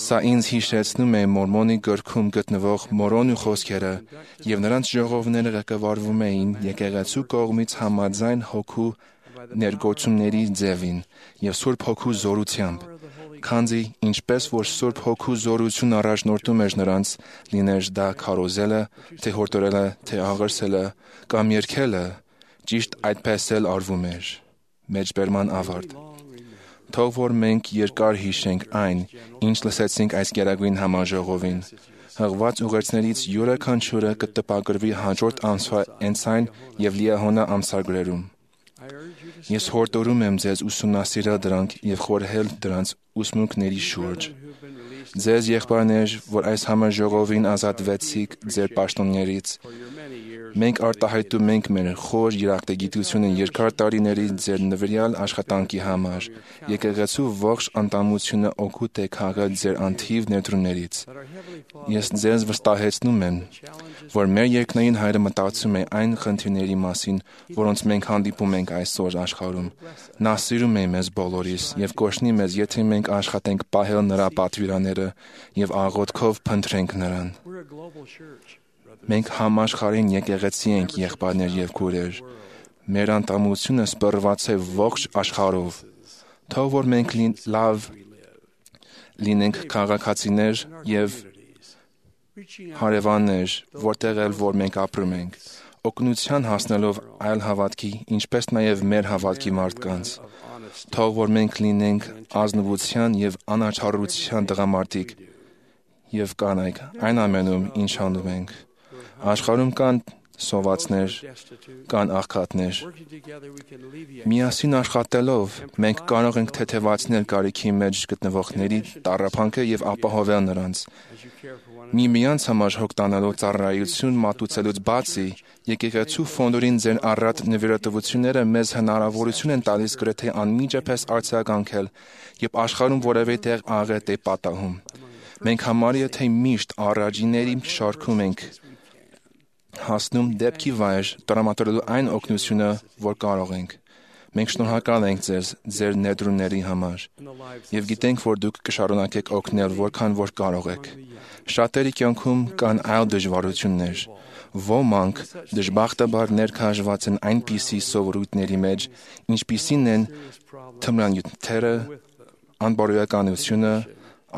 Սա ինձ հիշեցնում է Մորմոնի գրքում գտնվող Մորոնու խոսքերը, եւ նրանց ժողովները ղեկավարվում էին եկեղեցու կողմից համաձայն հոգու ներգործումների ձևին եւ Սուրբ Հոգու զորությամբ։ Քանզի ինչպես որ Սուրբ Հոգու զորություն առաջնորդում էր նրանց, լիներ դա քարոզելը, թե հորդորելը, թե աղրսելը կամ երգելը, ճիշտ այդպես էլ արվում էր։ Մեջբերման ավարտ։ Թող որ մենք երկար հիշենք այն, ինչ լսեցինք այս գերագույն համաժողովին։ Հղված ուղերձներից յուրաքանչյուրը կտպագրվի հաջորդ ամսվա ընթացային եւ լիահոնա ամսագրերում։ Ես հորդորում եմ ձեզ ուսումնասիրել դրանք եւ խորհել դրանց ուսմունքների շուրջ։ Ձեզ եղբայրներ, որ այս համաժողովին ազատվեցիք ձեր պաշտոններից, մենք արտահայտում ենք մեր խոր երախտագիտությունը երկար տարիների ձեր նվիրյալ աշխատանքի համար։ Եկեղեցու ողջ անդամությունը օգուտ է քաղել ձեր անթիվ ներդրումներից։ Ես ձեզ վստահեցնում եմ, որ մեր երկնային Հայրը մտածում է այն խնդիրների մասին, որոնց մենք հանդիպում ենք այսօր աշխարհում։ Նա սիրում է մեզ բոլորիս եւ կօրհնի մեզ, եթե մենք աշխատենք պահել նրա պատվիրանները եւ աղոթքով փնտրենք նրան։ Մենք համաշխարհային եկեղեցի ենք, եղբայրներ եւ քույրեր։ Մեր անդամությունը սպառված է ողջ աշխարհով։ Թող որ մենք լավ լինենք քաղաքացիներ եւ հարևաններ, որտեղ էլ որ մենք ապրում ենք, օգնության հասնելով այլ հավատքի, ինչպես նաեւ մեր հավատքի մարդկանց։ Թող որ մենք լինենք ազնվության եւ անաչառության տղամարդիկ եւ կանայք այն ամենում, ինչ անում ենք։ Աշխարհում կան սովածներ, կան աղքատներ։ Միասին աշխատելով մենք կարող ենք թեթևացնել կարիքի մեջ գտնվողների տառապանքը եւ ապահովել նրանց։ Միմյանց համար հոգ տանալու ծառայություն մատուցելուց բացի, եկեղեցու ֆոնդերին ձեր առատ նվիրատվությունները մեզ հնարավորություն են տալիս գրեթե անմիջապես արձագանքել, երբ աշխարհում որևէ տեղ աղետ է պատահում։ Մենք համարյա թե միշտ առաջիների շարքում ենք հասնում դեպքի վայր տրամադրելու այն օգնությունը, որ կարող ենք։ Մենք շնորհակալ ենք ձեզ ձեր ներդրումների համար եւ գիտենք, որ դուք կշարունակեք օգնել, որքան որ կարող եք։ Շատերի կյանքում կան այլ դժվարություններ։ Ոմանք դժբախտաբար ներքաշված են այնպիսի սովորույթների մեջ, ինչպիսին են թմրանյութերը, անբարոյականությունը,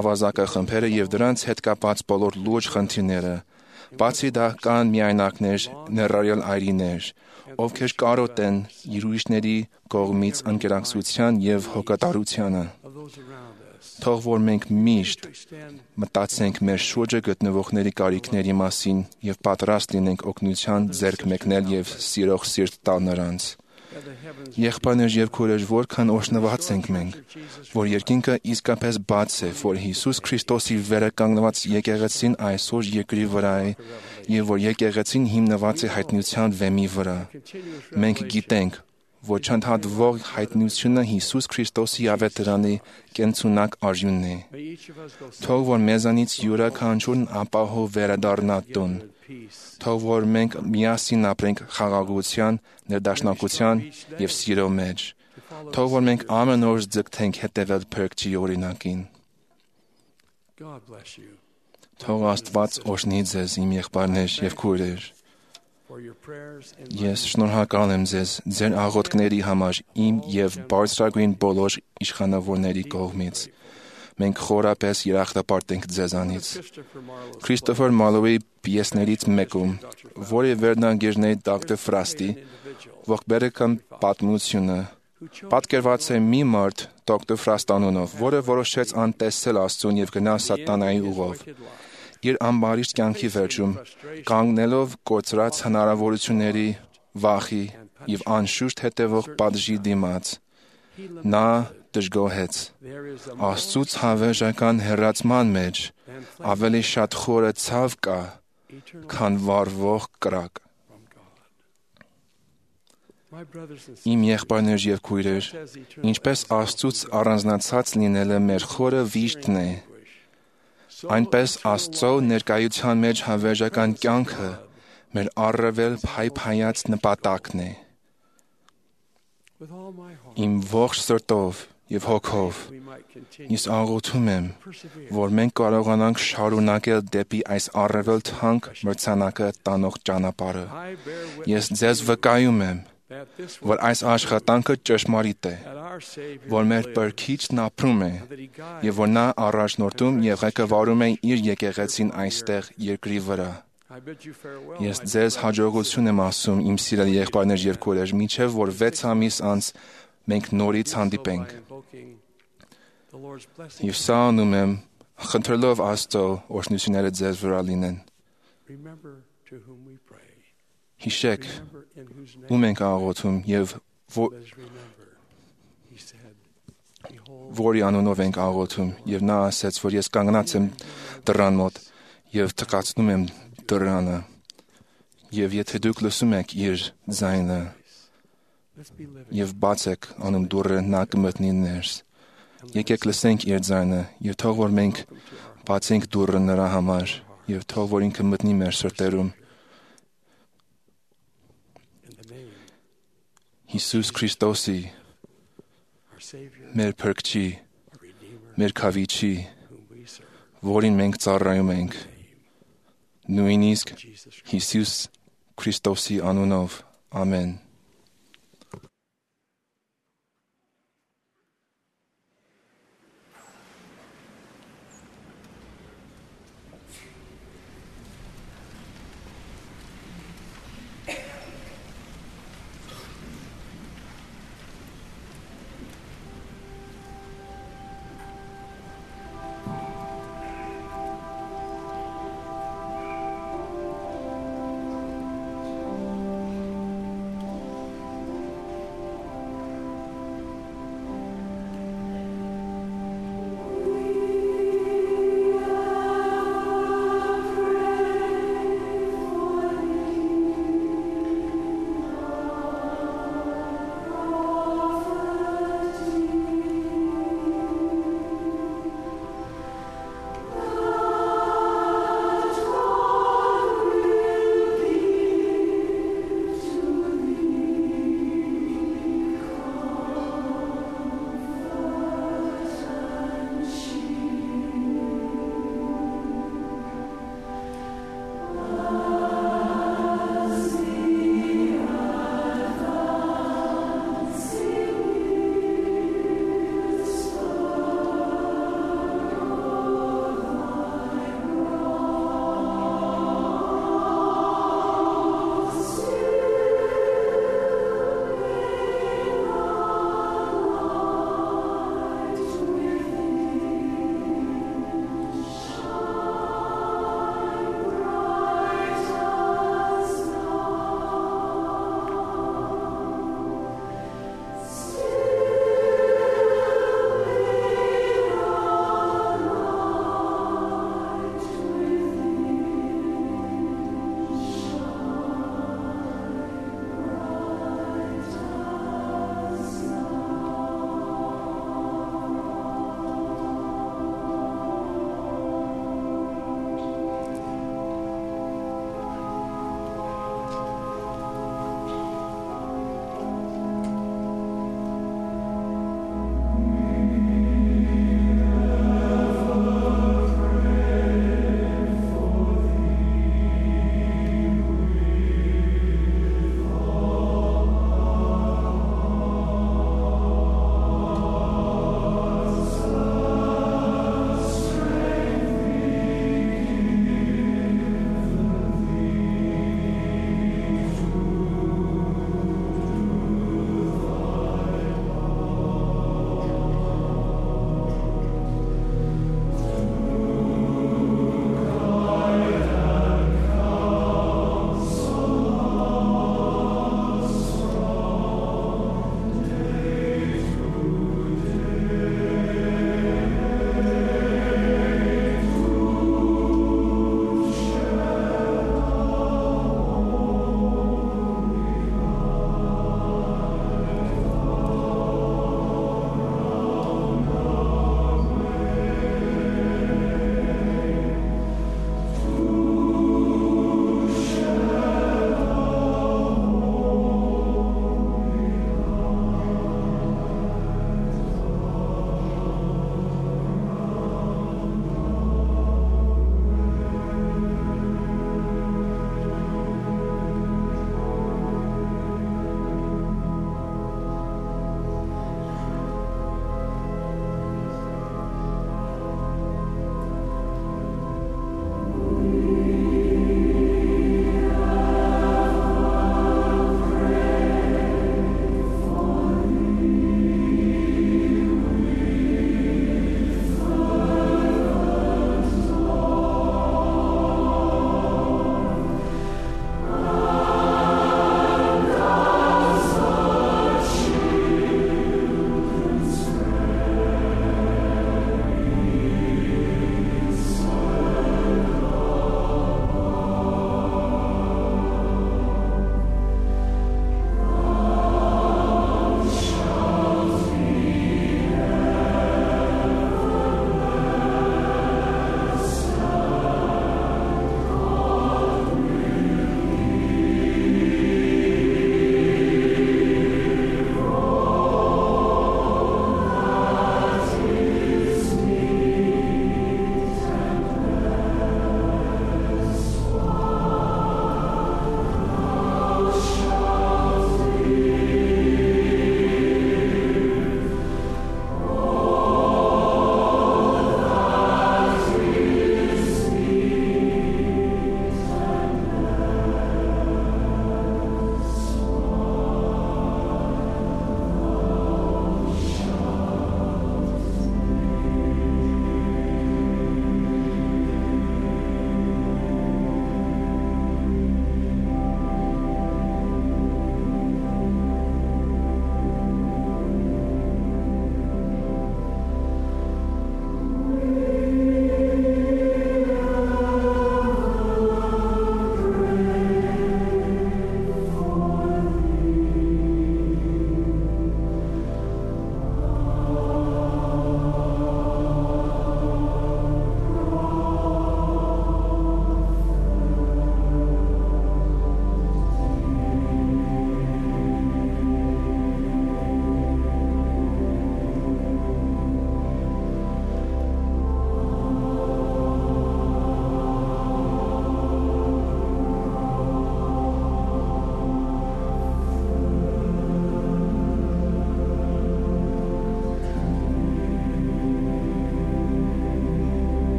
ավազակախմբերը եւ դրանց հետ կապված բոլոր լուրջ խնդիրները։ Բացի դա կան միայնակներ, ներառյալ այրիներ, ովքեր կարոտ են ուրիշների կողմից անկերակցության եւ հոգատարությանը։ Թող որ մենք միշտ մտածենք մեր շուրջը գտնվողների կարիքների մասին եւ պատրաստ լինենք օգնության ձեռք մեկնել եւ սիրող սիրտ տալ նրանց։ Եղբայրներ եւ քույրեր, որքան օրհնված ենք մենք, որ երկինքը իսկապես բաց է, որ Հիսուս Քրիստոսի վերականգնված եկեղեցին այսօր երկրի վրա է եւ որ եկեղեցին հիմնված է հայտնության վեմի վրա։ Մենք գիտենք, որ չընդհատվող հայտնությունը Հիսուս Քրիստոսի ավետարանի կենցունակ արյունն է։ Թող որ մեզանից յուրաքանչյուրն ապահով վերադառնա տուն։ Թող որ մենք միասին ապրենք խաղաղության, ներդաշնակության եւ սիրո մեջ։ Թող որ մենք ամեն օր ձգտենք հետևել Փրկչի օրինակին։ Թող Աստված օրհնի ձեզ, իմ եղբայրներ եւ քույրեր։ Ես շնորհակալ եմ ձեզ ձեր աղոթքների համար իմ եւ բարձրագույն բոլոր իշխանավորների կողմից։ Մենք խորապես երախտապարտ ենք ձեզանից։ Քրիստոֆեր Մալոուի պիեսներից մեկում, որի վերնագիրն է Դոկտոր Ֆրաստի, ողբերգական պատմությունը, պատկերված է մի մարդ Դոկտոր Ֆրաստ անունով, որը որոշեց անտեսել Աստծուն եւ գնալ սատանայի ուղով։ Իր ամբարիշտ կյանքի վերջում, կանգնելով կորցրած հնարավորությունների, վախի եւ անշուշտ հետևող պատժի դիմաց, նա դժգոհեց. Աստծուց հավերժական հեռացման մեջ ավելի շատ խորը ցավ կա, քան վառվող կրակ։ Իմ եղբայրներ եւ քույրեր, ինչպես Աստծուց առանձնացած լինելը մեր խորը վիշտն է, այնպես Աստծո ներկայության մեջ հավերժական կյանքը մեր առավել փայփայած նպատակն է։ Իմ ողջ սրտով եւ հոգով ես աղոթում եմ, որ մենք կարողանանք շարունակել դեպի այս առավել թանկ մրցանակը տանող ճանապարհը։ Ես ձեզ վկայում եմ, որ այս աշխատանքը ճշմարիտ է, որ մեր Փրկիչն ապրում է եւ որ նա առաջնորդում եւ ղեկավարում է իր եկեղեցին այստեղ երկրի վրա։ Ես ձեզ հաջողություն եմ ասում, իմ սիրելի եղբայրներ եւ քույրեր, մինչեւ որ վեց ամիս անց մենք նորից հանդիպենք։ Եվ սա անում եմ, խնդրելով Աստծո օրհնությունները ձեզ վրա լինեն։ Հիշեք, ում ենք աղոթում եւ որի անունով ենք աղոթում, եւ նա ասաց, որ ես կանգնած եմ դռան մոտ եւ թքացնում եմ դռանը, եւ եթե դուք լսում եք իր ձայնը եւ բացեք անում դուռը, նա կմտնի ներս։ Եկեք լսենք իր ձայնը եւ թող որ մենք բացենք դուռը նրա համար եւ թող որ ինքը մտնի մեր սրտերում։ Հիսուս Քրիստոսի, մեր Փրկչի, մեր Քավիչի, որին մենք ծառայում ենք, նույնիսկ Հիսուս Քրիստոսի անունով, ամեն։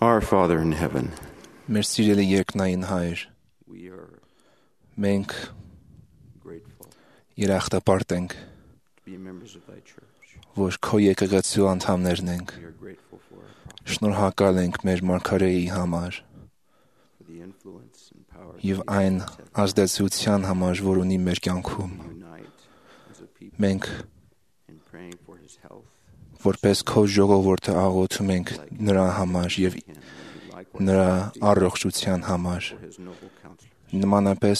Our Father in heaven, Մեր սիրելի երկնային Հայր, we are մենք grateful երախտապարտ ենք, to be members of thy church. որ քո եկեղեցու անդամներն ենք։ We are grateful for our prophet, Շնորհակալ ենք մեր մարգարեի համար for the influence and power եւ that he այն has had ազդեցության համար, որ ունի մեր կյանքում։ to unite as a people Մենք in praying for his health. որպես քո ժողովուրդը աղոթում ենք նրա համար եւ նրա առողջության համար։ For his noble counselors. Նմանապես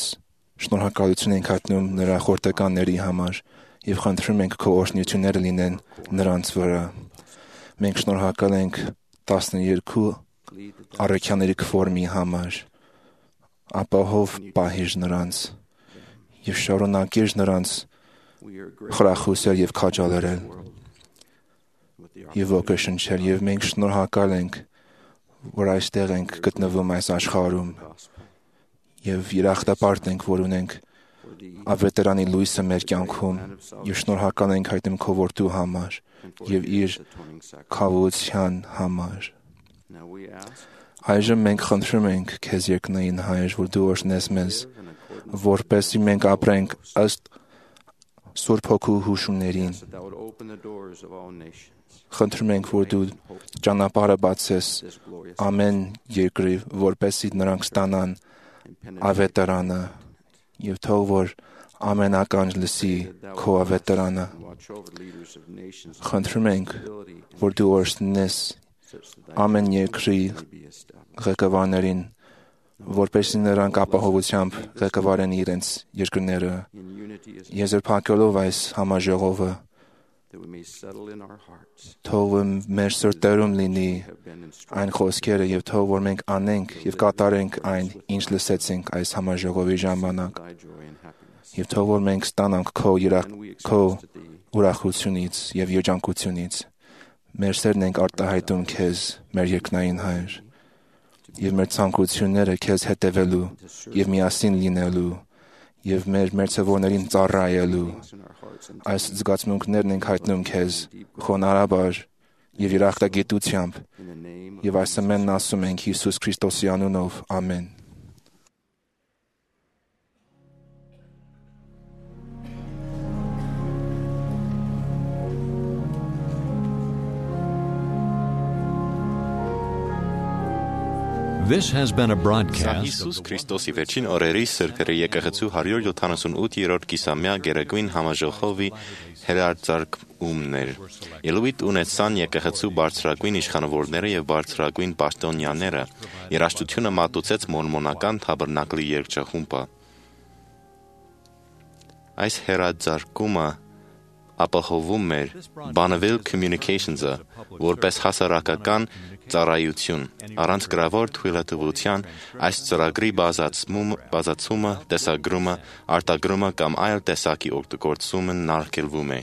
շնորհակալություն ենք հայտնում նրա խորտականների համար եւ խնդրում ենք քո օրհնությունները լինեն նրանց վրա։ Մենք շնորհակալ ենք տասներկու առաքյաների կվորմի համար։ Ապահով պահիր նրանց եւ շարունակիր նրանց We are grateful խրախուսել եւ քաջալերել with the եւ ոգեշնչել եւ մենք շնորհակալ ենք, որ այստեղ ենք գտնվում այս աշխարհում gospel, եւ երախտապարտ ենք, որ ունենք for the ավետարանի լույսը մեր կյանքում եւ շնորհակալ ենք հայտնում քո որդու համար and for եւ իր his atoning sacrifice. քավության համար։ Now we ask Այժմ մենք խնդրում ենք քեզ երկնային Հայր, որ դու օրհնես մեզ, in accordance որպեսզի մենք ապրենք ըստ Սուրբ Հոգու հուշումներին։ that thou would open the doors of all nations. Խնդրում ենք, որ դու ճանապարհը բացես This glorious ամեն երկրի, որպեսզի նրանք ստանան and penetrating ավետարանը եւ թող որ ամենական լսի քո ավետարանը։ and watch over leaders of nations Խնդրում ենք, ability and որ դու օրհնես such that thy ամեն երկրի may be established. ղեկավարներին, որպեսզի նրանք ապահովությամբ ղեկավարեն իրենց երկրները։ In unity as Եզրափակելով այս համաժողովը, that we may settle in our hearts թող մեր սրտերում լինի have been instructed այն խոսքերը եւ թող որ մենք անենք եւ կատարենք այն, ինչ լսեցինք այս համաժողովի ժամանակ, thy joy and happiness. եւ թող որ մենք ստանանք քո երախ And we քո express to thee ուրախությունից եւ երջանկությունից։ Մեր սերն ենք արտահայտում քեզ, մեր երկնային Հայր, եւ մեր ցանկությունները քեզ հետևելու եւ միասին լինելու եւ մեր մերձավորներին ծառայելու։ in our hearts and Այս զգացմունքներն ենք հայտնում քեզ խոնարհաբար եւ երախտագիտությամբ in the name of եւ այս ամենն ասում ենք Հիսուս Քրիստոսի անունով։ Ամեն։ This has been a Սա broadcast Հիսուս Քրիստոսի վերջին օրերի Սրբերի եկեղեցու հարյուր յոթանասունութերորդ կիսամյա Գերագույն համաժողովի հերարձակումն էր։ Ելույթ ունեցան եկեղեցու բարձրագույն իշխանավորները եւ բարձրագույն պաշտոնյաները։ Երաժշտությունը մատուցեց մորմոնական թաբերնակլի երգչախումբը։ Այս հերարձակումը ապահովում էր Bonneville Communications-ը որպես հասարակական ծառայություն առանց գրավոր թույլատվության այս ծրագրի բազացումը, տեսագրումը, արտագրումը կամ այլ տեսակի օգտագործումը նարգելվում է։